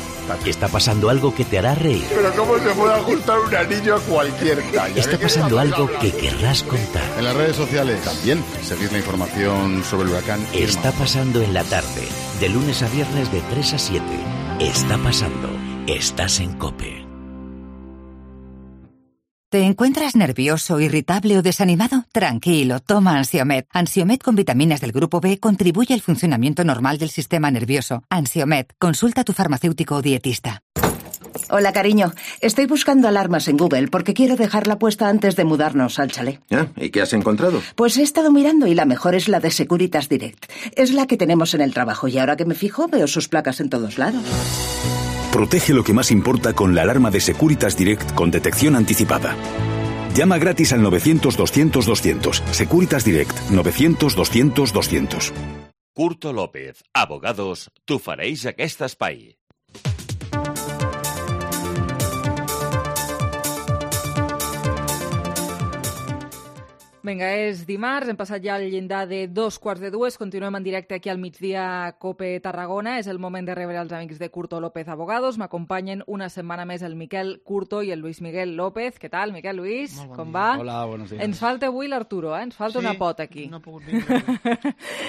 Está pasando algo que te hará reír. Pero ¿cómo se puede ajustar un anillo a cualquier talla? Está pasando algo que querrás contar. En las redes sociales también seguís la información sobre el huracán Irma. Está pasando en la tarde, de lunes a viernes de tres a siete. Está pasando. Estás en COPE. ¿Te encuentras nervioso, irritable o desanimado? Tranquilo, toma Ansiomed. Ansiomed con vitaminas del grupo B contribuye al funcionamiento normal del sistema nervioso. Ansiomed, consulta a tu farmacéutico o dietista. Hola, cariño. Estoy buscando alarmas en Google porque quiero dejarla puesta antes de mudarnos al chalet. ¿Ah? ¿Y qué has encontrado? Pues he estado mirando y la mejor es la de Securitas Direct. Es la que tenemos en el trabajo y ahora que me fijo veo sus placas en todos lados. Protege lo que más importa con la alarma de Securitas Direct con detección anticipada. Llama gratis al novecientos, doscientos, doscientos. Securitas Direct, novecientos, doscientos, doscientos. Curto López, abogados, tu fareix aquest espai. Vinga, és dimarts, hem passat ja el llindar de dos quarts de dues, continuem en directe aquí al migdia Cope Tarragona, és el moment de rebre els amics de Curto López Abogados, m'acompanyen una setmana més el Miquel Curto i el Luis Miguel López. Què tal, Miquel, Luis? Bon Com dia. va? Hola, buenos días. Ens falta avui l'Arturo, eh? Ens falta Sí, una pota aquí. no ha pogut vindre.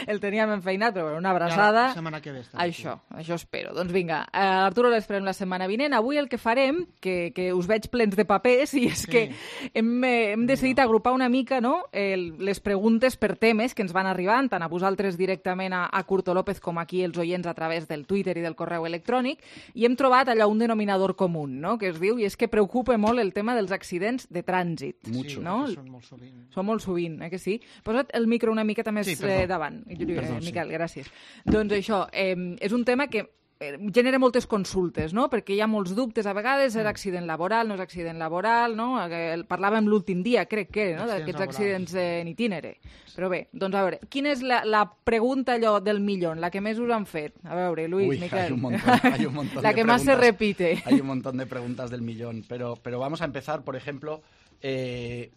El teníem enfeinat, però bueno, una abraçada. Ja la setmana que ve està Això, això espero. Doncs vinga, eh, Arturo l'esperem la setmana vinent. Avui el que farem, que, que us veig plens de papers, i és Sí. que hem, eh, hem decidit agrupar una mica, no?, el, les preguntes per temes que ens van arribant, tant a vosaltres directament a, a Curto López com aquí els oients a través del Twitter i del correu electrònic, i hem trobat allà un denominador comú, no?, que es diu, i és que preocupa molt el tema dels accidents de trànsit. Mucho. No? Sí, són molt sovint. Són molt sovint, eh, que sí? Posa't el micro una miqueta més Sí, perdó. eh, davant, eh, Perdó, sí. Miquel, gràcies. Doncs això, eh, és un tema que eh, genera moltes consultes, no?, perquè hi ha molts dubtes a vegades, és accident laboral, no és accident laboral, no?, el, parlàvem l'últim dia, crec que, no?, d'aquests accidents en itinere. Però bé, doncs a veure, quina és la, la pregunta allò del millón, la que més us han fet? A veure, Luis, Uy, Miquel. hay un montón, hay un montón la de que más se preguntas. repite. Hay un montón de preguntas del millón, pero, pero vamos a empezar, por ejemplo, eh,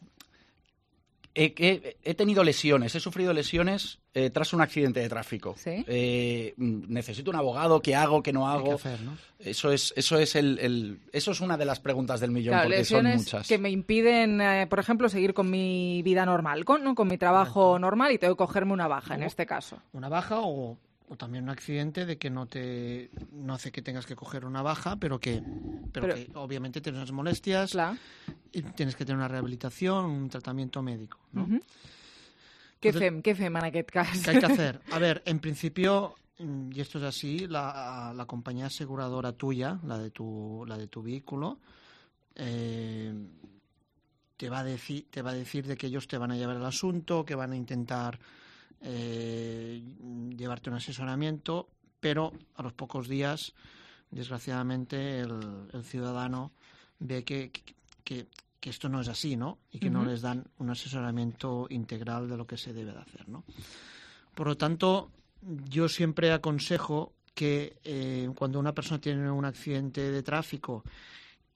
he, he- he tenido lesiones, he sufrido lesiones eh, tras un accidente de tráfico. ¿Sí? Eh, mm, necesito un abogado, ¿qué hago, qué no hago? que hacer, ¿no? Eso es, eso es el, el- eso es una de las preguntas del millón, Claro, porque son lesiones muchas. que me impiden, eh, por ejemplo, seguir con mi vida normal, con, ¿no?, con mi trabajo normal, y tengo que cogerme una baja en O- este caso. Una baja o, o también un accidente de que no te no hace que tengas que coger una baja, pero que, pero Pero- que obviamente tienes unas molestias y tienes que tener una rehabilitación, un tratamiento médico, ¿no? Mhm. Què Entonces- fem, què fem en aquest cas? ¿Qué hay que hacer? A ver, en principio, mm, y esto es así, la, la compañía aseguradora tuya, la de tu, la de tu vehículo, eh, te va a decir, te va a decir de que ellos te van a llevar el asunto, que van a intentar eh, llevarte un asesoramiento, pero a los pocos días, desgraciadamente, el, el ciudadano ve que, que, que- que esto no es así, ¿no? Y que no Ujú. les dan un asesoramiento integral de lo que se debe de hacer, ¿no? Por lo tanto, yo siempre aconsejo que eh, cuando una persona tiene un accidente de tráfico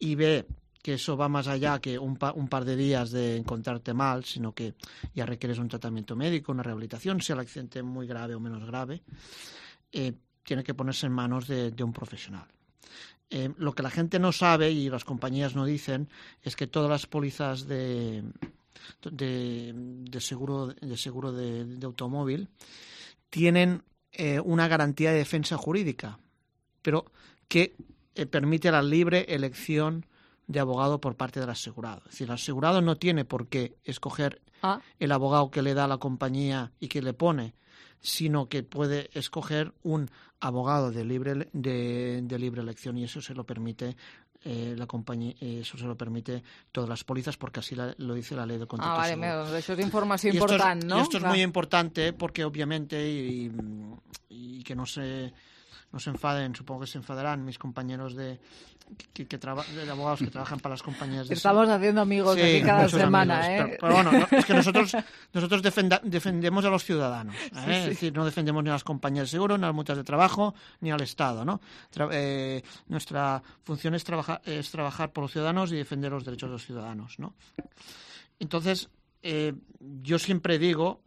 y ve que eso va más allá que un, pa- un par de días de encontrarte mal, sino que ya requieres un tratamiento médico, una rehabilitación, sea el accidente muy grave o menos grave, eh, tiene que ponerse en manos de, de un profesional. Eh, lo que la gente no sabe y las compañías no dicen es que todas las pólizas de, de, de seguro, de, seguro de, de automóvil tienen eh, una garantía de defensa jurídica, pero que eh, permite la libre elección de abogado por parte del asegurado. Es decir, el asegurado no tiene por qué escoger ah. el abogado que le da la compañía y que le pone, sino que puede escoger un abogado de libre de, de libre elección, y eso se lo permite eh, la compañía, eh, eso se lo permite todas las pólizas, porque así la, lo dice la ley de contrato. Ah, vale, seguro. eso es información importante, ¿no? Y esto es muy importante porque obviamente, y, y que no se no se enfaden, supongo que se enfadarán mis compañeros de que, que traba, de abogados que trabajan para las compañías de Estamos haciendo amigos sí, aquí cada semana, amigos, ¿eh? Pero, pero bueno, no, es que nosotros nosotros defenda, defendemos a los ciudadanos, ¿eh? Sí, sí. Es decir, no defendemos ni a las compañías de seguro, ni a las multas de trabajo, ni al Estado, ¿no? Tra eh, nuestra función es, trabaja, es trabajar por los ciudadanos y defender los derechos de los ciudadanos, ¿no? Entonces, eh, yo siempre digo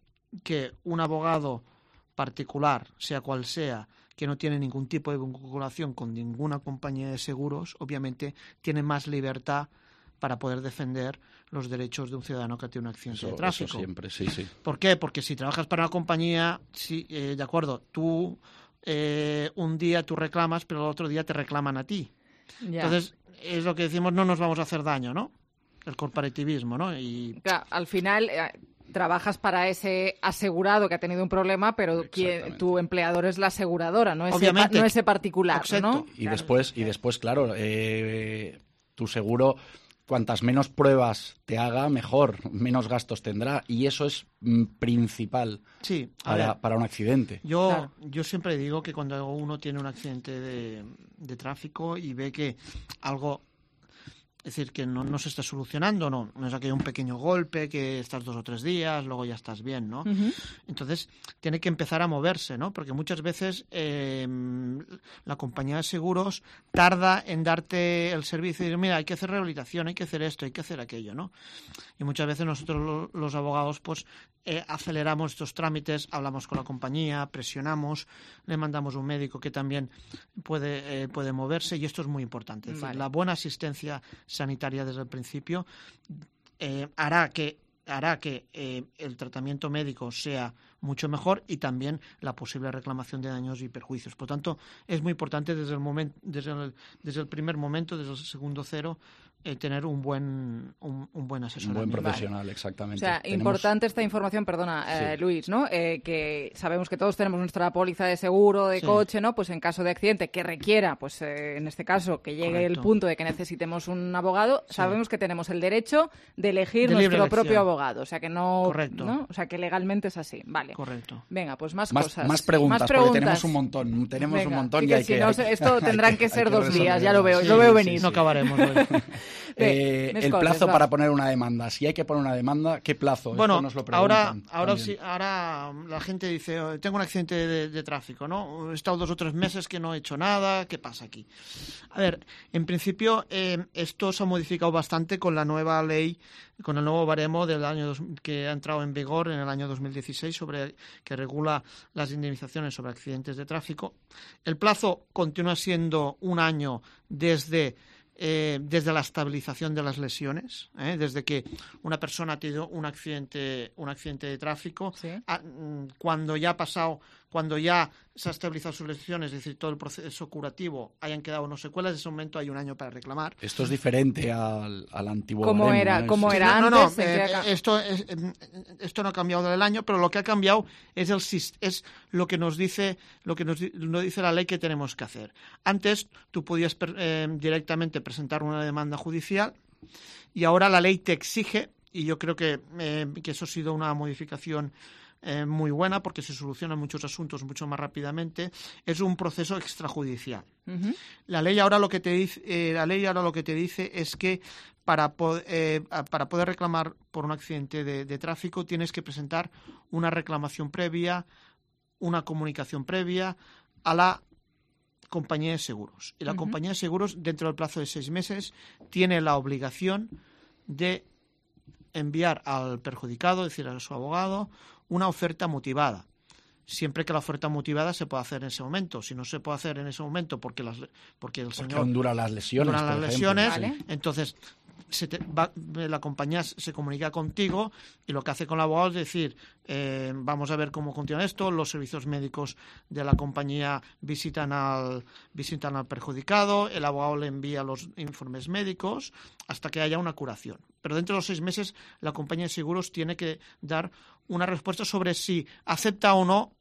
que un abogado particular, sea cual sea, que no tiene ningún tipo de vinculación con ninguna compañía de seguros, obviamente tiene más libertad para poder defender los derechos de un ciudadano que tiene un accidente eso, de tráfico. Eso siempre, sí, sí. ¿Por qué? Porque si trabajas para una compañía, sí, eh, de acuerdo, tú eh, un día tú reclamas, pero el otro día te reclaman a ti. Ya. Entonces, es lo que decimos, no nos vamos a hacer daño, ¿no? El corporativismo, ¿no? Y claro, al final eh, trabajas para ese asegurado que ha tenido un problema, pero quien, tu empleador es la aseguradora, no ese, pa, no ese particular, ¿no? Y claro. después, y después, claro, eh, tu seguro, cuantas menos pruebas te haga, mejor, menos gastos tendrá, y eso es mm, principal sí, para, ver, para un accidente. Yo, claro. yo siempre digo que cuando uno tiene un accidente de, de tráfico y ve que algo... Es decir, que no, no se está solucionando, no, no es aquello un pequeño golpe, que estás dos o tres días, luego ya estás bien, ¿no? Uh-huh. Entonces, tiene que empezar a moverse, ¿no? Porque muchas veces eh, la compañía de seguros tarda en darte el servicio y decir, mira, hay que hacer rehabilitación, hay que hacer esto, hay que hacer aquello, ¿no? Y muchas veces nosotros los abogados, pues, eh, aceleramos estos trámites, hablamos con la compañía, presionamos, le mandamos un médico que también puede, eh, puede moverse, y esto es muy importante. Es decir, vale. La buena asistencia sanitaria desde el principio eh, hará que hará que eh, el tratamiento médico sea mucho mejor, y también la posible reclamación de daños y perjuicios. Por tanto, es muy importante desde el momento, desde el, desde el primer momento, desde el segundo cero, eh, tener un buen un, un buen asesoramiento. Un buen profesional, vale. Exactamente. O sea, Tenemos... importante esta información, perdona, eh, sí. Luis, ¿no? Eh, que sabemos que todos tenemos nuestra póliza de seguro de sí. coche, ¿no? Pues en caso de accidente que requiera, pues eh, en este caso, que llegue Correcto. El punto de que necesitemos un abogado, sí. sabemos que tenemos el derecho de elegir de nuestro propio abogado. O sea, que no, Correcto. ¿no? O sea, que legalmente es así. Vale. Correcto. Venga, pues más, más cosas. Más preguntas, más preguntas, porque tenemos un montón. Tenemos Venga, un montón y, y hay si que... no, hay, esto tendrán que, que ser dos que días, ya lo veo, sí, lo veo sí, venir. Sí, no acabaremos hoy. eh, el coses, plazo va. para poner una demanda. Si hay que poner una demanda, ¿qué plazo? Bueno, Esto nos lo ahora, ahora, sí, ahora la gente dice, oh, tengo un accidente de, de tráfico, ¿no? He estado dos o tres meses que no he hecho nada, ¿qué pasa aquí? A ver, en principio eh, esto se ha modificado bastante con la nueva ley, con el nuevo baremo del año dos, que ha entrado en vigor en el año dos mil dieciséis, sobre que regula las indemnizaciones sobre accidentes de tráfico. El plazo continúa siendo un año desde Eh, desde la estabilización de las lesiones, ¿eh? Desde que una persona ha tenido un accidente, un accidente de tráfico, ¿sí? a, cuando ya ha pasado, cuando ya se ha estabilizado sus lesiones, es decir, todo el proceso curativo, hayan quedado no secuelas, en ese momento hay un año para reclamar. Esto es diferente al, al antiguo ¿Cómo baremo, era, ¿no? ¿cómo sí. era no, antes? No, no, eh, esto, es, esto no ha cambiado del año, pero lo que ha cambiado es, el, es lo que nos dice lo que nos, nos dice la ley que tenemos que hacer. Antes tú podías eh, directamente presentar una demanda judicial, y ahora la ley te exige, y yo creo que, eh, que eso ha sido una modificación eh, muy buena, porque se solucionan muchos asuntos mucho más rápidamente, es un proceso extrajudicial. Uh-huh. La ley ahora lo que te dice, eh, la ley ahora lo que te dice es que para, po- eh, para poder reclamar por un accidente de, de tráfico tienes que presentar una reclamación previa, una comunicación previa a la compañía de seguros. Y la uh-huh. compañía de seguros, dentro del plazo de seis meses, tiene la obligación de enviar al perjudicado, es decir, a su abogado, una oferta motivada. Siempre que la oferta motivada se pueda hacer en ese momento. Si no se puede hacer en ese momento porque, las, porque el porque señor... duran las lesiones, duran las por lesiones, ejemplo, ¿vale? Entonces se te va, la compañía se comunica contigo y lo que hace con el abogado es decir, eh, vamos a ver cómo continúa esto, los servicios médicos de la compañía visitan al, visitan al perjudicado, el abogado le envía los informes médicos hasta que haya una curación. Pero dentro de los seis meses la compañía de seguros tiene que dar una respuesta sobre si acepta o no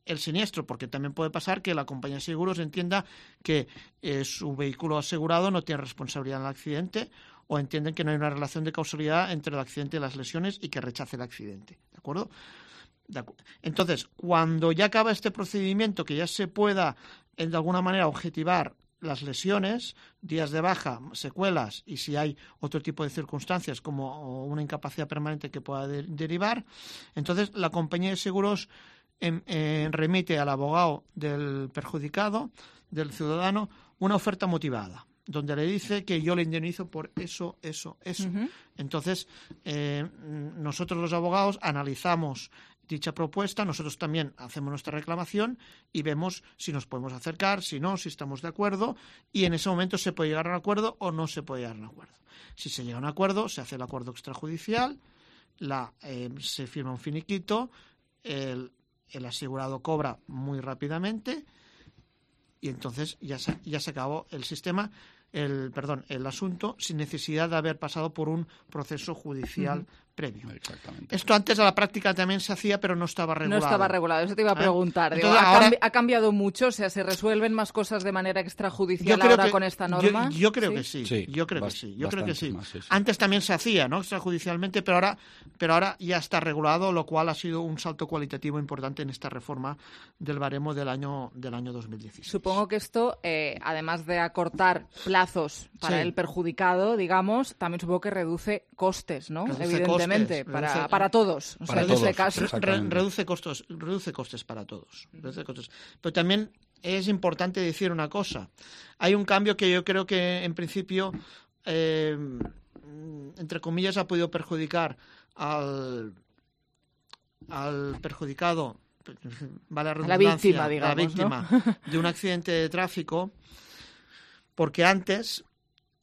el siniestro, porque también puede pasar que la compañía de seguros entienda que eh, su vehículo asegurado no tiene responsabilidad en el accidente, o entienden que no hay una relación de causalidad entre el accidente y las lesiones y que rechace el accidente. ¿De acuerdo? De acu- Entonces, cuando ya acaba este procedimiento, que ya se pueda, eh, de alguna manera, objetivar las lesiones, días de baja, secuelas y si hay otro tipo de circunstancias como una incapacidad permanente que pueda de- derivar, entonces la compañía de seguros en, en, remite al abogado del perjudicado, del ciudadano, una oferta motivada, donde le dice que yo le indemnizo por eso, eso, eso. Uh-huh. Entonces, eh, nosotros los abogados analizamos dicha propuesta, nosotros también hacemos nuestra reclamación y vemos si nos podemos acercar, si no, si estamos de acuerdo, y en ese momento se puede llegar a un acuerdo o no se puede llegar a un acuerdo. Si se llega a un acuerdo, se hace el acuerdo extrajudicial, la, eh, se firma un finiquito, el, el asegurado cobra muy rápidamente y entonces ya se, ya se acabó el sistema, el perdón, el asunto sin necesidad de haber pasado por un proceso judicial uh-huh. previo. Exactamente. Esto antes a la práctica también se hacía, pero no estaba regulado. No estaba regulado, eso te iba a preguntar. ¿Eh? Digo, Entonces, ¿ha, ahora... cambi- ¿Ha cambiado mucho? O sea, ¿se resuelven más cosas de manera extrajudicial yo creo ahora que, con esta norma? Yo, yo creo ¿Sí? que sí, sí yo creo bast- que sí, yo creo que sí. Más, sí, sí. Antes también se hacía, ¿no? Extrajudicialmente, pero ahora, pero ahora ya está regulado, lo cual ha sido un salto cualitativo importante en esta reforma del baremo del año del año dos mil dieciséis. Supongo que esto, eh, además de acortar plazos para sí. el perjudicado, digamos, también supongo que reduce costes, ¿no? Reduce Evidentemente, costes, para, reduce, para todos. O para sea, todos, en este caso. Re, reduce costos, reduce costes para todos. Reduce costes. Pero también es importante decir una cosa. Hay un cambio que yo creo que en principio, eh, entre comillas, ha podido perjudicar al, al perjudicado, vale la redundancia, la víctima, digamos, la víctima ¿no? de un accidente de tráfico, porque antes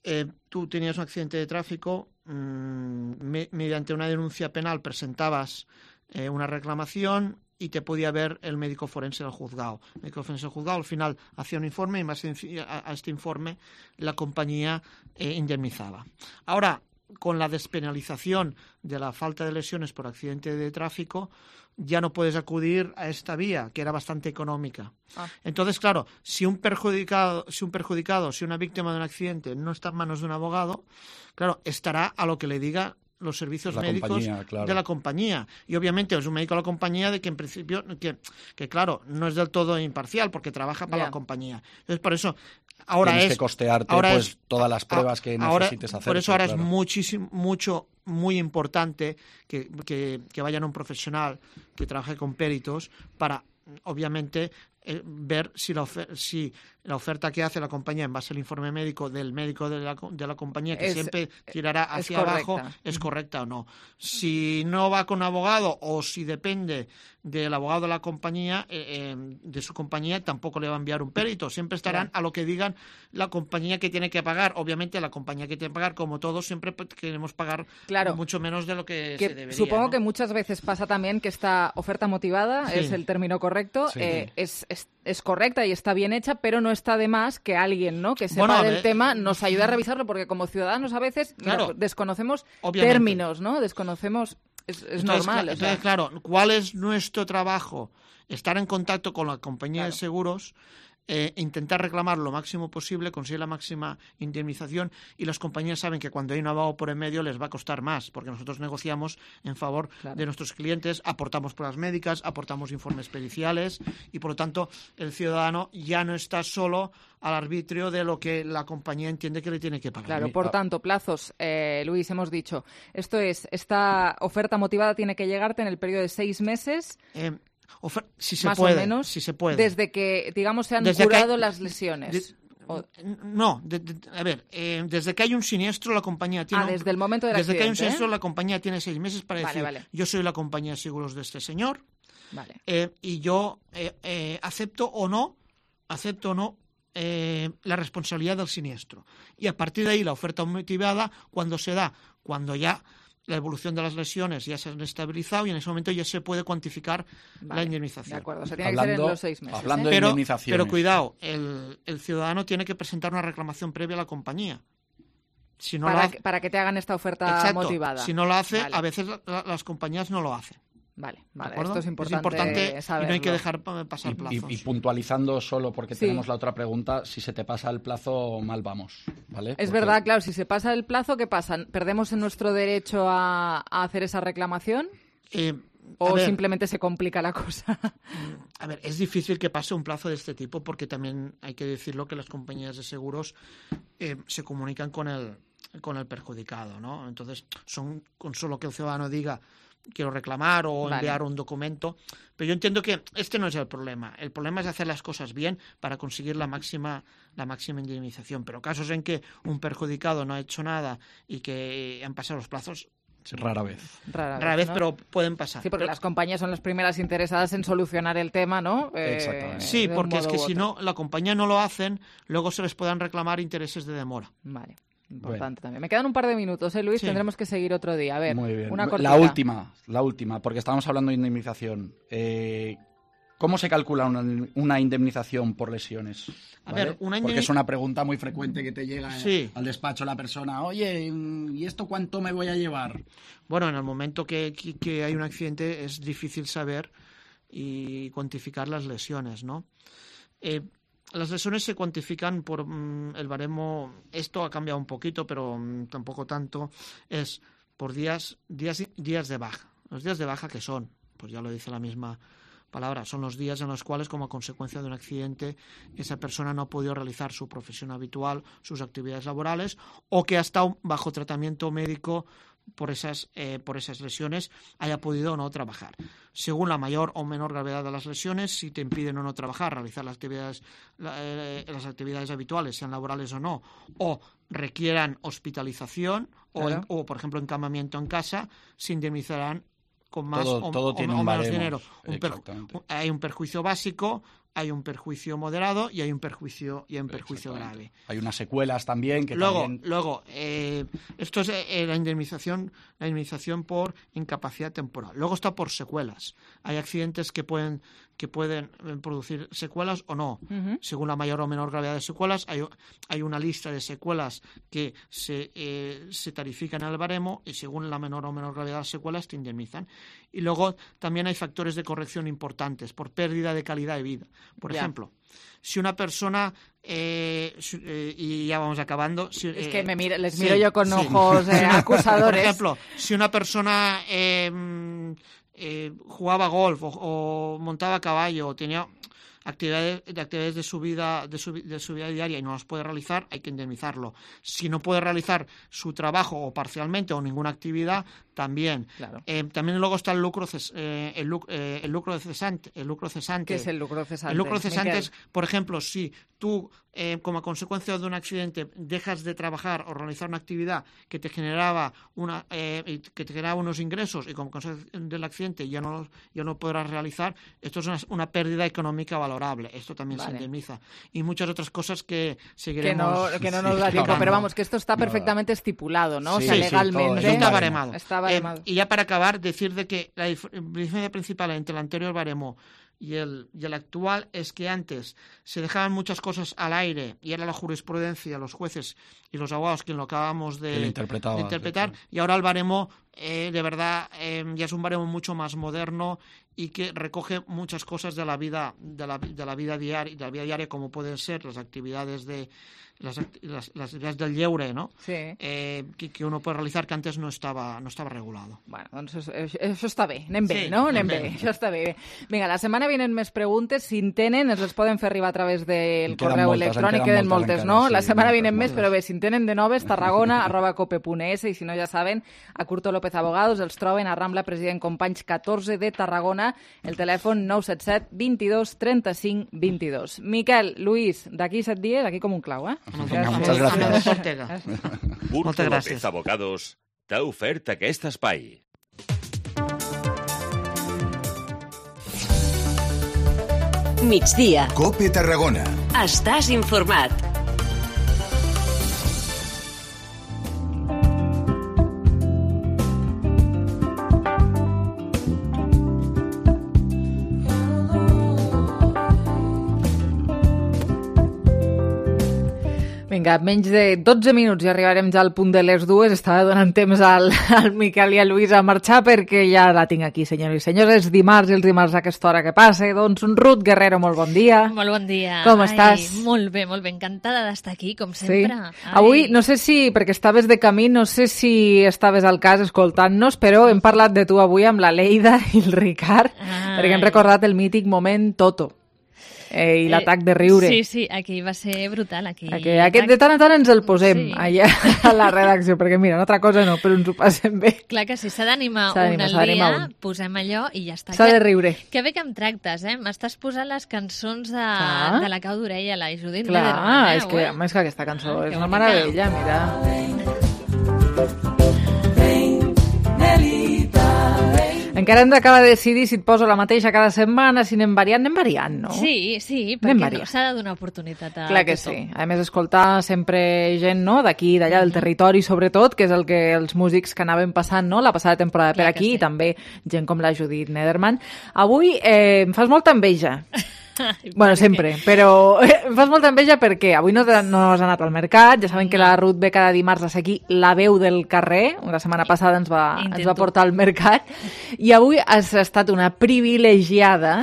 eh, tú tenías un accidente de tráfico, mmm, me, mediante una denuncia penal presentabas eh, una reclamación y te podía ver el médico forense del juzgado. El médico forense del juzgado al final hacía un informe y más a, a este informe la compañía eh, indemnizaba. Ahora, con la despenalización de la falta de lesiones por accidente de tráfico, ya no puedes acudir a esta vía, que era bastante económica. Ah. Entonces, claro, si un perjudicado, si un perjudicado, si una víctima de un accidente no está en manos de un abogado, claro, estará a lo que le diga los servicios la médicos claro. de la compañía. Y obviamente es un médico de la compañía de que en principio, que, que claro, no es del todo imparcial porque trabaja para yeah. la compañía. Entonces, por eso, ahora Tienes es... que costearte ahora pues, es, todas las pruebas que ahora, necesites hacer. Por eso ahora claro. es muchísimo, mucho, muy importante que, que, que vayan a un profesional que trabaje con peritos para, obviamente, eh, ver si la, ofer- si la oferta que hace la compañía en base al informe médico del médico de la, de la compañía, que es, siempre tirará hacia es abajo, es correcta o no. Si no va con abogado o si depende del abogado de la compañía, eh, eh, de su compañía, tampoco le va a enviar un perito. Siempre estarán yeah. a lo que digan la compañía que tiene que pagar. Obviamente la compañía que tiene que pagar, como todos, siempre queremos pagar claro. mucho menos de lo que, que se debería. Supongo ¿no? que muchas veces pasa también que esta oferta motivada, sí. es el término correcto, sí. eh, es, es, es correcta y está bien hecha, pero no está de más que alguien, ¿no?, que sepa bueno, del de... tema nos ayude a revisarlo, porque como ciudadanos a veces claro, mira, desconocemos obviamente. términos, ¿no? Desconocemos, es, es entonces, normal. Entonces, o sea. claro, ¿cuál es nuestro trabajo? Estar en contacto con la compañía claro. de seguros, eh, intentar reclamar lo máximo posible, conseguir la máxima indemnización, y las compañías saben que cuando hay un abogado por en medio les va a costar más, porque nosotros negociamos en favor claro. de nuestros clientes, aportamos pruebas médicas, aportamos informes periciales, y por lo tanto el ciudadano ya no está solo al arbitrio de lo que la compañía entiende que le tiene que pagar. Claro, por tanto, plazos, eh, Luis, hemos dicho, esto es, esta oferta motivada tiene que llegarte en el periodo de seis meses. Eh, Ofer- si se más puede, o menos, si se puede. desde que, digamos, se han desde curado hay, las lesiones. De, o... No, de, de, a ver, eh, desde que hay un siniestro la compañía tiene... Ah, desde el momento del Desde accidente, que hay un siniestro ¿eh? la compañía tiene seis meses para vale, decir, vale. yo soy la compañía de seguros de este señor, vale. eh, y yo eh, eh, acepto o no, acepto o no eh, la responsabilidad del siniestro. Y a partir de ahí la oferta motivada, cuando se da, cuando ya la evolución de las lesiones ya se han estabilizado y en ese momento ya se puede cuantificar vale, la indemnización. De acuerdo, se tiene hablando, que ser en los seis meses. Hablando ¿eh? de pero, indemnizaciones. Pero cuidado, el, el ciudadano tiene que presentar una reclamación previa a la compañía. Si no para, lo hace, que, para que te hagan esta oferta exacto, motivada. Si no lo hace, vale. a veces la, las compañías no lo hacen. Vale, vale. Esto es importante, es importante saberlo. Y no hay que dejar pasar plazos. Y, y, y puntualizando solo, porque sí. tenemos la otra pregunta, si se te pasa el plazo, mal vamos, ¿vale? Es porque... verdad, claro, si se pasa el plazo, ¿qué pasa? ¿Perdemos en nuestro derecho a, a hacer esa reclamación? Eh, ¿O ver, simplemente se complica la cosa? A ver, es difícil que pase un plazo de este tipo porque también hay que decirlo que las compañías de seguros eh, se comunican con el, con el perjudicado, ¿no? Entonces, son con solo que el ciudadano diga quiero reclamar o vale. enviar un documento. Pero yo entiendo que este no es el problema. El problema es hacer las cosas bien para conseguir la máxima, la máxima indemnización. Pero casos en que un perjudicado no ha hecho nada y que han pasado los plazos... Rara vez. Rara, Rara vez, vez ¿no? Pero pueden pasar. Sí, porque pero... las compañías son las primeras interesadas en solucionar el tema, ¿no? Eh, Exactamente. Sí, porque es que si no, la compañía no lo hacen, luego se les puedan reclamar intereses de demora. Vale. Importante bueno. también. Me quedan un par de minutos, ¿eh, Luis? Sí. Tendremos que seguir otro día. A ver, muy bien. Una la última, la última, porque estábamos hablando de indemnización. Eh, ¿Cómo se calcula una, una indemnización por lesiones? A ¿vale? ver, una indemnización... Porque es una pregunta muy frecuente que te llega sí. al despacho la persona. Oye, ¿y esto cuánto me voy a llevar? Bueno, en el momento que, que, que hay un accidente es difícil saber y cuantificar las lesiones, ¿no? Eh, Las lesiones se cuantifican por mmm, el baremo, esto ha cambiado un poquito, pero mmm, tampoco tanto, es por días, días, días de baja. Los días de baja, ¿qué son? Pues ya lo dice la misma palabra, son los días en los cuales, como consecuencia de un accidente, esa persona no ha podido realizar su profesión habitual, sus actividades laborales, o que ha estado bajo tratamiento médico por esas, eh, por esas lesiones, haya podido o no trabajar. Según la mayor o menor gravedad de las lesiones, si te impiden o no trabajar, realizar las actividades, la, eh, las actividades habituales, sean laborales o no, o requieran hospitalización claro. o, en, o, por ejemplo, encamamiento en casa, se indemnizarán con más todo, o, todo o, tiene o un menos baremo. dinero. Un perju- hay un perjuicio básico, hay un perjuicio moderado y hay un perjuicio y hay un perjuicio grave. Hay unas secuelas también que luego, también... Luego, eh, esto es eh, la indemnización, la indemnización por incapacidad temporal. Luego está por secuelas. Hay accidentes que pueden que pueden producir secuelas o no. Uh-huh. Según la mayor o menor gravedad de secuelas, hay, hay una lista de secuelas que se, eh, se tarifican al baremo y según la menor o menor gravedad de secuelas te indemnizan. Y luego también hay factores de corrección importantes por pérdida de calidad de vida. Por yeah. ejemplo, si una persona, eh, eh, y ya vamos acabando... Si, es eh, que me miro, les sí, miro yo con sí. ojos eh, acusadores. Por ejemplo, si una persona eh, eh, jugaba golf o, o montaba a caballo o tenía actividades de, actividades de su vida de su, de su vida diaria y no las puede realizar, hay que indemnizarlo. Si no puede realizar su trabajo o parcialmente o ninguna actividad, también. Claro. Eh, también luego está el lucro ces, eh, el, eh, el lucro cesante, el lucro cesante. ¿Qué es el lucro cesante? El lucro cesante Miquel. es, por ejemplo, si tú eh, como consecuencia de un accidente dejas de trabajar o realizar una actividad que te generaba una eh, que te generaba unos ingresos y como consecuencia del accidente ya no ya no podrás realizar, esto es una, una pérdida económica valorable. Esto también vale. se indemniza. Y muchas otras cosas que seguiremos... Que no, que no nos da tiempo, pero vamos, que esto está perfectamente estipulado, ¿no? Sí, o sea, sí, legalmente... Sí, está baremado. Está baremado. Eh, y ya para acabar, decir de que la diferencia principal entre el anterior baremo y el, y el actual es que antes se dejaban muchas cosas al aire y era la jurisprudencia, los jueces y los abogados quien lo acabamos de, de interpretar, sí. Y ahora el baremo eh, de verdad eh, ya es un baremo mucho más moderno y que recoge muchas cosas de la vida de la, de la vida diaria, de la vida diaria como pueden ser las actividades de las, las, las actividades del lleure, ¿no? Sí. Eh, que, que uno puede realizar que antes no estava, no estava regulado. Bueno, doncs això, això està bé, anem bé, sí, no? Anem, anem bé. bé, això està bé. Vinga, la setmana vienen més preguntes, si en tenen, ens les poden fer arribar a través del correu moltes, electrònic, queden moltes, encara, no? sí, la setmana moltes, vienen moltes. més, però bé, si en tenen de noves, tarragona, arroba cope punt es, i si no ja saben, a Curto López Abogados, els troben a Rambla President Companys catorze de Tarragona, el telèfon nou set set, vint-i-dos, trenta-cinc, vint-i-dos. Miquel, Luis, d'aquí set dies, aquí com un clau, eh? Moltes gràcies. Curto López Abogados t'ha ofert aquest espai. Migdia. Cope Tarragona. Estàs informat. Vinga, menys de dotze minuts i arribarem ja al punt de les dues. Estava donant temps al, al Miquel i a Lluís a marxar perquè ja la tinc aquí, senyors i senyors. És dimarts i els dimarts a aquesta hora que passa. Doncs un Ruth Guerrero, molt bon dia. Molt bon dia. Com Ai, estàs? Molt bé, molt bé. Encantada d'estar aquí, com sempre. Sí. Avui, no sé si, perquè estaves de camí, no sé si estaves al cas escoltant-nos, però hem parlat de tu avui amb la Leida i el Ricard, Ai. perquè hem recordat el mític moment Toto. Eh, i l'atac de riure. Sí, sí, aquí va ser brutal. Aquí, aquí, aquest de tant en tant ens el posem sí. allà a la redacció, perquè mira, una altra cosa no, però ens ho passem bé. Clar que sí, s'ha d'animar un al dia, un. posem allò i ja està. S'ha de riure. Que bé que em tractes, eh? M'estàs posant les cançons de, de la Cau d'Orella, la Judit Clar, Nederman, eh? és que, eh? és que aquesta cançó ah, és una meravella, mira. Encara hem d'acabar de decidir si et poso la mateixa cada setmana, si anem variant, anem variant, no? Sí, sí, perquè no, s'ha de donar oportunitat a Clar que tothom. sí. A més, escoltar sempre gent, no?, d'aquí, d'allà, del territori, sobretot, que és el que els músics que anaven passant, no?, la passada temporada per aquí, sí. I també gent com la Judit Nederman. Avui eh, em fas molta enveja. Bueno, sempre, però em fas molta enveja perquè avui no, no has anat al mercat, ja saben que la Ruth ve cada dimarts a ser aquí la veu del carrer, la setmana passada ens va, ens va portar al mercat, i avui has estat una privilegiada,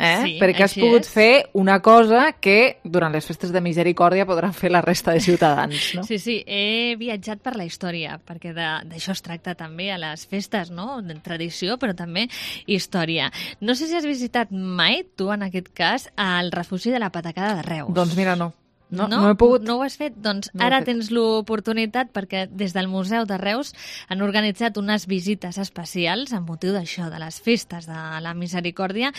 eh? Sí, perquè has pogut és. fer una cosa que durant les festes de misericòrdia podran fer la resta de ciutadans, no? Sí, sí, he viatjat per la història, perquè d'això es tracta també a les festes, no?, de tradició, però també història. No sé si has visitat mai, tu en aquest cas, el refugi de la Patacada de Reus. Doncs mira, no. No, no, no he pogut. No ho has fet? Doncs no ara tens l'oportunitat perquè des del Museu de Reus han organitzat unes visites especials amb motiu d'això, de les festes de la misericòrdia,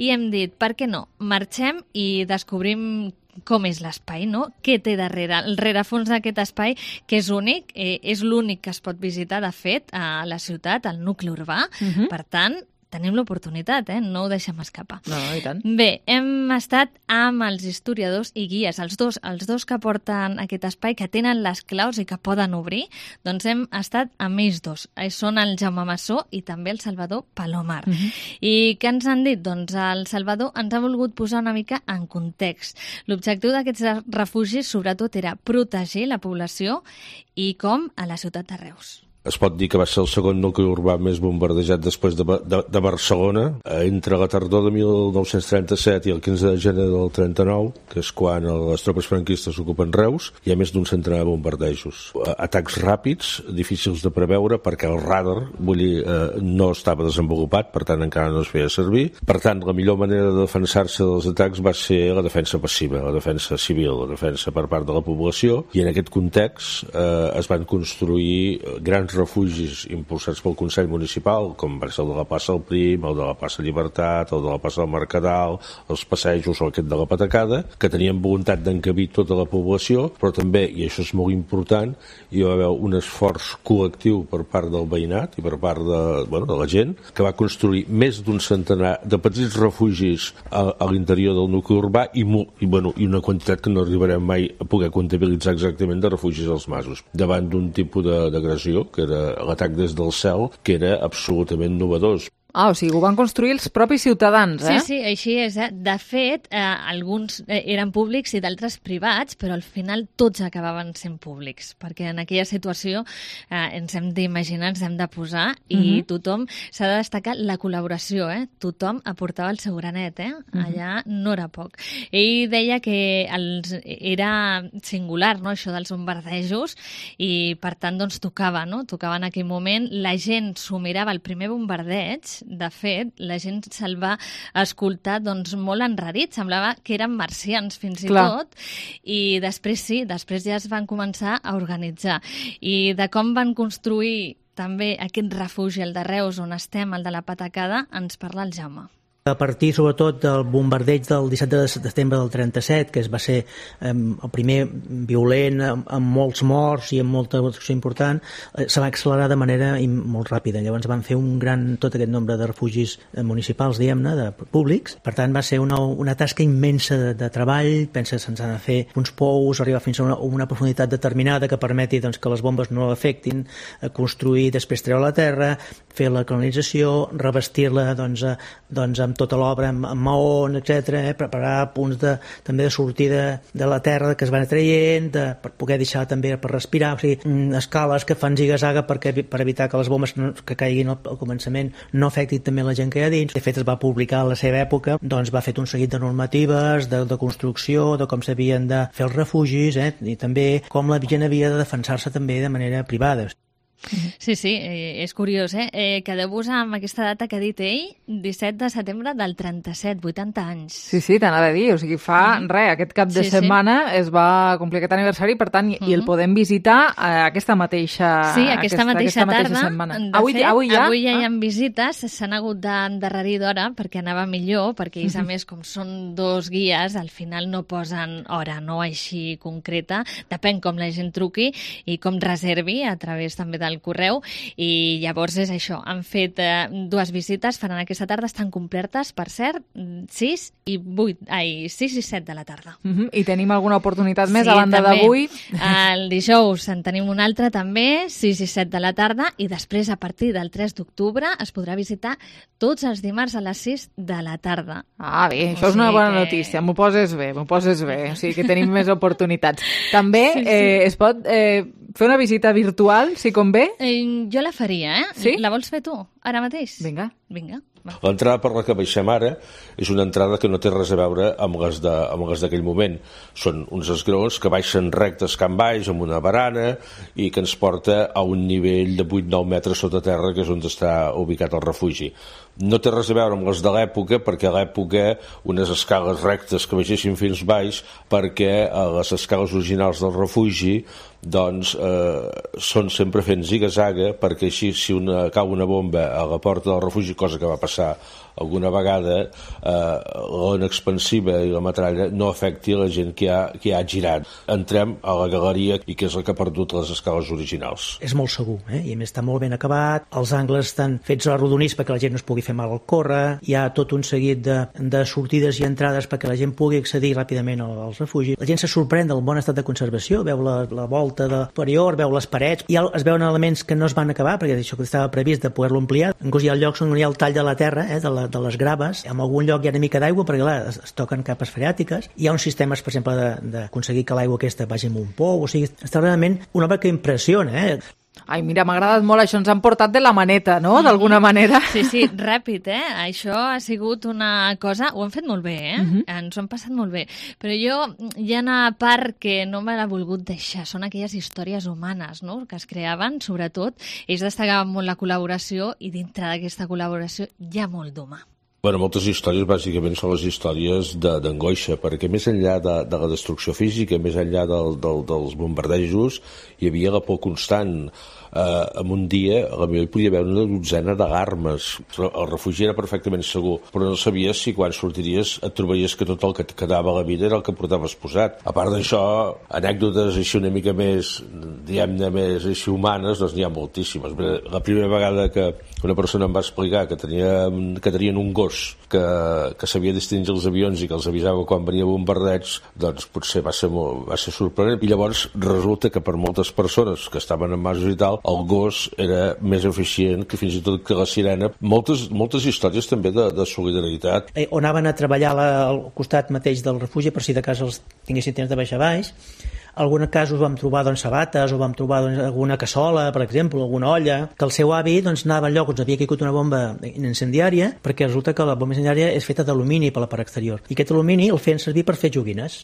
i hem dit, per què no? Marxem i descobrim com és l'espai, no? Què té darrere? El rerefons d'aquest espai, que és únic, eh, és l'únic que es pot visitar, de fet, a la ciutat, al nucli urbà. Uh-huh. Per tant, tenim l'oportunitat, eh? No ho deixem escapar. No, no, i tant. Bé, hem estat amb els historiadors i guies, els dos, els dos que porten aquest espai, que tenen les claus i que poden obrir, doncs hem estat amb ells dos. Són el Jaume Massó i també el Salvador Palomar. Uh-huh. I què ens han dit? Doncs el Salvador ens ha volgut posar una mica en context. L'objectiu d'aquests refugis, sobretot, era protegir la població i com a la ciutat de Reus. Es pot dir que va ser el segon nucli urbà més bombardejat després de, de, de Barcelona. Entre la tardor de mil nou-cents trenta-set i el quinze de gener del trenta-nou, que és quan les tropes franquistes ocupen Reus, hi ha més d'un centenar de bombardejos. Atacs ràpids, difícils de preveure, perquè el radar, vull dir, eh, no estava desenvolupat, per tant encara no es feia servir. Per tant, la millor manera de defensar-se dels atacs va ser la defensa passiva, la defensa civil, la defensa per part de la població, i en aquest context eh, es van construir grans refugis impulsats pel Consell Municipal, com va ser el de la plaça del Prim, el de la plaça Llibertat, el de la plaça del Mercadal, els passejos o aquest de la Patacada, que tenien voluntat d'encabir tota la població, però també, i això és molt important, hi va haver un esforç col·lectiu per part del veïnat i per part de, bueno, de la gent, que va construir més d'un centenar de petits refugis a, a l'interior del nucli urbà i, i, bueno, i una quantitat que no arribarem mai a poder comptabilitzar exactament de refugis als masos, davant d'un tipus d'agressió que era l'atac des del cel, que era absolutament novedós. Ah, o sigui, ho van construir els propis ciutadans, eh? Sí, sí, així és. Eh? De fet, eh, alguns eh, eren públics i d'altres privats, però al final tots acabaven sent públics, perquè en aquella situació eh, ens hem d'imaginar, ens hem de posar, i uh-huh. tothom, s'ha de destacar la col·laboració, eh? Tothom aportava el seu granet, eh? Allà uh-huh. no era poc. Ell deia que els, era singular, no?, això dels bombardejos, i per tant, doncs, tocava, no?, tocava en aquell moment, la gent s'ho mirava el primer bombardeig. De fet, la gent se'l va escoltar doncs, molt enrarit, semblava que eren marcians fins i Clar. tot, i després sí, després ja es van començar a organitzar. I de com van construir també aquest refugi, el de Reus, on estem, el de la Patacada, ens parla el Jaume. A partir, sobretot, del bombardeig del disset de setembre del trenta-set, que es va ser eh, el primer violent, amb, amb molts morts i amb molta destrucció important, eh, se va accelerar de manera molt ràpida. Llavors van fer un gran, tot aquest nombre de refugis municipals, diguem-ne, de públics. Per tant, va ser una, una tasca immensa de, de treball. Pensa que se'ns han de fer uns pous, arribar fins a una, una profunditat determinada que permeti doncs, que les bombes no l'afectin, eh, construir, després treure la terra, fer la colonització, revestir-la doncs, eh, doncs, amb tota l'obra, amb, amb maons, etcètera, eh, preparar punts de, també de sortida de la terra que es van traient, de, per poder deixar també per respirar, o sigui, escales que fan ziga-zaga perquè, per evitar que les bombes no, que caiguin al, al començament no afectin també la gent que hi ha dins. De fet, es va publicar a la seva època, doncs va fer un seguit de normatives, de, de construcció, de com s'havien de fer els refugis, eh, i també com la gent havia de defensar-se també de manera privada. Sí, sí, eh, és curiós, eh? eh? Quedeu-vos amb aquesta data que ha dit ell, disset de setembre del trenta-set, vuitanta anys. Sí, sí, t'anava a dir, o sigui, fa mm. res, aquest cap de sí, setmana sí. es va complir aquest aniversari, per tant, mm -hmm. i el podem visitar eh, aquesta mateixa Sí, aquesta, aquesta mateixa aquesta tarda. Mateixa setmana. De Avui, fet, avui ja, avui ja hi ha ah. visites, s'han hagut d'endarrerir d'hora perquè anava millor, perquè ells, a més, com són dos guies, al final no posen hora, no així concreta, depèn com la gent truqui i com reservi a través també del correu. I llavors és això, han fet eh, dues visites, faran aquesta tarda, estan complertes, per cert, sis i vuit, ai, sis i set de la tarda. Uh -huh. I tenim alguna oportunitat més sí, a banda d'avui? El dijous en tenim una altra també, sis i set de la tarda, i després a partir del tres d'octubre es podrà visitar tots els dimarts a les sis de la tarda. Ah, bé, això o és una bona que... notícia, m'ho poses bé, m'ho poses bé, o sigui que tenim més oportunitats. També sí, sí. Eh, es pot eh, fer una visita virtual, si convé? Eh, jo la faria, eh? Sí? La vols fer tu, ara mateix? Vinga. Vinga. L'entrada per la que baixem ara és una entrada que no té res a veure amb les de, amb les d'aquell moment. Són uns esgraons que baixen rectes camp baix amb una barana i que ens porta a un nivell de vuit nou metres sota terra, que és on està ubicat el refugi. No té res a veure amb les de l'època, perquè a l'època unes escales rectes que baixessin fins baix, perquè les escales originals del refugi doncs eh, són sempre fent ziga-zaga, perquè així si una, cau una bomba a la porta del refugi, cosa que va passar alguna vegada, eh, l'ona expansiva i la metralla no afecti la gent que ha, que ha girat. Entrem a la galeria i que és la que ha perdut les escales originals. És molt segur, eh? I a més està molt ben acabat, els angles estan fets arrodonits perquè la gent no es pugui fer mal al córrer, hi ha tot un seguit de, de sortides i entrades perquè la gent pugui accedir ràpidament al, al refugi. La gent se sorprèn del bon estat de conservació, veu la, la volta de superior, veu les parets, i es veuen elements que no es van acabar perquè això que estava previst de poder-lo ampliar. Inclús hi ha llocs on hi ha el tall de la terra, eh, de, la, de les graves, en algun lloc hi ha una mica d'aigua perquè clar, es, es toquen capes freàtiques, hi ha uns sistemes, per exemple, d'aconseguir que l'aigua aquesta vagi amb un pou, o sigui, està realment una obra que impressiona, eh? Ai, mira, m'ha agradat molt, això ens han portat de la maneta, no?, d'alguna manera. Sí, sí, ràpid, eh? Això ha sigut una cosa... Ho han fet molt bé, eh? Uh -huh. Ens ho han passat molt bé. Però jo, hi ha una part que no me l'ha volgut deixar, són aquelles històries humanes, no?, que es creaven, sobretot. Ells destacaven molt la col·laboració i dintre d'aquesta col·laboració hi ha molt d'humà. Bueno, moltes històries bàsicament són les històries d'angoixa, perquè més enllà de, de la destrucció física, més enllà del, del, dels bombardejos, hi havia la por constant. Eh, en un dia, a la millor hi podia haver una dotzena d'alarmes. El refugi era perfectament segur, però no sabies si quan sortiries et trobaries que tot el que et quedava a la vida era el que portaves posat. A part d'això, anècdotes així una mica més, diguem-ne, més així humanes, doncs n'hi ha moltíssimes. La primera vegada que una persona em va explicar que, tenia, que tenien un gos que, que sabia distingir els avions i que els avisava quan venia bombardeig, doncs potser va ser, molt, va ser sorprenent. I llavors resulta que per moltes persones que estaven en masos i tal, el gos era més eficient que fins i tot que la sirena. Moltes, moltes històries també de, de solidaritat. Eh, on anaven a treballar la, al costat mateix del refugi per si de cas els tinguessin temps de baixar baix. En alguns casos vam trobar doncs, sabates o vam trobar doncs, alguna cassola, per exemple, alguna olla, que el seu avi doncs, anava al lloc on havia caigut una bomba incendiària, perquè resulta que la bomba incendiària és feta d'alumini per la part exterior. I aquest alumini el feien servir per fer joguines.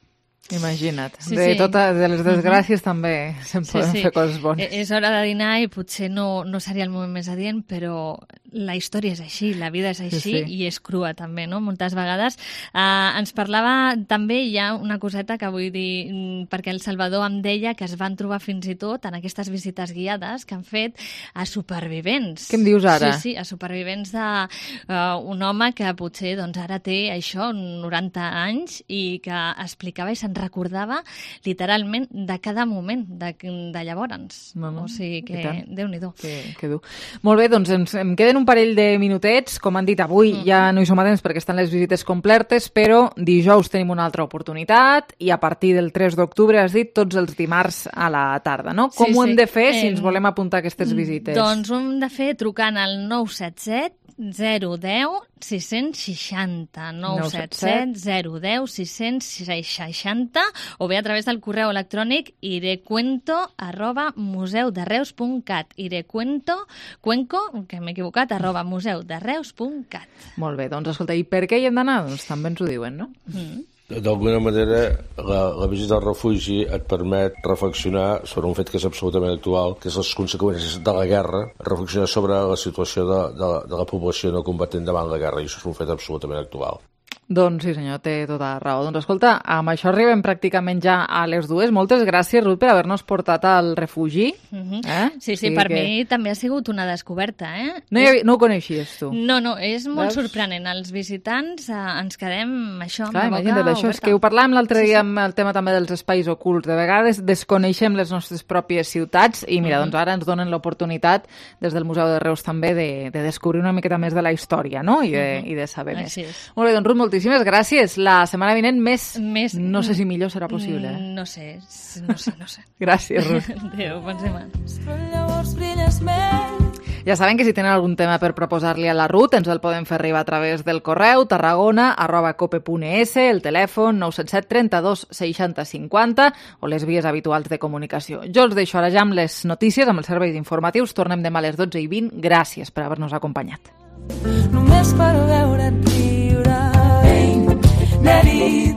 Imagina't. Sí, de, sí. tota, de les desgràcies uh-huh. també se'n Sí, poden sí. fer coses bones. És hora de dinar i potser no, no seria el moment més adient, però la història és així, la vida és així Sí, sí. i és crua també, no? Moltes vegades. Uh, ens parlava també, hi ha una coseta que vull dir, mm, perquè el Salvador em deia que es van trobar fins i tot en aquestes visites guiades que han fet a supervivents. Què em dius ara? Sí, sí, a supervivents d'un uh, home que potser doncs, ara té això, noranta anys, i que explicava i se'n recordava literalment de cada moment de, de llavors. Mama, o sigui que, Déu-n'hi-do. Que, que dur. Molt bé, doncs ens, em queden un parell de minutets. Com han dit avui, mm. ja no hi som a temps perquè estan les visites completes, però dijous tenim una altra oportunitat i a partir del tres d'octubre, has dit, tots els dimarts a la tarda, no? Com Sí, ho hem sí. de fer si Eh, ens volem apuntar a aquestes visites? Doncs ho hem de fer trucant al nou set set zero un zero sis seixanta, nou set set zero un zero sis seixanta, o bé a través del correu electrònic irecuento arroba museu de reus punt cat, irecuento, cuenco, que m'he equivocat, arroba museu de reus punt cat. Molt bé, doncs escolta, i per què hi hem d'anar? Doncs també ens ho diuen, no? Mm. D'alguna manera, la, la visita al refugi et permet reflexionar sobre un fet que és absolutament actual, que és les conseqüències de la guerra, reflexionar sobre la situació de, de, de la població no combatent davant la guerra, i això és un fet absolutament actual. Doncs sí, senyor, té tota la raó. Doncs escolta, amb això arribem pràcticament ja a les dues. Moltes gràcies, Ruth, per haver-nos portat al refugi. Mm-hmm. eh? Sí, sí, sí per que... mi també ha sigut una descoberta, eh? No, havia... no ho coneixies, tu? No, no, és molt Veus? sorprenent. Els visitants eh, ens quedem això, Clar, amb la imagina't, boca això és oberta. que ho parlàvem l'altre Sí, dia sí. amb el tema també dels espais ocults. De vegades desconeixem les nostres pròpies ciutats i mira, Mhm. doncs ara ens donen l'oportunitat des del Museu de Reus també de, de descobrir una miqueta més de la història, no? I de, Mhm. i de saber més. Així és. Molt bé, doncs Ruth, moltíssimes gràcies. La setmana vinent més, més... no sé si millor serà possible. Eh? No sé, no sé, no sé. Gràcies, Ruth. Adéu, bon setmana. Llavors brilles més. Ja saben que si tenen algun tema per proposar-li a la Ruth ens el poden fer arribar a través del correu tarragona arroba cope punt es, el telèfon nou set set trenta-dos seixanta cinquanta o les vies habituals de comunicació. Jo els deixo ara ja amb les notícies, amb els serveis informatius. Tornem demà a les dotze i vint. Gràcies per haver-nos acompanyat. Només per veure't riure. Ei, Nelly.